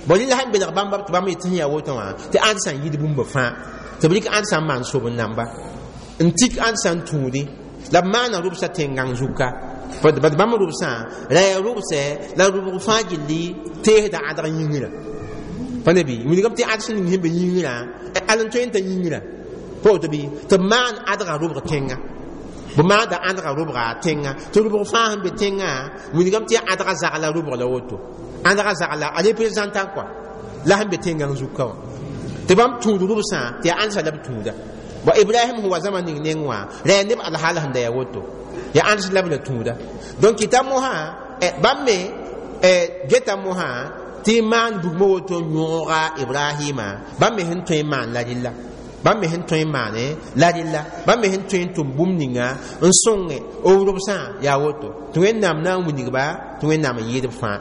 [SPEAKER 1] bon rɩla sẽn belg bãmba tɩ bãmb yetɩ sẽn yaa woto wã tɩ ãdsã n yid bũmba fãa tɩ b rɩk ãdsã n maan sob n namba n tik ãdsã n tũudi la b maana rʋbsã tẽn-gãng zuka bad bãmb rʋbsã ra yaa rʋbsɛ la rʋbg fãa gilli teesda ãdg yĩngrã pa ne bɩ wilgame tɩ ãds ning sẽn be yĩngrã al n tõe n t'a yĩngrã pa woto bɩ tɩ b maan ãdgã rʋbg tẽngã b maanda ãdgã rʋbga tẽngã tɩ rʋbg fãa sẽn be tẽngã wilgame tɩ ãdgã zagla rʋbg la woto ãdgã zagla a représentant quoi la sẽn be tẽngã zuka wã tɩ bãmb tũud rʋbsã tɩ yaa ãndsã la b tũuda wa ibrahim sẽn wa zãma ning neng wã ra yaa neb alhaal sẽn da yaa woto yaa ãns la b la tũuda donc t'a mosã bãmb me geta mosã tɩ maan bugmã woto yõoga ibrahima bãmb me sẽn tõe n maan la rɩlla bãmb me sẽn tõe n maane la rɩlla bãmb me sẽn tõe n tʋm bũmb ninga n sõnge b rʋbsã yaa woto tɩ wẽnnaam na n wilgba tɩ wẽnnaam n yɩɩd b fãa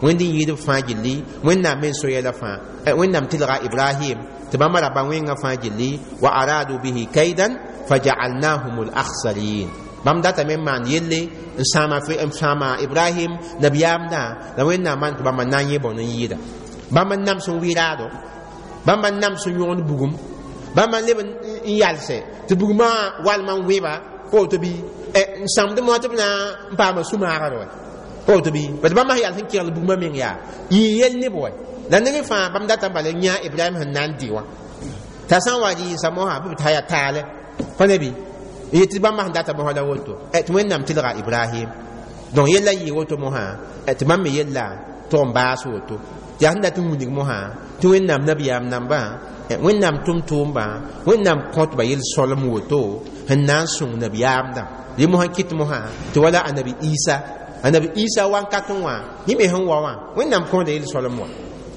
[SPEAKER 1] wẽnd n yɩɩd b fãa gilli wẽnnaam me n so yɛla fãa wẽnnaam tɩlga ibrahim tɩ bãmba raba wẽngã fãa gilli wa aradu bihi kaidan fajaalnahum alakhsarin bãmb datame n maan yelle n sãama n sãama ibrahim nabiyaamdã la wẽnnaam maan tɩ bãmba na n yẽ bõn n yɩɩda bãmb n nams n wɩ-raado bãmb n nams n yõgd bugum bãmb n leb n yalsɛ tɩ bugmã walmã n wẽba pa woto bɩ n sãmd moa tɩ b na n paama sũ-maagr wɛ pa woto bɩ bad bãmb sẽn yals n kegl bugmã meng yaa yɩ yel neb wɛ la neb fãa bãmb data n bala yã ibrahim sẽn na n dɩ wã t'a sã n wa rɩɩsa mosã bɩ b t'a yaa taale pa ne bɩ yetɩ bãmb sẽn data mosã la woto tɩ wẽnnaam tɩlga ibrahim donc yella yɩ woto mosã tɩ bãmb me yella tʋg n baas woto Tɩ yaa sẽn dat n wilg mosã tɩ Wẽnnaam nabiyaam nambã, Wẽnnaam tʋm-tʋʋmbã, Wẽnnaam kõtba yel-solem woto sẽn na n sõng nabiyaamdã. Rẽ mosã kɩt mosã tɩ wala Anabi Isa, Anabi Isa wankat n wã yẽ me sẽn wa wã, Wẽnnaam kõoda yel-solem wã,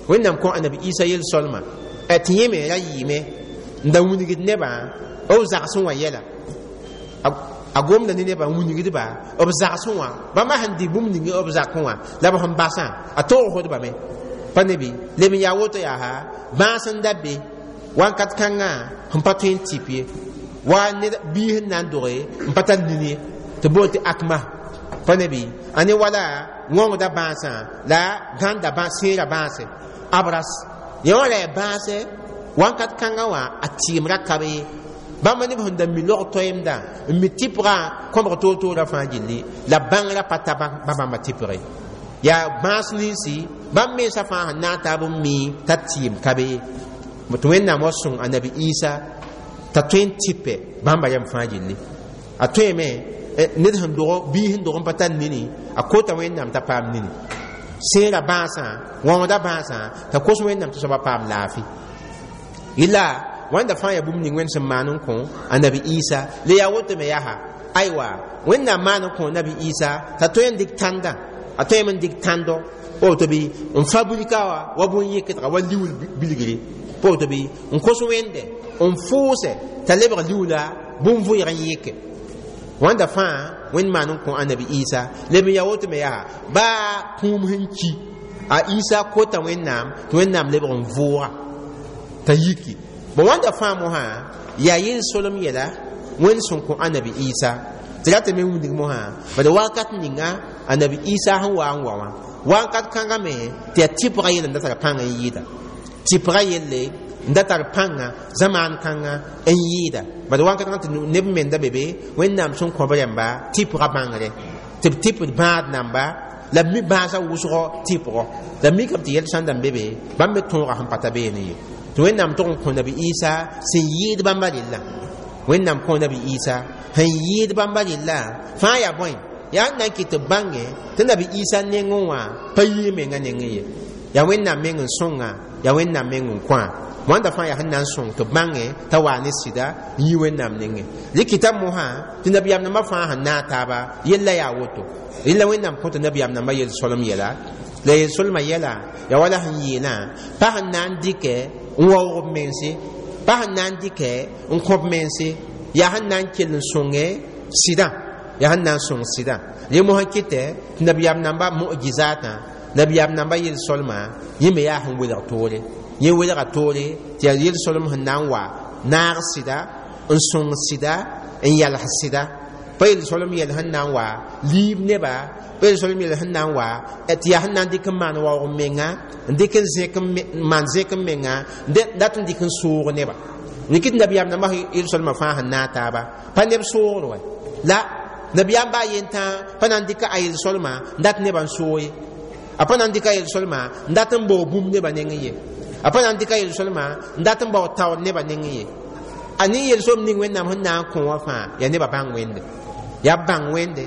[SPEAKER 1] Wẽnnaam kõ Anabi Isa yel-solmã tɩ yẽ me ra yɩɩme n da wilgd nebã b zagsẽ wã yɛla. A gomda ne nebã n wilgdba b zagsẽ wã, bãmba sẽn dɩ bũmb ning b zakẽ wã la b sẽn basã, a togsdbame pa ne bɩ leb n yaa woto. Yaa bãas n da be wankat kãngã sẽn pa tõe n tɩp ye, wa ned biis n na n doge n pa tar nini ye, tɩ bool tɩ akma pa ne bɩ a ne wala wõngda bãasã la gãnda sẽera bãase abras yẽ wã la ya bãase wankat kãngã wã a tɩɩmrã ka be ye. Bãmba neb sẽn da mi log toeemdã n mi tɩpgã kõbg toor-toorã fãa gilli la bãngrã pa ta ba bãmba tɩpge yaa bãas ninsi bãmb mensã fãa sẽn na n taab n mi t'a tɩɩm ka be ye. Tɩ Wẽnnaam wa sõng Anabi Isa t'a tõe n tɩpɛ bãmba yɛm fãa gilli, a tõeme ned sẽn dog biis sẽn dog n pa tar nini, a kota Wẽnnaam t'a paam nini, sẽera bãasã wãoda bãasã t'a kos Wẽnnaam tɩ soaba paam laafɩ. Yɩla wãnda fãa yaa bũmb ning Wẽnd sẽn maan n kõ Anabi Isa. Le yaa woto me yaa aywa Wẽnnaam maan n kõ Nabi Isa t'a tõe n dɩk tãndã, a tõeme n dɩk tãndo woto bɩ n fabrika wa wa bũn yɩkdga wa liuul bilgre pa woto bɩ n kos Wẽnde n fʋʋsɛ t'a lebg liuula bũn-vʋɩg n yɩke. Wãnda fãa Wẽnd maan n kõ Anabi Isa. Leb n yaa woto me yaa baa kũum sẽn ki a Isa kota Wẽnnaam tɩ Wẽnnaam lebg n vʋʋga t'a yiki. Bon, wãnda fãa mosã yaa yel-solem yɛla Wẽnd sẽn kõ Anabi Isa tɩ ratame wilg mosã. Bad wakat ninga Anabi Isa sẽn wa n wa wã wakat kãngã me tɩ yaa tɩpga yell n da tar pãng n yɩɩda, tɩpga yelle n da tar pãnga zamaan kãngã n yɩɩda. Bad wakat kãngã tɩ neb me n da be be Wẽnnaam sẽn kõ b rãmba tɩpga bãngre tɩ b tɩpd bãad namba la b mi bãasã wʋsgɔ tɩpgɔ la b mikame tɩ yɛl sãn da n be be bãmb me tõoga sẽn pa ta beene ye. Tɩ Wẽnnaam tʋg n kõ Nabi Isa sẽn yɩɩd bãmba rella, Wẽnnaam kõ Nabi Isa sẽn yɩɩd bãmba rella fãa yaa bõe yaa n na n kɩt tɩ b bãnge tɩ Nabi Isa nengẽ wã pa yɩ menga nengẽ ye, yaa Wẽnnaam meng n sõnga, yaa Wẽnnaam meng n kõa. Wãnda fãa yaa sẽn na n sõng tɩ b bãnge t'a waa ne sɩda n yi Wẽnnaam nengẽ. Rɩkɩta mosã tɩ nabiyaam nambã fãa sẽn naag taaba yella yaa woto. Rẽla Wẽnnaam kõ tɩ nabiyaam nambã yel-solem yɛla la yel-solmã yɛla yaa wala sẽn yeelã pa sẽn na n dɩkɛ n waoog b mense, pa sẽn na n dɩkɛ n kõ b mense, yaa sẽn na n kell n sõnge sɩdã, yaa sẽn na n sõng sɩdã. Rẽ mosã kɩtɛ tɩ nabiyaam nambã mu'jizatã, nabiyaam nambã yel-solmã yẽ me yaa sẽn welg toore, yẽ welga toore tɩ yaa yel-solem sẽn na n wa naag sɩda n sõng sɩda n yals sɩda, pa yel-solem yɛl sẽn na n wa liib neba, pa yel-solem yɛl sẽn na n wa tɩ yaa sẽn na n dɩk n maan waoog n menga, n dɩk n zẽk n maan zẽk n menga, dat n dɩk n soog neba. Rɩk tɩ nabiyaam nambã yel-solmã fãa sẽn naag taaba pa neb soogr wɛ la nabiyaam baa yentã pa na n dɩka a yel-solmã n dat nebã n soog ye, a pa na n dɩka a yel-solmã n dat n baoog bũmb nebã nengẽ ye, a pa na n dɩka yel-solmã n dat n baoog taoor nebã nengẽ ye. A ne yel-solem ning Wẽnnaam sẽn na n kõ wã fãa yaa nebã bãng Wẽnde, yaa b bãng Wẽnde,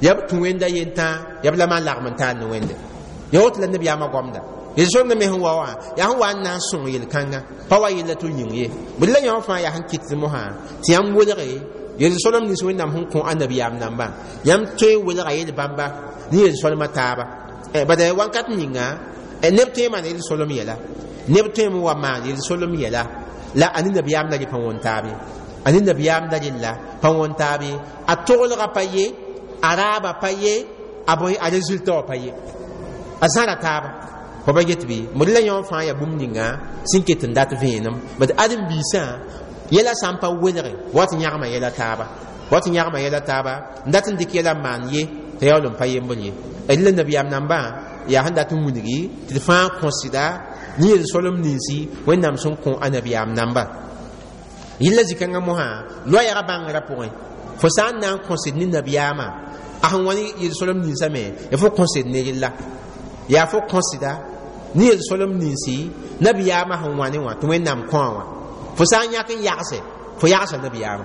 [SPEAKER 1] yaa b tũ Wẽnda yentã, yaa b la maan lagm n taar ne Wẽnde. Yaa woto la nabiyaamã goamda yel-solemdã me sẽn wa wã yaa sẽn wa n na n sõng yel-kãngã pa wa yella tɩ yĩng ye. Bd la yã fãa yaa sẽn kɩt mosã tɩ yãmb welge yel-solem nins Wẽnnaam sẽn kõ anabiyaam nambã, yãmb tõe n welga yel-bãmba ne yel-solmã taaba. Bad wankat ninga neb tõe n maan yel-solem yɛla, neb tõe n wa maan yel-solem yɛla la a ne nabiyaam la rɩ pa wõn taab ye, a ne nabiyaam la rella pa wõn taab ye, a toglga pa ye, a raaba pa ye, a bõe a résultat wã pa ye, a zãra taaba fa ba get bɩ mod la yõ fãa yaa bũmb ninga sẽn ket n dat vẽenem. Bad ãdem-biisã yɛla sã n pa welge wat n yãgma yɛla taaba, wat n yãgma yɛla taaba n dat n dɩk yɛla n maan ye t'a yaool n pa yembr ye. D la nabiyaam nambã yaa sẽn dat n wilgi tɩ d fãa kõ sɩda ne yel-solem ninsi Wẽnnaam sẽn kõ a nabiyaam namba. Yella zĩ-kãngã mosã loɛɛgã bãngrã pʋgẽ fo sã n na n kõsd ne nabiyaamã a sẽn wa ne yel-solem ninsã me yaa fo kõsd ne rella, yaa fo kõsda ne yel-solem ninsi nabiyaamã sẽn wa ne wã tɩ Wẽnnaam kõa wã. Fo sã n yãk n yagse fo yagsa nabiyaamã.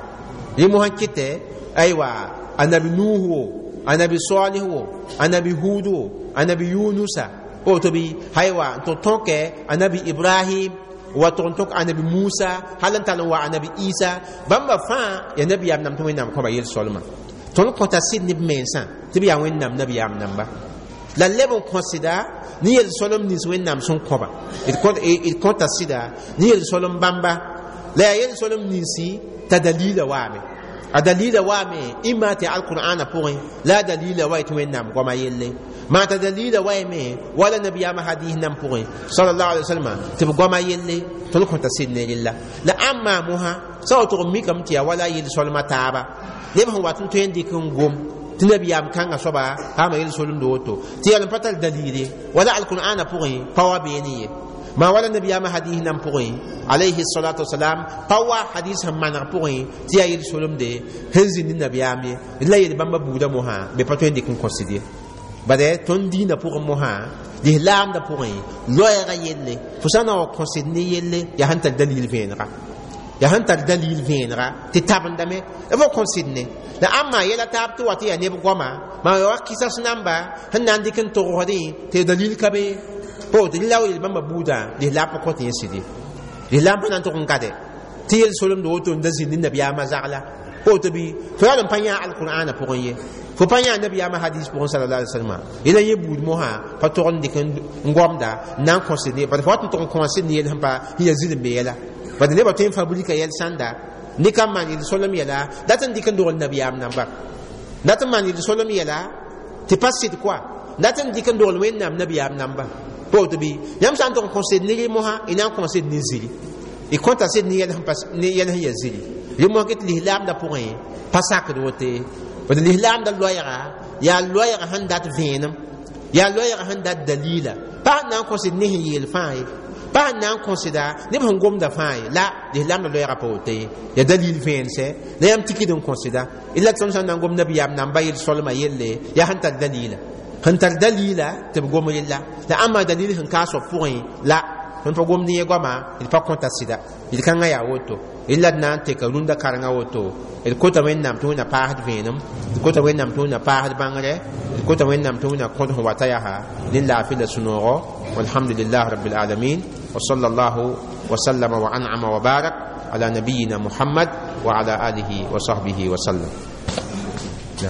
[SPEAKER 1] Rẽ mosã kɩtɛ aywa anabi Nuh wo, anabi Salih wo, anabi Hud wo, anabi Yunusa, Woto bɩ haywa n tɩ tõke anabi Ibrahim wa tʋg n tõk anabi Musa, hal n tall n wa anabi Isa. Bãmba fãa ya nabiyaam nam tɩ Wẽnnaam kõba yel-solmã. Tõnd kõta sɩd ne b mensã tɩ b yaa Wẽnnaam nabiyaam namba, la leb n kõ sɩda ne yel-solem nins Wẽnnaam sẽn kõba. D kõta sɩda ne yel-solem bãmba, la yaa yel-solem ninsi t'a dalila waame. A dalila waame ĩmma tɩ alqur'ana pʋgẽ, la a dalila wa tɩ Wẽnnaam goama yelle maa t'a dalila waame wala nabiyaamã hadis nan pʋgẽ sallallahu alaihi wasallam tɩ b goama yelle. Tõnd kõta sɩd ne rella. La ãmba mosã sã wa tʋg n mikame tɩ yaa wala yel-solmã taaba, neb sẽn wat n tõe n dɩk n gom tɩ nabiyaam kãngã soaba paama yel-solemd woto tɩ yaa n pa tar dalil ye, wala alqur'ana pʋgẽ pa wa beene ye, ma wala nabiyaamã hadis nan pʋgẽ alayhi salatu wasalam pa wa hadis sẽn maneg pʋgẽ tɩ yaa yel-solemde sẽn zĩnd ne nabiyaam ye. La yel bãmba buudã mosã be pa tõe n dɩk n kõsd ye. Bade tõnd dĩinã pʋgẽ mosã, lislaamdã pʋgẽ, loɛɛgã yelle fo sã na wa kõsd ne yelle yaa sẽn tar dalil vẽenega, yaa sẽn tar dalil vẽenega tɩ tabendame fo kõsd ne. La ãmba yɛla taab tɩ wa tɩ yaa neb goama maa ya wa kɩsas namba sẽn na n dɩk n togsdẽ tɩ dalil ka be po tɩ la wa yel bãmba buudã lislaam pa kõt yẽ sɩd ye. Lislaam pa na n tʋg n gade tɩ yel-solemd woto n da zĩnd ne nabiyaamã zagla woto bɩ fo yaa n pa yã alqur'ana pʋgẽ ye, fo pa yã nabiyaamã hadis pʋgẽ sallallahu alaihi wasallam. Yẽla yẽ buud mosã pa tog n dɩk n gomda n na n kõsd ne, bad fo wat n tʋg n kõsd ne yel sẽn pa sẽn yaa zĩnd be yɛla. Bad nebã tõe n fabrika yɛl sãnda nɩka n maan yel-solem yɛla dat n dɩk n dogl nabiyaam namba, dat n maan yel-solem yɛla tɩ pa sɩd koa, dat n dɩk n dogl Wẽnnaam nabiyaam namba woto bɩ yãmb sã n tʋg n kõsd ne rẽ mosã, y na n kõsd ne ziri, y kõta sɩd ne yɛl sẽn yaa ziri. Rẽ mosã ket lislaamdã pʋgẽ pa sakd wote. Bad lislaamdã loɛɛga yaa loɛɛga sẽn dat vẽenem, yaa loɛɛga sẽn dat dalila, pa sẽn na n kõsd ne sẽn yeel fãa ye, pa sẽn na n kõsda neb sẽn gomda fãa ye. La lislaamdã loɛɛga pa woto ye, yaa dalil vẽensɛ la yãmb tikd n kõsda. La tõnd sã n na n gom nabiyaam namba yel-solmã yelle yaa sẽn tar dalila, sẽn tar dalila tɩ b gom rella. La ãmba dalil sẽn ka soab pʋgẽ la tõnd pa gomd yẽ goama, d pa kõta sɩda. Yel-kãngã yaa woto la d na n teka rũndã karengã woto. D kota Wẽnnaam tɩ Wẽnna paasd vẽenem, d kota Wẽnnaam tɩ Wẽnna paasd bãngre, d kota Wẽnnaam tɩ Wẽnna kõt sẽn wata yaa ne laafɩ la sũ-noogo. Walhamdulillah rabbil alamin, wa sallallahu wa sallama wa an'ama wa barak ala nabiyina Muhammad wa ala alihi wa sahbihi wa sallam.